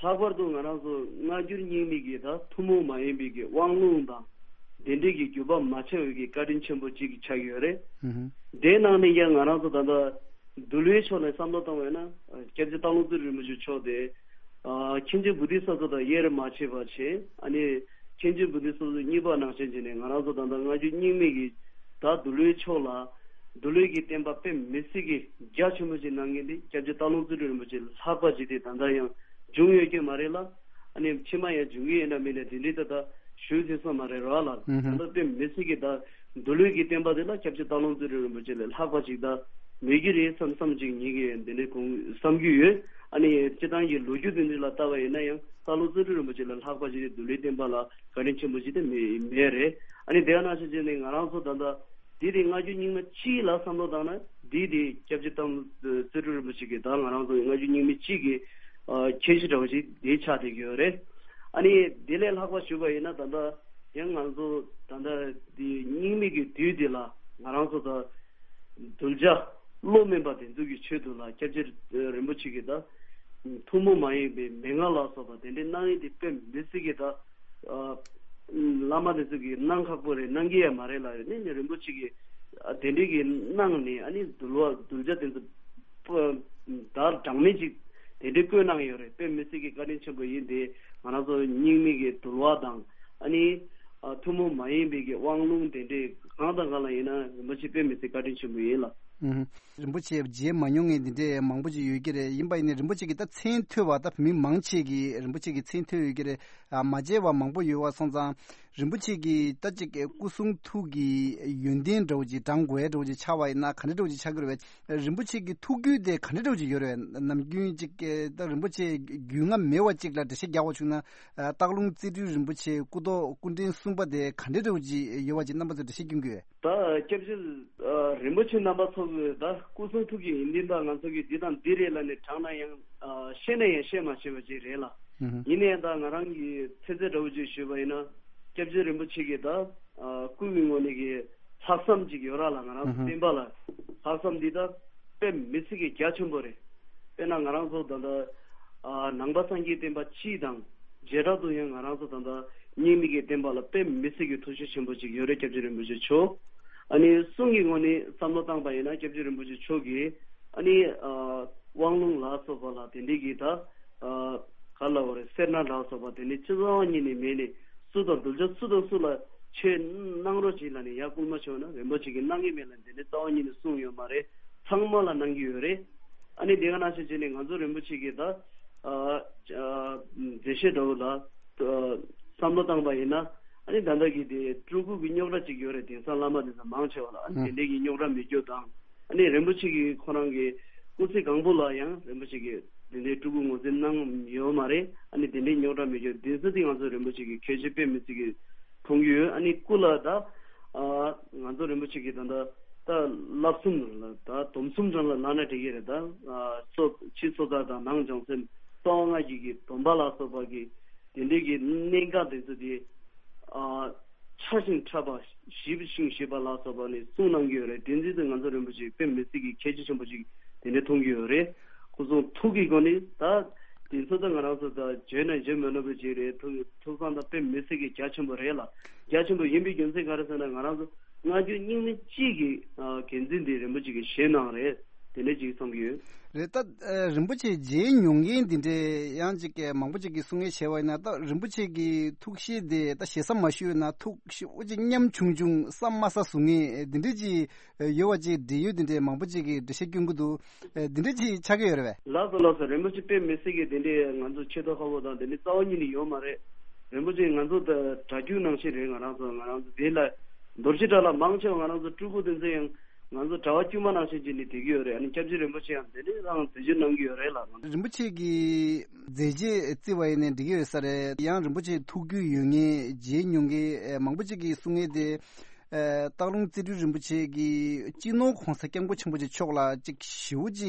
ལྷག་པར་དུ་ང་རང་ཚོ་སྔ་འགྱུར་རྙིང་མའི་གི་ད་ཐུན་མོང་མ་ཡིན་པའི་གི་དབང་ལུང་དང་དེ་འདྲའི་གི་བརྒྱུད་པ་མ་ཆད་པའི་གི་བཀའ་དྲིན་ཆེན་པོ་གཅིག་ཆགས་ཡོད་རེད། ཧུམ་ཧུམ། དེའི་ནང་ནས་ཀྱང་ང་རང་ཚོ་ད་ལྟ་འདུལ་བའི་ཕྱོགས་ནས་བསམ་བློ་བཏང་བས་ན་སྐྱབས་རྗེ་སྟག་ལུང་རྩེ་རིན་པོ་ཆེ་མཆོག་དེ་ཨ་མཁན་ཆེན་བོ་དྷི་ས་ཏྭ་དང་དབྱེར་མ་ཕྱེ་བ་བྱས། ཨ་ནི་མཁན་ཆེན་བོ་དྷི་ས་ཏྭ་གཉིས་པ་ནང་བཞིན་བྱས་ནས་ང་རང་ཚོ་ད་ལྟ་སྔ་འགྱུར་རྙིང་མའི་གི་ད་འདུལ་བའི་ཕྱོགས་ལ་འདུལ་བའི་གི་བསྟན་པ་དཔེ་མི་སྲིད་ཀྱི་རྒྱ་ཆེན་པོ་ཞིག་གནང་མཁན་དེ་སྐྱབས་རྗེ་སྟག་ལུང་རྩེ་སྤྲུལ་རིན་པོ་ཆེ་ལྷག་པ་ཅིག་དེ་ད་ལྟ་ཡང་བྱུང་ཡོད་ཀྱི་མ་རེད་ལ། ཨ་ནི་ཕྱི་མ་ཡང་འབྱུང་གི་ཡིན་ན་མིན་ན་དེ་འདྲའི་ད་ལྟ་ཞུ་ཐུབ་ས་མ་རེད་ར་ལ། ཨུ་ཧུམ། ད་ལྟ་དཔེ་མི་སྲིད་ཀྱི་ད་འདུལ་བའི་གི་བསྟན་པ་དེ་ལ་སྐྱབས་རྗེ་སྟག་ལུང་རྩེ་སྤྲུལ་རིན་པོ་ཆེ་ལས་ལྷག་པ་ཅིག་ད་མེད་ཀྱི་རེད་བསམ་བསམ་ཅིག་ངེད་ཀྱིས་འདི་ནས་གོང་བསམ་གྱི་ཡོད། ཨ་ནི་སྤྱི་བཏང་གི་ལོ་རྒྱུས་དེ་འདྲ་ལ་ལྟ་བ་ཡིན་ན་ཡང་སྟག་ལུང་རྩེ་སྤྲུལ་རིན་པོ་ཆེ་ལས་ལྷག་པ་ཅིག་དེ་འདུལ་བའི་བསྟན་པ་ལ་བཀའ་དྲིན་ཆེན་པོ་ཅིག་དེ་མེད་མེད་རེད། ཨ་ནི་དེ་ཡང་ནང་བཞིན་བྱས་ནས་ང་རང་ཚོ་ད་ལྟ་འདི་དེ་སྔ་འགྱུར་རྙིང་མ་སྤྱི་ལ་བསམ་བློ་བཏང་ན་འདི་དེ་སྐྱབས་རྗེ་སྟག་ལུང་རྩེ་སྤྲུལ་རིན་པོ་ཆེ་གི་ད་ང་རང་ཚོ་སྔ་འགྱུར་རྙིང་མའི་སྤྱི་གི་ཨ་ཁྱད་གཞི་འདྲ་བ་ཞིག་དེ་ཆགས་བསྡད་ཀྱི་ཡོད་རེད། ཨ་ནི་དེ་ལས་ལྷག་པ་ཞུས་པ་ཡིན་ན་ད་ལྟ་ཡང་ང་ཚོ་ད་ལྟ་དེ་རྙིང་མའི་གི་དུས་དེ་ལ་ང་རང་ཚོ་ད་གདུལ་བྱ་བློ་དམན་པ་དེ་ཚོ་གི་ཆེད་དུ་ལ་སྐྱབས་རྗེ་རིན་པོ་ཆེ་གི་ད་ཐུན་མོང་མ་ཡིན་པའི་མན་ངག་ལ་སོགས་པ་དེ་འདྲའི་གནང་ཡིན་དེ་དཔེ་མི་སྲིད་ཀྱི་ད་ཨ་བླ་མ་དེ་ཚོ་གིས་གནང་ཁག་པོ་རེད། གནང་གི་ཡ་མ་རེད་ལ་ཡོད་ནས་ནི་རིན་པོ་ཆེ་གིས་ཨ་དེ་འདྲའི་གི་གནང་ནས་ཨ་ནི་འདུལ་བ་གདུལ་བྱ་དེ་ཚོ་ད་གྲངས་མེད་ཅིག་དེ་འདྲའི་བཀོད་གནང་ཡོད་རེད། དཔེ་མི་སྲིད་ཀྱི་བཀའ་དྲིན་ཆེན་པོ་ཡིན་དེ་ང་རང་ཚོ་རྙིང་མའི་གི་འདུལ་བ་དང་ཨ་ནི་ཨ་ཐུན་མོང་མ་ཡིན་པའི་གི་དབང་ལུང་དེ་འདྲའི་གང་དང་གང་ལ་ཡིན་ན་རིན་པོ་ཆེ་དཔེ་མི་སྲིད་བཀའ་དྲིན་ཆེན་པོ་ཡིན་ལ། ཨུ་ཧུ། རིན་པོ་ཆེ་མཇལ་མ་མྱོང་མཁན་འདི་འདྲའི་མང་པོ་ཅིག་ཡོད་ཀྱི་རེད། ཡིན་པ་ཡིན་ནའི་རིན་པོ་ཆེ་གི་ད་མཚན་ཐོས་པ་ད་མི་མང་ཆེ་གིས་རིན་པོ་ཆེ་གི་མཚན་ཐོས་ཡོད་ཀྱི་རེད། ཨ་མ་མཇལ་བ་མང་པོ་ཡོད་པ་སོང་ཙང་རིན་པོ་ཆེ་གི་ད་ཅིག་སྐུ་གསུང་ཐུགས་ཀྱི་ཡོན་ཏན་འདྲ་བོ་ཅིག་བགྲང་དགོས་འདྲ་བོ་ཅིག་ཆགས་པ་ཡིན་ན་ག་འདྲ་འདྲ་བོ་ཅིག་ཆགས་ཀྱི་རེད་པས། རིན་པོ་ཆེ་གི་ཐུགས་རྒྱུད་དེ་ག་འདྲ་འདྲ་བོ་ཅིག་ཡོད་རེད། ནམ་རྒྱུན་ཅིག་ད་རིན་པོ་ཆེ་རྒྱུས་མངའ་མེད་པ་ཅིག་ལ་འགྲེལ་བཤད་རྒྱག་པ་བྱུང་ན་སྟག་ལུང་རྩེ་སྤྲུལ་རིན་པོ་ཆེ་སྐུ་ཐོག་སྐུ་ཕྲེང་གསུམ་པ་དེ་ག་འདྲ་འདྲ་བོ་ཅིག་ཡོད་པ་ཅིག་རྣམ་པ་ཚོ་འགྲེལ་བཤད་སྐྱོན་གྱི་ཡོད། ད་སྐྱབས་རྗེ་ཨ་རིན་པོ་ཆེ་རྣམ་པ་ཚོ་གི་ད་སྐུ་གསུང་ཐུགས་ཀྱི་ཡོན་ཏན་དག་ང་ཚོ་གི་འདི་དང་འདི་རེད་ལབ་ནས་བགྲངས་ན་ཡང་ཨ་བཤད་ན་ཡང་བཤད་མ་ཤེས་པ་ཅིག་རེད་ལ། ཨུ་ཧུ། ཡིན་ནའི་ད་ང་རང་གི་ཚེ་ཚད་འདྲ་བོ་ཅིག་ཞུས་པ་ཡིན་ན་སྐྱབས་རྗེ་རིན་པོ་ཆེ་གི་ད་ཨ་སྐུ་མི་ངོ་ནས་གི་ལྷག་བསམ་ཅིག་ཡོད་ར་ལ། ང་རང་ཚོ་ཨུ་ཧུ། བསྟན་པ་ལ་ལྷག་བསམ་འདི་ད་དཔེ་མི་སྲིད་ཀྱི་རྒྱ་ཆེན་པོ་རེད། དཔེར་ན་ང་རང་ཚོ་ད་ལྟ་ཨ་ནང་པ་སངས་རྒྱས་བསྟན་པ་སྤྱི་དང་བྱེ་བྲག་ཏུ་ཡང་ང་རང་ཚོ་ད་ལྟ་རྙིང་མའི་གི་བསྟན་པ་ལ་དཔེ་མི་སྲིད་ཀྱི་ཐུགས་རྗེ་ཆེན་པོ་ཅིག་ཡོད་རེད། སྐྱབས་རྗེ་རིན་པོ་ཆེ་མཆོག་ཨ་ནི་གསུང་གི་ངོས་ནས་བསམ་བློ་བཏང་པ་ཡིན་ན་སྐྱབས་རྗེ་རིན་པོ་ཆེ་མཆོག་གིས་ཨ་ནི་ཨ་དབང་ལུང་ལ་སོགས་པ་ལ་དེ་འདྲའི་གི་ད་ཨ་ག་ལ་བ་རེད། སེར་སྣ་ལ་སོགས་པ་དེ་འདྲའི་སྤྱི་ཚོགས་གཉིས་ནས་མེད་ནས་སུ་དང་གདུལ་བྱ་སུ་དང་སུ་ལ་ཆོས་གནང་རོགས་གྱིས་ལབ་ནས་ཡར་སྐུལ་མ་བྱུང་ན་རིན་པོ་ཆེ་གིས་གནང་གི་མེད་ལ་དེ་འདྲའི་རྩ་བ་ཉིད་ནས་གསུངས་ཡོད་མ་རེད། ཚང་མ་ལ་གནང་གི་ཡོད་རེད། ཨ་ནི་དེ་ག་ནང་བཞིན་བྱས་ནས་ང་ཚོ་རིན་པོ་ཆེ་གིས་ད་ཨ་ཨ་མཛད་བཤད་འདྲ་བོ་ལ་ཨ་བསམ་བློ་བཏང་པ་ཡིན་ན་ཨ་ནི་ད་ལྟ་གི་དེ་སྤྲུལ་སྐུ་གི་རྙོག་དྲ་ཅིག་ཡོད་རེད། དེང་སང་བླ་མ་དེ་ཚོ་མང་ཆེ་བ་ལ་ཨ་ནི་ཨང་དེ་འདྲའི་གི་རྙོག་དྲ་མེད་རྒྱུ་དང་། ཨ་ནི་རིན་པོ་ཆེ་གིས་ཁོ་རང་གི་སྐུ་ཚེ་གང་པོ་ལ་ཡང་རིན་པོ་ཆེ་གིས་དེ་འདྲའི་སྤྲུལ་སྐུ་ངོས་འཛིན་གནང་ཡོད་མ་རེད། ཨ་ནི་དེ་འདྲའི་རྙོག་དྲ་མེད་རྒྱུ་དེ་ཚོ་དེ་ང་ཚོ་རིན་པོ་ཆེ་གི་ཁྱད་ཆོས་དཔེ་མི་སྲིད་ཀྱི་མཐོང་གི་ཡོད། ཨ་ནི་སྐུ་ལ་ད་ཨ་ང་ཚོ་རིན་པོ་ཆེ་གི་ད་ད་ད་བསླབ་གསུམ་ལ་ད་སྡོམ་གསུམ་རང་ལ་ལབ་ན་འགྲིག་གི་རེད། ད་ཨ་སོ་ཕྱི་སོ་ཐར་དང་ནང་བྱང་སེམས་རྩ་བ་ལྔ་གི་གི་སྡོམ་པ་ལ་སོགས་པ་གི་དེ་འདྲའི་གི་གནད་འགག་དེ་ཚོ་དེ་ཨ་ཕྲ་ཞིང་ཕྲ་བ་ཞིབ་ཞིང་ཞིབ་པ་ལ་སོགས་པ་ནས་གསུངས་གནང་གི་ཡོད་རེད། དེ་འཛིན་དུ་ང་ཚོ་རིན་པོ་ཆེ་དཔེ་མི་སྲིད་ཀྱི་ཁྱད་ཆོས་ཆེན་པོ་ཅིག་དེ་འདྲ་མཐོང་གི་ཡོད་རེད། སྐུ་གསུང་ཐུགས་ཀྱི་སྒོ་ནས་ད་དེ་ཚོ་ད་ང་རང་ཚོ་ད་བརྗོད་ན་བརྗོད་མི་ནུས་པ་ཅིག་རེད། ཐུགས་ཐུགས་བསམ་ད་དཔེ་མི་སྲིད་ཀྱི་རྒྱ་ཆེན་པོ་རེད་ལ། རྒྱ་ཆེན་པོ་ཡིན་པའི་རྒྱུ་མཚན་ག་རེ་ཟེར་ན་ང་རང་ཚོ་སྔ་འགྱུར་རྙིང་མའི་སྤྱི་གི་འགན་འཛིན་དེ་རིན་པོ་ཆེ་གིས་བཞེས་གནང་རེད། དེ་འདྲ་ཅིག་བསམ་གྱི་ཡོད། རེད། ད་རིན་པོ་ཆེ་མཇལ་མྱོང་མཁན་འདི་འདྲའི་ཡང་ཅིག་མང་པོ་ཅིག་གིས་གསུང་ངེས་བྱས་པ་ཡིན་ན་ད་རིན་པོ་ཆེ་གི་ཐུགས་བཞེད་དེ་ད་ཞེ་ས་མ་ཞུས་ན་ཐུགས་ཞེ་པོ་ཅིག་ཉམ་ཆུང་ཆུང་བསམ་མ་ས་བཟོ་ངེས་འདི་འདྲ་ཅིག་ཡོད་པ་ཅིག་འབྲེལ་ཡོད་འདི་འདྲའི་མང་པོ་ཅིག་གིས་འགྲེལ་བཤད་སྐྱོན་གྱི་འདུག་འདི་འདྲ་ཅིག་ཆགས་ཀྱི་ཡོད་རེད་པས། ལགས་སོ་ལགས་སོ། རིན་པོ་ཆེ་དཔེ་མི་སྲིད་ཀྱི་འདི་འདྲའི་ང་ཚོ་ཆེ་མཐོ་ཁ་པོ་དང་འདི་འདྲའི་རྩ་བ་ཉིད་ནས་ཡོད་མ་རེད། རིན་པོ་ཆེ་ང་ཚོ་ད་གྲྭ་རྒྱུན་ནང་བཞིན་རེད། ང་རང་ཚོ་ང་རང་ཚོ་དེ་ལ་རྡོ་རྗེ་གྲྭ་ལ་མང་ཆེ་བ་ང་རང་ཚོ་སྤྲུལ་སྐུ་དེ་ཚོ་ཡང་ ང་ཚོ་གྲྭ་པ་དཀྱུས་མ་ནང་བཞིན་བྱས་ནས་བསྡད་ཀྱི་ཡོད་རེད། ཨ་ནི་སྐྱབས་རྗེ་རིན་པོ་ཆེ་ཡང་དེ་འདྲའི་རང་མཛད་སྤྱོད་གནང་གི་ཡོད་རེད་ལ། རིན་པོ་ཆེ་གིས་མཛད་རྗེས་བརྩི་བ་ཡིན་ནའི་འགྲིག་གི་ཡོད་ས་རེད། ཡང་རིན་པོ་ཆེ་ཐུགས་རྒྱུས་ཡོད་མཁན་མཇལ་མྱོང་མཁན་མང་པོ་ཅིག་གིས་གསུང་མཁན་དེ། ཨ། སྟག་ལུང་རྩེ་སྤྲུལ་རིན་པོ་ཆེ་གིས་སྤྱི་ནོར་༸གོང་ས་༸སྐྱབས་མགོན་ཆེན་པོ་མཆོག་ལ་ཅིག་ཞེ་པོ་ཅིག་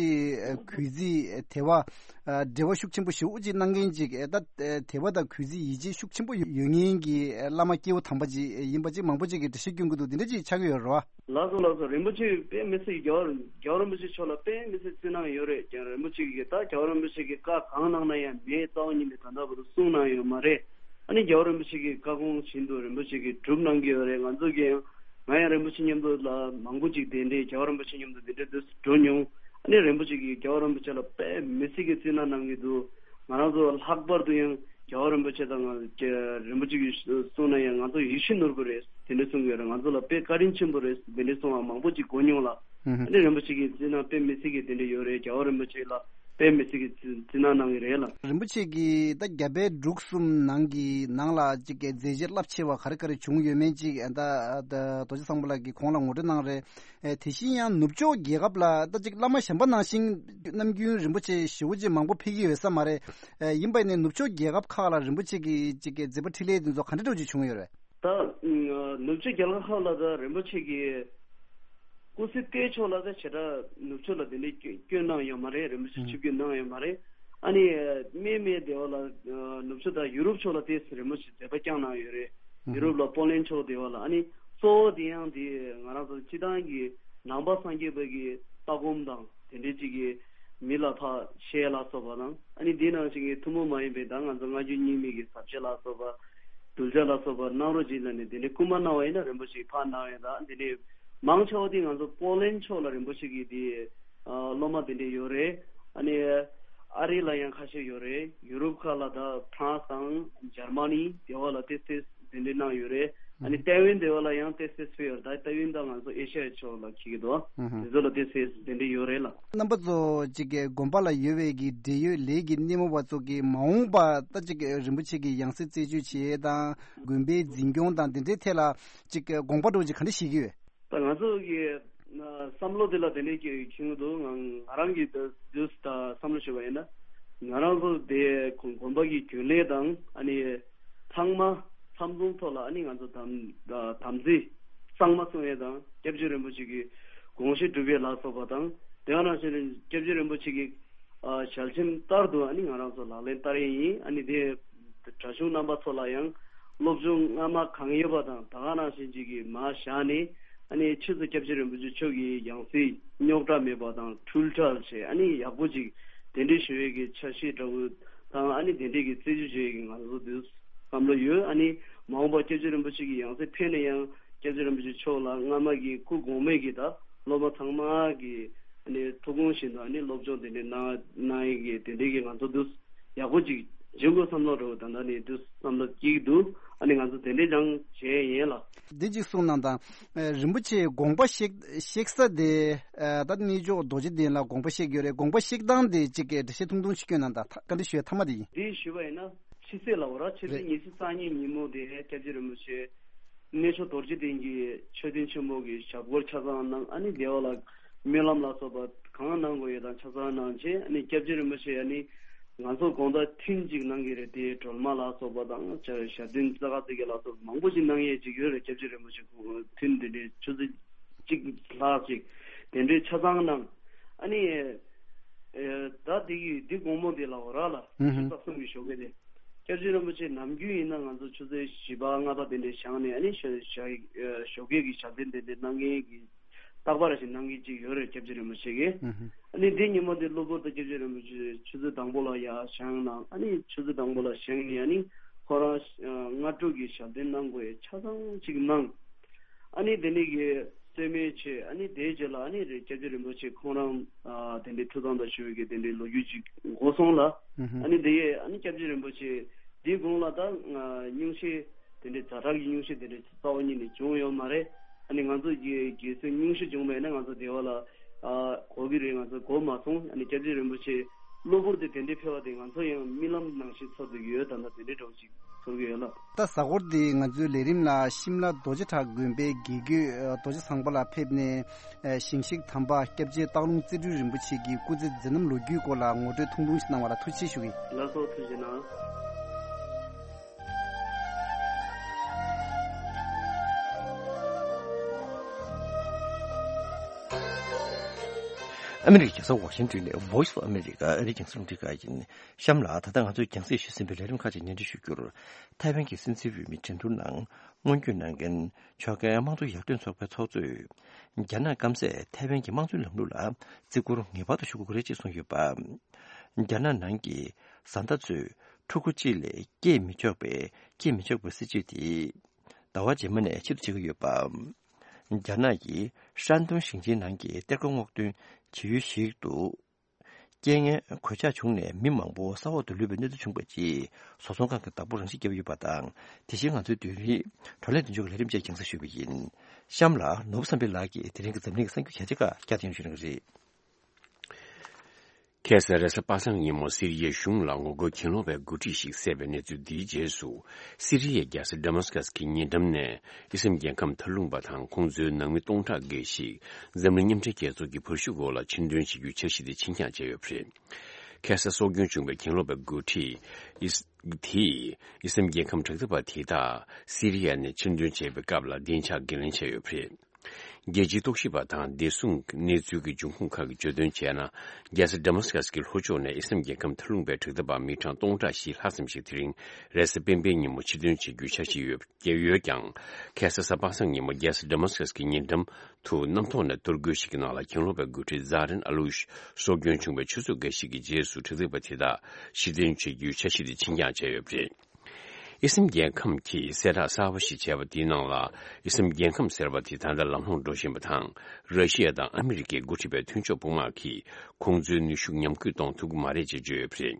གུས་བརྩི་དད་པ། ཨ། འབྲེལ་བ་ཤུགས་ཆེན་པོ་ཞེ་པོ་ཅིག་གནང་མཁན་ཅིག་ཨ། ད་དད་པ་དང་གུས་བརྩི་ཡིད་ཆེས་ཤུགས་ཆེན་པོ་ཡོད་མཁན་གྱི་བླ་མ་སྐྱེས་བུ་དམ་པ་ཅིག་ཡིན་པ་ཅིག་མང་པོ་ཅིག་གིས་འགྲེལ་བཤད་སྐྱོན་གྱི་འདུག་འདི་འདྲ་ཅིག་ཆགས་ཀྱི་ཡོད་རེད་བ། ལགས་སོ་ལགས་སོ། རིན་པོ་ཆེ་དཔེ་མི་སྲིད། རྒྱལ་བ་རྒྱལ་བ་རིན་པོ་ཆེ་མཆོག་ལ་དཔེ་མི་སྲིད་བརྩི་གནང་ཡོད་རེད། རྒྱལ་རིན་པོ་ཆེ་གིས་ད་རྒྱལ་བ་རིན་པོ་ཆེ་གིས་བཀའ་གང་གནང་ན་ཡང་མེད་རྩ་བ་ཉིད་ནས་ད་ལྟ་བར་དུ་གསུངས་གནང་ཡོད་མ་རེད། ཨ་ནི་རྒྱལ་བ་རིན་པོ་ཆེ་གི་བཀའ་དགོངས་བཞིན་དུ་རིན་པོ་ཆེ་གིས་སྒྲུབ་གནང་གི་ཡོད་རེད། ང་ཚོ་གིས་ཡང་ང་ཡང་རིན་པོ་ཆེ་མཉམ་དུ་ལ་མང་པོ་ཅིག་གདན་འདྲེན། རྒྱལ་བ་རིན་པོ་ཆེ་མཉམ་དུ་གདན་འདྲེན་དུ་འགྲོ་མྱོང་། ཨ་ནི་རིན་པོ་ཆེ་གིས་རྒྱལ་བ་རིན་པོ་ཆེ་ལ་དཔེ་མི་སྲིད་ཀྱི་བརྩི་གནང་གནང་གི་འདུག་ང་རང་ཚོ་ལྷག་པར་དུ་ཡང་རྒྱལ་བ་རིན་པོ་ཆེ་དང་ང་རིན་པོ་ཆེ་གིས་གསུངས་ན་ཡང་ང་ཚོ་ཡིད་བཞིན་ནོར་བུ་རེད། དེ་འདྲ་གསུང་གི་ཡོད་རེད། ང་ཚོ་ལ་དཔེ་བཀའ་དྲིན་ཆེན་པོ་རེད། དེ་འདྲ་གསུང་བ་མང་པོ་ཅིག་གོ་མྱོང་ལ། ཨ་ནི་རིན་པོ་ཆེ་གི་བརྩི་གནང་དཔེ་མི་སྲིད་ཀྱི་དེ་འདྲ་ཡོད་རེད། རྒྱལ་བ་རིན་པོ་ཆེ་ལ་དཔེ་མི་སྲིད་ཀྱི་བརྩི་བརྩི་གནང་གནང་གི་རེད་ལ། རིན་པོ་ཆེ་གིས་ད་རྒྱ་བལ་འབྲུག་གསུམ་ནང་གི་ནང་ལ་ཅིག་གི་མཛད་རྗེས་རླབས་ཆེ་བ་ག་རེ་ག་རེ་བྱུང་ཡོད་མེད་ཅིག་ཨ། ད་ད་རྡོ་རྗེ་སངས་པ་ལགས་ཀྱིས་གོང་ལ་ངོ་སྤྲོད་གནང་རེད། ཨེ། དེ་བཞིན་ཡང་ནུབ་ཕྱོགས་རྒྱལ་ཁབ་ལ་ད་ཅིག་བླ་མ་གཞན་པ་ནང་བཞིན་ནམ་རྒྱུན་རིན་པོ་ཆེ་ཞེ་པོ་ཅིག་མང་པོ་ཕེབས་ཀྱི་ཡོད་ས་མ་རེད། ཨེ། ཡིན་པ་ཡིན་ནའི་ནུབ་ཕྱོགས་རྒྱལ་ཁབ་ཁག་ལ་རིན་པོ་ཆེ་གི་ཅིག་གི་མཛད་པ་འཕྲིན་ལས་དེ་ཚོ་ག་འདྲ་འདྲ་ཅིག་བྱུང་ཡོད་རེད། ད་ནུབ་ཕྱོགས་རྒྱལ་ཁབ་ཁག་ལ་ད་རིན་པོ་ཆེ་གི་སྐུ་ཚེ་བརྟན་ཕྱོགས་ལ་ད་བྱེ་བྲག་ནུབ་ཕྱོགས་ལ་དེ་འདྲའི་སྐྱོན་གནང་ཡོད་མ་རེད། རིན་པོ་ཆེ་ཆིབས་བསྒྱུར་གནང་ཡོད་མ་རེད། ཨ་ནི་སྨད་སྨད་སྡེ་བ་ལ་ནུབ་ཕྱོགས་དང་ཡུ་རོབ་ཕྱོགས་ལ་དེ་རིན་པོ་ཆེ་མཛད་པ་བསྐྱངས་གནང་ཡོད་རེད། ཡུ་རོབ་ལ་པོ་ལན་ཕྱོགས་སྡེ་བ་ལ། ཨ་ནི་གཙོ་བོ་དེ་ཡང་དེ་ང་རང་ཚོ་སྤྱི་བཏང་གི་ནང་པ་སངས་རྒྱས་པ་གི་ལྟ་སྒོམ་དང་དེ་འདྲའི་ཅིག་གི་མི་ལ་ཕར་བཤད་ལ་སོགས་པ་དང་། ཨ་ནི་དེ་ནང་བཞིན་གྱི་ཐུན་མོང་མ་ཡིན་པའི་ད་ང་ཚོ་སྔ་འགྱུར་རྙིང་མའི་གི་ཟབ་ཆོས་ལ་སོགས་པ་གདུལ་བྱ་ལ་སོགས་པ་གནང་རོགས་གྱིས་ལབ་ནས་དེ་འདྲའི་སྐུལ་མ་གནང་བ་ཡིན་ན་རིན་པོ་ཆེ་ཕར་གནང་བས། ད་དེ་འདྲའི་མང་ཆེ་བ་དེ་ང་ཚོ་པོ་ལན་ཕྱོགས་ལ་རིན་པོ་ཆེ་གི་དེ་ཨ་སློབ་མ་དེ་འདྲ་ཡོད་རེད། ཨ་ནི་ཨ་རི་ལ་ཡང་ཁ་ཤས་ཡོད་རེད། ཡུ་རོབ་ཁག་ལ་ད་ཕ་རན་སི་དང་འཇར་མ་ནི་དེ་བ་ལ་ཏོག་ཙམ་དེ་འདྲ་གནང་ཡོད་རེད། ཨ་ནི་ཏའེ་ཝན་དེ་བ་ལ་ཡང་ཏོག་ཙམ་ཕེབས་ཡོད་རེད། ད་ཏའེ་ཝན་ད་ང་ཚོ་ཨེ་ཤ་ཡའི་ཕྱོགས་ལ་འཁེལ་གྱི་འདུག་དེ་ཚོ་ལ་ཏོག་ཙམ་དེ་འདྲ་ཡོད་རེད་ལ། རྣམ་པ་ཚོ་གཅིག་གི་དགོན་པ་ལ་ཡོད་པའི་གི་འབྲེལ་ཡོད་ལས་ཀྱི་སྣེ་མོ་བ་ཚོ་གི་མ་འོངས་པ་ད་གཅིག་གི་རིན་པོ་ཆེ་གི་ཡང་སྲིད་རྩད་གཅོད་བྱེད་དང་དགོན་པའི་འཛིན་སྐྱོང་དང་དེ་འདྲའི་ཐད་ལ་གཅིག་གི་དགོངས་པ་འདྲ་བོ་ཅིག་ག་འདྲ་བཞེས་ཀྱི་ཡོད། ད་ང་ཚོ་གི་ཨ་བསམ་བློ་དེ་ལ་དེ་འདྲའི་གི་ཁྱོན་འདུག་ང་ང་རང་གི་དུས་ད་བསམ་བློ་ཞུ་བ་ཡིན་ན། ང་རང་ཚོ་དེ་དགོན་དགོན་པ་གི་རྒྱུན་ལས་དང་། ཨ་ནི་ཚང་མ་ཚང་འཛོམས་ཐོག་ལ། ཨ་ནི་ང་ཚོ་དམ་དམ་ཚིག་གཙང་མ་སྲུང་ཡས་དང་། སྐྱབས་རྗེ་རིན་པོ་ཆེ་གི་དགོངས་བཞེད་སྒྲུབ་ཡས་ལ་སོགས་པ་དང་། དེ་ག་ནང་བཞིན་སྐྱབས་རྗེ་རིན་པོ་ཆེ་གི་ཨ་ཞལ་ཆེམས་ལྟར་དུ་ཨ་ནི་ང་རང་ཚོ་ལག་ལེན་བསྟར་ཡས་ཡིན། ཨ་ནི་དེ་གྲྭ་གཞུང་རྣམ་པ་ཚོ་ལ་ཡང་སློབ་སྦྱོང་སྔ་མ་གང་ཡོད་པ་དང་ད་ག་ནང་བཞིན་ཅིག་གི་མར་བཞག་ནས། ཨ་ནི་ཕྱིས་སུ་སྐྱབས་རྗེ་རིན་པོ་ཆེ་མཆོག་གི་ཡང་སྲིད་རྙོག་དྲ་མེད་པ་དང་འཁྲུལ་བྲལ་བྱས། ཨ་ནི་ཡག་པོ་ཅིག་གདན་འདྲེན་ཞུ་ཡས་ཀྱི་འཆར་གཞི་འདྲ་བོ་དང་། ཨ་ནི་དེ་འདྲས་ཀྱི་རྩད་གཅོད་བྱེད་ཡས་ཀྱི་ང་ཚོ་འདུག་བསམ་བློ་ཡོད། ཨ་ནི་མ་འོངས་པ་སྐྱབས་རྗེ་རིན་པོ་ཆེ་གི་ཡང་སྲིད་ཕེབས་ན་ཡང་སྐྱབས་རྗེ་རིན་པོ་ཆེ་མཆོག་ལ་སྔ་མ་གི་སྐུ་གོང་མའི་གི་ད་སློབ་མ་ཚང་མ་གི་ཨ་ནི་ཐུགས་དགོངས་བཞིན་དུ་ཨ་ནི་སློབ་སྦྱོང་དེ་འདྲས་གནང་གནང་ཡས་ཀྱི་དེ་འདྲས་ཀྱི་ང་ཚོ་འདུག་ཡག་པོ་ཅིག་བྱེད་དགོས་བསམ་བློ་འདྲ་བོ་ད་ལྟ་ནས་འདུག་བསམ་བློ་སྐྱེ་གི་འདུག་ཨ་ནི་ང་ཚོ་དེ་འདྲས་ཀྱང་བྱས་ཡིན་ལ། འདི་གཅིག་གསུངས་གནང་དང་། ཨ། རིན་པོ་ཆེ་དགོངས་པ་བཞེས་བཞེས་ས་དེ། ཨ། ད་གནས་མཆོག་རྡོ་རྗེ་གདན་ལ་དགོངས་པ་བཞེས་ཀྱི་ཡོད་རེད། དགོངས་པ་བཞེས་སྟངས་དེ་གཅིག་གི་འགྲེལ་བཤད་ཐུང་ཐུང་ཞིག་སྐྱོན་གནང་དང་། ཐ་བཀའ་འདྲི་ཞུ་ཡ་མཐའ་མ་དེ་ཡིན། འདི་ཞུས་པ་ཡིན་ན་ཕྱི་ཚེས་ལ་འོ་ར་ཕྱི་ཚེས་རེད། ཉི་ཤུ་རྩ་གཉིས་ཉིན་མོ་དེ་སྐྱབས་རྗེ་རིན་པོ་ཆེ་གནས་མཆོག་རྡོ་རྗེ་གདན་གྱི་མཆོད་རྟེན་ཆེན་མོ་གི་ཞབས་སྐོར་ཆ་ཚང་གནང་། ཨ་ནི་དེ་བ་ལ་སྨོན་ལམ་ལ་སོགས་པ་གང་གནང་དགོས་ཡོད་དང་ཆ་ཚང་གནང་རྗེས། ཨ་ནི་སྐྱབས་རྗེ་རིན་པོ་ཆེ་ཨ་ནི་ང་ཚོ་དགོང་དག་ཐུན་གཅིག་གནང་གི་རེད། དེ་སྒྲོལ་མ་ལ་སོགས་པ་དང་ཞབས་བརྟན་རྩེ་དགའ་རྩེ་རྒྱལ་ལ་སོགས་པ་མང་པོ་ཞིག་གནང་ཡས་ཅིག་ཡོད་རེད། སྐྱབས་རྗེ་རིན་པོ་ཆེ་ཐུན་དེ་འདྲའི་ཆུ་ཚོད་གཅིག་ལྷག་ཅིག་དེ་འདྲའི་ཆ་ཚང་གནང་། ཨ་ནི་ཨེ་ད་དེ་གི་འདི་དགོང་མོ་དེ་ལ་འོ་ར་ལ་ཨུ་ཧུ། ཆུ་ཚོད་གསུམ་གྱི་ཞོགས་ཀས་དེ། སྐྱབས་རྗེ་རིན་པོ་ཆེ་ནམ་རྒྱུན་ཡིན་ན་ང་ཚོ་ཆུ་ཚོད་བཞི་པ་ལྔ་པ་དེ་འདྲའི་བཞེངས་ནས། ཨ་ནི་ཞོ་ཞོ་ཞོགས་ཀས་ཀྱི་ཞབས་བརྟན་དེ་འདྲའི་གནང་མཁན་གྱི་རྟག་པར་ཞིག་གནང་མཁན་ཅིག་ཡོད་རེད། སྐྱབས་རྗེ་རིན་པོ་ཆེ་གིས། ཨུ་ཧུ། ཨ་ནི་འདི་ཉིན་མོ་དེ་གློ་བུར་དུ་སྐྱབས་རྗེ་རིན་པོ་ཆེ་ཆུ་ཚོད་དང་པོ་ལ་ཡར་བཞེངས་གནང་། ཨ་ནི་ཆུ་ཚོད་དང་པོ་ལ་བཞེངས་ནས་ཨ་ནི་ཁོ་རང་སྔ་དྲོ་གི་ཞབས་བརྟན་གནང་དགོས་ཡས་ཆ་ཚང་ཅིག་གནང་། ཨ་ནི་དེ་ནས་གི་གསོལ་སྨན་བྱས། ཨ་ནི་དེའི་རྗེས་ལ་ཨ་ནི་རེད། སྐྱབས་རྗེ་རིན་པོ་ཆེ་ཁོང་རང་ཨ་དེ་འདྲའི་ཐུགས་དམ་དང་ཞུ་བའི་གི་དེ་འདྲའི་ལོ་རྒྱུས་ཅིག་འགོ་སོང་ལ། ཨ་ནི་དེ་ཡས་ཨ་ནི་སྐྱབས་རྗེ་རིན་པོ་ཆེ་དེའི་གོང་ལ་ད་སྙུང་གཞི་དེ་འདྲའི་ཛ་དྲག་གི་སྙུང་གཞི་དེ་འདྲའི་རྩ་བ་ཉིད་ནས་བྱུང་ཡོད་མ་རེད། ཨ་ནི་ང་ཚོ་གི་རྒས་གསོའི་སྙུང་གཞི་བྱུང་བ་ཡིན་ན་ང་ཚོ་དེ་བ་ལ་ཨ་གོ་གི་རེད། ང་ཚོ་གོ་མ་སོང་། ཨ་ནི་སྐྱབས་རྗེ་རིན་པོ་ཆེ་ གློ་བུར་དུ་དེ་འདྲའི་འཕེལ་བ་དེ་ང་ཚོ་ཡང་རྨི་ལམ་ནང་བཞིན་ཚོར་དུ་ཡོད། ད་ལྟ་དེ་འདྲའི་འདྲ་བོ་ཅིག་ཚོར་གྱི་ཡོད་ལགས། ད་གཟའ་འཁོར་འདི་ང་ཚོའི་ལས་རིམ་ལ་ཤིམ་ལ་རྡོ་རྗེ་བྲག་དགོན་པའི་དགེ་བསྐོས་རྡོ་རྗེ་བཟང་པོ་ལགས་ཕེབས་ནས། ཞིང་གཤེགས་དམ་པ་སྐྱབས་རྗེ་སྟག་ལུང་རྩེ་སྤྲུལ་རིན་པོ་ཆེ་གི་སྐུ་ཚེ་མཛད་རྣམ་ལོ་རྒྱུས་སྐོར་ལ་ངོ་སྤྲོད་ཐུང་ཐུང་ཞིག་གནང་བ་ལ་ཐུགས་རྗེ་ཆེ་ཞུ་གི། ལགས་སོ། ཐུགས་རྗེ་གནང་། ཨ་མི་རི་ཀའི་རྒྱལ་ས་ཝ་ཤིང་ཏོན་ནས་Voice of America ཨ་རིའི་རྒྱང་སྲིང་རླུང་འཕྲིན་ཁང་ཡིན། གཤམ་ལ་ད་ལྟ་ང་ཚོས་རྒྱང་སྲིང་ཞུས་ཟིན་པའི་ལས་རིམ་ཁག་ཅིག་སྙན་སྒྲོན་ཞུ་རྒྱུར། ཐའེ་ཝན་གྱི་སྲིད་འཛིན་འོས་མི་འགྲན་བསྡུར་ནང་སྔོན་སྐྱོད་གནང་མཁན་ཕྱོགས་འགལ་དམངས་གཙོ་ཡར་ཐོན་ཚོགས་པའི་ཚོགས་གཙོས། རྒྱ་ནག་སྐམ་སས་ཐའེ་ཝན་གྱི་དམངས་གཙོའི་ལམ་ལུགས་ལ་བརྩི་བཀུར་ངེས་པར་དུ་ཞུ་དགོས་ཀྱི་རེད་ཅེས་གསུངས་ཡོད་པ། རྒྱ་ནག་ནང་གི་བཟའ་ཟླ་ཚོས་ཕྲུ་གུ་གཅིག་ལས་སྐྱེས་མི་ཆོག་པའི་སྐྱེས་མི་ཆོག་པའི་སྲིད་ཇུས་དེ་ཟླ་བ་རྗེས་མ་ནས་ཕྱིར་བསྡུ་བྱེད་ཀྱི་ཡོད་པ། རྒྱ་ནག་གི་ཧྲན་ཏུང་ཞིང་ཆེན་ནང་གི་གཏེར་སྒོ་སྔོག་འདོན་བྱེད་ཡུལ་ཞིག་ཏུ། རྐྱེན་ངན་གོད་ཆག་བྱུང་ནས་མི་མང་པོ་ས་འོག་ཏུ་ལུས་པའི་གནས་ཚུལ་བྱུང་བའི་རྗེས། བཟོ་ཚོང་ཁང་གི་བདག་པོར་རང་ཤི་བརྒྱབ་ཡོད་པ་དང་། དེ་བཞིན་ང་ཚོའི་བདུན་རིག་བགྲོ་གླེང་མདུན་ལྕོག་གི་ལས་རིམ་བཅས་རྒྱང་སྲིང་ཞུས་པ་ཡིན། གཤམ་ལ་ནོར་བུ་བསམ་འཕེལ་ལགས་ཀྱིས་དེ་རིང་གི་འཛམ་གླིང་གི་གསར་འགྱུར་གལ་ཆེ་ཁག་བསྐྱར་དུ་སྙན་སྒྲོན་ཞུ་གནང་གི་རེད། ཁ་སང་རེས་གཟའ་པ་སངས་ཉིན་མོ་སི་རི་ཡའི་གཞུང་ལ་ངོ་རྒོལ་གྱེན་ལོག་པའི་འགོ་ཁྲིད་ཞིག་བསད་པའི་གནས་ཚུལ་འདིའི་རྗེས་སུ། སི་རི་ཡའི་རྒྱལ་ས་ཌ་མཱ་སི་ཀ་སི་གི་ཉེ་འགྲམ་ནས་ཨི་སི་རལ་རྒྱལ་ཁམས་མཐའ་ལྷུང་པ་དང་ཁོང་ཚོའི་ནང་མི་སྟོང་ཕྲག་འགའ་ཞིག་འཛམ་གླིང་མཉམ་འབྲེལ་རྒྱལ་ཚོགས་ཀྱི་བར་ཞུགས་འོག་ལ་ཕྱིར་འདོན་བྱེད་རྒྱུའི་འཆར་གཞི་དེ་ཕྱིར་འགྱངས་བྱས་ཡོད་པ་རེད། ཁ་སང་སྲོག་སྐྱོན་བྱུང་བའི་གྱེན་ལོག་པའི་འགོ་ཁྲིད་ཨིས། དེས་ཨི་སི་རལ་རྒྱལ་ཁམས་དྲག་འཐབ་པ་དེ་དག་སི་རི་ཡ་ནས་ཕྱིར་འདོན་བྱས་པའི་སྐབས་ལ་བདེ་འཇགས་འགན་ལེན་བྱས་ཡོད་པ་རེད། རྒྱལ་སྤྱིའི་རྟོག་ཞིབ་པ་དང་བདེ་སྲུང་གནས་ཚུལ་གྱི་འབྱུང་ཁུངས་ཁག་གིས་བརྗོད་དོན་བྱས་ན། རྒྱལ་ས་ཌ་མཱ་སི་ཀ་སི་གི་ལྷོ་ཕྱོགས་ནས་ཨི་སི་རལ་རྒྱལ་ཁམས་མཐའ་ལྷུང་པའི་དྲག་འཐབ་པ་མི་གྲངས་སྟོང་ཕྲག་བཞི་ལྷག་ཙམ་ཞིག་དེ་རིང་རེས་གཟའ་སྤེན་པའི་ཉིན་མོ་ཕྱིར་འདོན་བྱེད་རྒྱུའི་འཆར་གཞི་ཡོད་ཡོད་ཀྱང་། ཁ་སང་གཟའ་པ་སངས་ཉིན་མོ་རྒྱལ་ས་ཌ་མཱ་སི་ཀ་སི་གི་ཉེ་འགྲམ་དུ་གནམ་ཐོག་ནས་གཏོར་རྒོལ་ཞིག་གི་ནང་ལ་གྱེན་ལོག་པའི་འགོ་ཁྲིད་ཛ་རན་ཨ་ལུ་ཤི་སྲོག་སྐྱོན་བྱུང་བའི་ཆུ་ཚོད་འགའ་ཞིག་གི་རྗེས་སུ་དྲག་འཐབ་པ་དེ་དག་ཕྱིར་འདོན་བྱེད་རྒྱུའི་འཆར་གཞི་དེ་ཕྱིར་འགྱངས་བྱས་ཡོད་པ་རེད། ཨི་སི་རལ་རྒྱལ་ཁམས་ཀྱིས་གསལ་བསྒྲགས་གསར་པ་ཞིག་བྱས་པ་དེའི་ནང་ལ། ཨི་སི་རལ་རྒྱལ་ཁམས་ཟེར་བ་དེ་ད་ལྟ་ལམ་ལྷོང་འགྲོ་བཞིན་པ་དང་། ར་ཤི་ཡ་དང་ཨ་མི་རི་ཀས་འགོ་ཁྲིད་པའི་མཐུན་ཕྱོགས་དཔུང་དམག་གིས་ཁོང་ཚོའི་ནུས་ཤུགས་ཉམས་རྒུད་གཏོང་ཐུབ་ཀྱི་མ་རེད་ཅེས་བརྗོད་ཡོད་པ་རེད།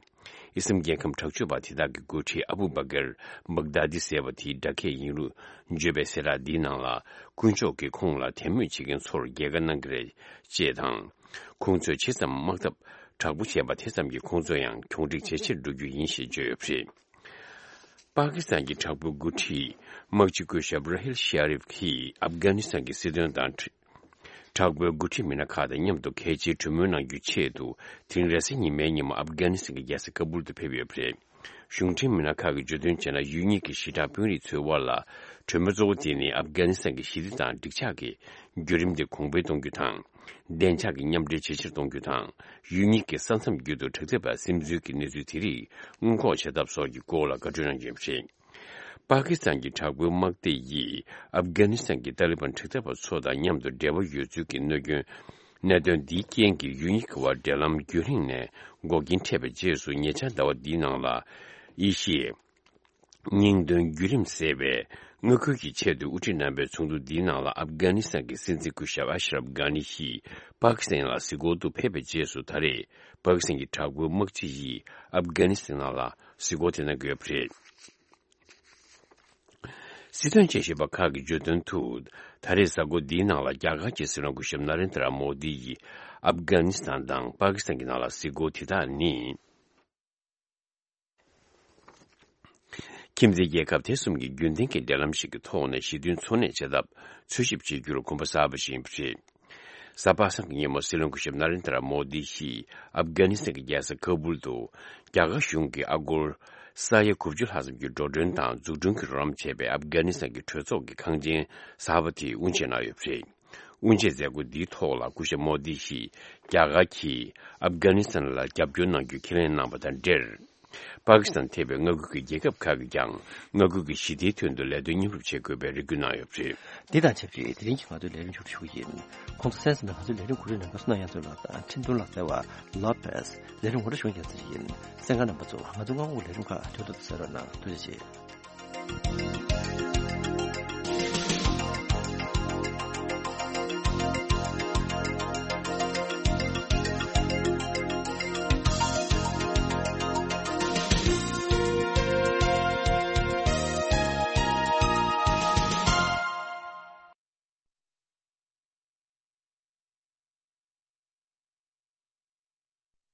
ཨི་སི་རལ་རྒྱལ་ཁམས་དྲག་སྤྱོད་པ་དེ་དག་གི་འགོ་ཁྲིད་ཨ་བུ་བྷ་ཀར་བྷག་དཱ་དི་ཟེར་བ་དེའི་སྦྲག་སྐད་ཡིན་ལུགས་བརྗོད་པའི་གསལ་བསྒྲགས་འདིའི་ནང་ལ། དཀོན་མཆོག་གིས་ཁོང་ལ་དད་མོས་བྱེད་མཁན་ཚོར་རྒྱལ་ཁ་གནང་གི་རེད། ཅེས་དང་། ཁོང་ཚོས་ཇི་ཙམ་དམག་འཐབ་དྲག་པོ་བྱས་པ་དེ་ཙམ་གྱིས་ཁོང་ཚོ་ཡང་གྱོང་འགྲིག་ཇེ་ཆེར་འགྲོ་རྒྱུ་ཡིན་ཞེས་བརྗོད་ཡོད་པ་རེད། པ་ཀི་སི་ཐན་གྱི་དྲག་པོའི་འགོ་ཁྲིད་དམག་སྤྱི་སྐུ་ཞབས་ར་ཧིལ་ཤ་རིབ་ཀྱིས་ཨབ་གྷ་ནི་སི་ཐན་གྱི་སྲིད་དོན་དང་། དྲག་པོའི་འགོ་ཁྲིད་མི་སྣ་ཁག་དང་མཉམ་དུ་གལ་ཆེའི་གྲོས་མོལ་གནང་རྒྱུའི་ཆེད་དུ། དེ་རིང་རེས་གཟའ་ཉི་མའི་ཉིན་མོ་ཨབ་གྷ་ནི་སི་ཐན་གྱི་རྒྱལ་ས་ཀ་བུལ་དུ་ཕེབས་ཡོད་པ་རེད། གཞུང་འབྲེལ་མི་སྣ་ཁག་གིས་བརྗོད་དོན་བྱས་ན། ཡུལ་གཉིས་ཀྱི་ཞི་དྲག་དཔོན་རིགས་ཚོའི་དབར་ལ། གྲོས་མོལ་གཙོ་བོ་དེ་ནི་ཨབ་གྷ་ནི་སི་ཐན་གྱི་ཞི་བདེ་དང་འགྲིག་འཇགས་ཀྱི་བརྒྱུད་རིམ་དེ་གོང་འཕེལ་གཏོང་རྒྱུ་དང་། བདེ་འཇགས་ཀྱི་མཉམ་འབྲེལ་ཇེ་ཆེར་གཏོང་རྒྱུ་དང་། ཡུལ་གཉིས་ཀྱི་ས་མཚམས་བརྒྱུད་དུ་དྲག་འཐབ་པ་སིམ་འཛུལ་གྱི་གནས་ཚུལ་དེ་རིགས་སྔོན་འགོག་བྱེད་ཐབས་སོགས་ཀྱི་སྐོར་ལ་བཀའ་འཁྲོལ་གནང་རྒྱུ་ཡིན་པ་རེད། པ་ཀི་སི་ཐན་གྱི་དྲག་པོའི་དམག་སྡེ་ཡིས་ཨབ་གྷ་ནི་སི་ཐན་གྱི་ཏཱ་ལི་བན་དྲག་འཐབ་པ་ཚོ་དང་མཉམ་དུ་འབྲེལ་བ་ཡོད་ཚུལ་གྱི་གནད་སྐྱོན། གནད་དོན་འདིའི་རྐྱེན་གྱིས་ཡུལ་གཉིས་ཀྱི་དབར་འབྲེལ་ལམ་རྒྱུན་རིང་ནས་འགོག་རྐྱེན་འཕྲད་པའི་རྗེས་སུ། ཉེ་ཆར་ཟླ་བ་འདིའི་ནང་ལ་ཨེ་ཤི་ཡའི་སྙིང་དོན་བརྒྱུད་རིམ་ཟེར་བའི་མངའ་ཁུལ་གྱི་ཆེད་དུ་དབུ་ཁྲིད་རྣམ་པའི་ཚོགས་འདུ་འདིའི་ནང་ལ་ཨབ་གྷ་ནི་སི་ཐན་གྱི་སྲིད་འཛིན་སྐུ་ཞབས་ཨ་ཤ་རབ་གྷ་ནི་ཡིས་པ་ཀི་སི་ཐན་ལ་གཟིགས་སྐོར་དུ་ཕེབས་པའི་རྗེས་སུ། ད་རེས་པ་ཀི་སི་ཐན་གྱི་དྲག་པོའི་དམག་སྤྱི་ཡིས་ཨབ་གྷ་ནི་སི་ཐན་ནང་ལ་གཟིགས་སྐོར་དེ་གནང་གི་ཡོད་པ་རེད། སྲིད་དོན་དཔྱད་ཞིབ་པ་ཁག་གིས་བརྗོད་དོན་དུ། ད་རེས་གཟའ་འཁོར་འདིའི་ནང་ལ་རྒྱ་གར་གྱི་སྲིད་བློན་སྐུ་ཞབས་ན་རེན་དྲ་མོ་དི་ཡིས་ཨབ་གྷ་ནི་སི་ཐན་དང་པ་ཀི་སི་ཐན་གྱི་ནང་ལ་གཟིགས་སྐོར་དེ་དག་ནི། ཁྱིམ་མཚེས་རྒྱལ་ཁབ་དེ་གསུམ་གྱི་རྒྱུན་ལྡན་གྱི་འབྲེལ་ལམ་ཞིག་གི་ཐོག་ནས་ཞི་མཐུན་འཚོ་གནས་བྱེད་ཐབས་འཚོལ་ཞིབ་བྱེད་རྒྱུར་གོམ་པ་སྤོས་པ་ཞིག་ཡིན་པ་རེད། གཟའ་པ་སངས་ཀྱི་ཉིན་མོ་སྲིད་བློན་སྐུ་ཞབས་ན་རེན་དྲ་མོ་དི་ཡིས་ཨབ་གྷ་ནི་སི་ཐན་གྱི་རྒྱལ་ས་ཀ་བུལ་དུ་རྒྱ་གར་གཞུང་གིས་ཨ་སྒོར་ས་ཡ་དགུ་བཅུ་ལྷག་ཙམ་གྱི་འགྲོ་གྲོན་དང་འཛུགས་སྐྲུན་གྱི་རོགས་རམ་བྱས་པའི་ཨབ་གྷ་ནི་སི་ཐན་གྱི་གྲོས་ཚོགས་ཀྱི་ཁང་ཆེན་གསར་པ་དེ་དབུ་འབྱེད་གནང་ཡོད་པ་རེད། དབུ་འབྱེད་མཛད་སྒོ་འདིའི་ཐོག་ལ་སྐུ་ཞབས་མོ་དི་ཡིས་རྒྱ་གར་གྱིས་ཨབ་གྷ་ནི་སི་ཐན་ལ་རྒྱབ་སྐྱོར་གནང་རྒྱུ་ཁས་ལེན་གནང་བ་དང་འབྲེལ། པ་ཀི་སི་ཐན་ཐེ་བའི་མངའ་ཁུལ་གྱི་རྒྱལ་ཁབ་ཁག་གིས་ཀྱང་མངའ་ཁུལ་གྱི་ཞི་བདེའི་དོན་དུ་ལས་དོན་མཉམ་རུབ་བྱེད་དགོས་པའི་རེ་སྐུལ་གནང་ཡོད་པ་རེད། འདི་དང་ཆབས་ཅིག་དེ་རིང་གི་ང་ཚོའི་ལས་རིམ་མཇུག་སྒྲིལ་ཞུ་གི་ཡིན། ཁོང་ཚོ་གསན་ཟིན་པའི་ང་ཚོའི་ལས་རིམ་གོ་སྒྲིག་གནང་མཁན་བསོད་ནམས་དབྱངས་མཚོ་ལགས་དང་འཕྲིན་གཏོང་ལག་རྩལ་བ་ལོ་པེས། ལས་རིམ་ངོ་སྤྲོད་ཞུ་མཁན་ཚེ་རིང་ཡིན། གསན་མཁན་རྣམ་པ་ཚོ་ང་ཚོ་སྔ་དགོང་གི་ལས་རིམ་ཁག་འཕྲོད་དོ་དུ་གསན་རོགས་གནང་། ཐུགས་རྗེ་ཆེ།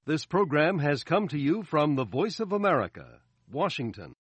This program has come to you from the Voice of America, Washington.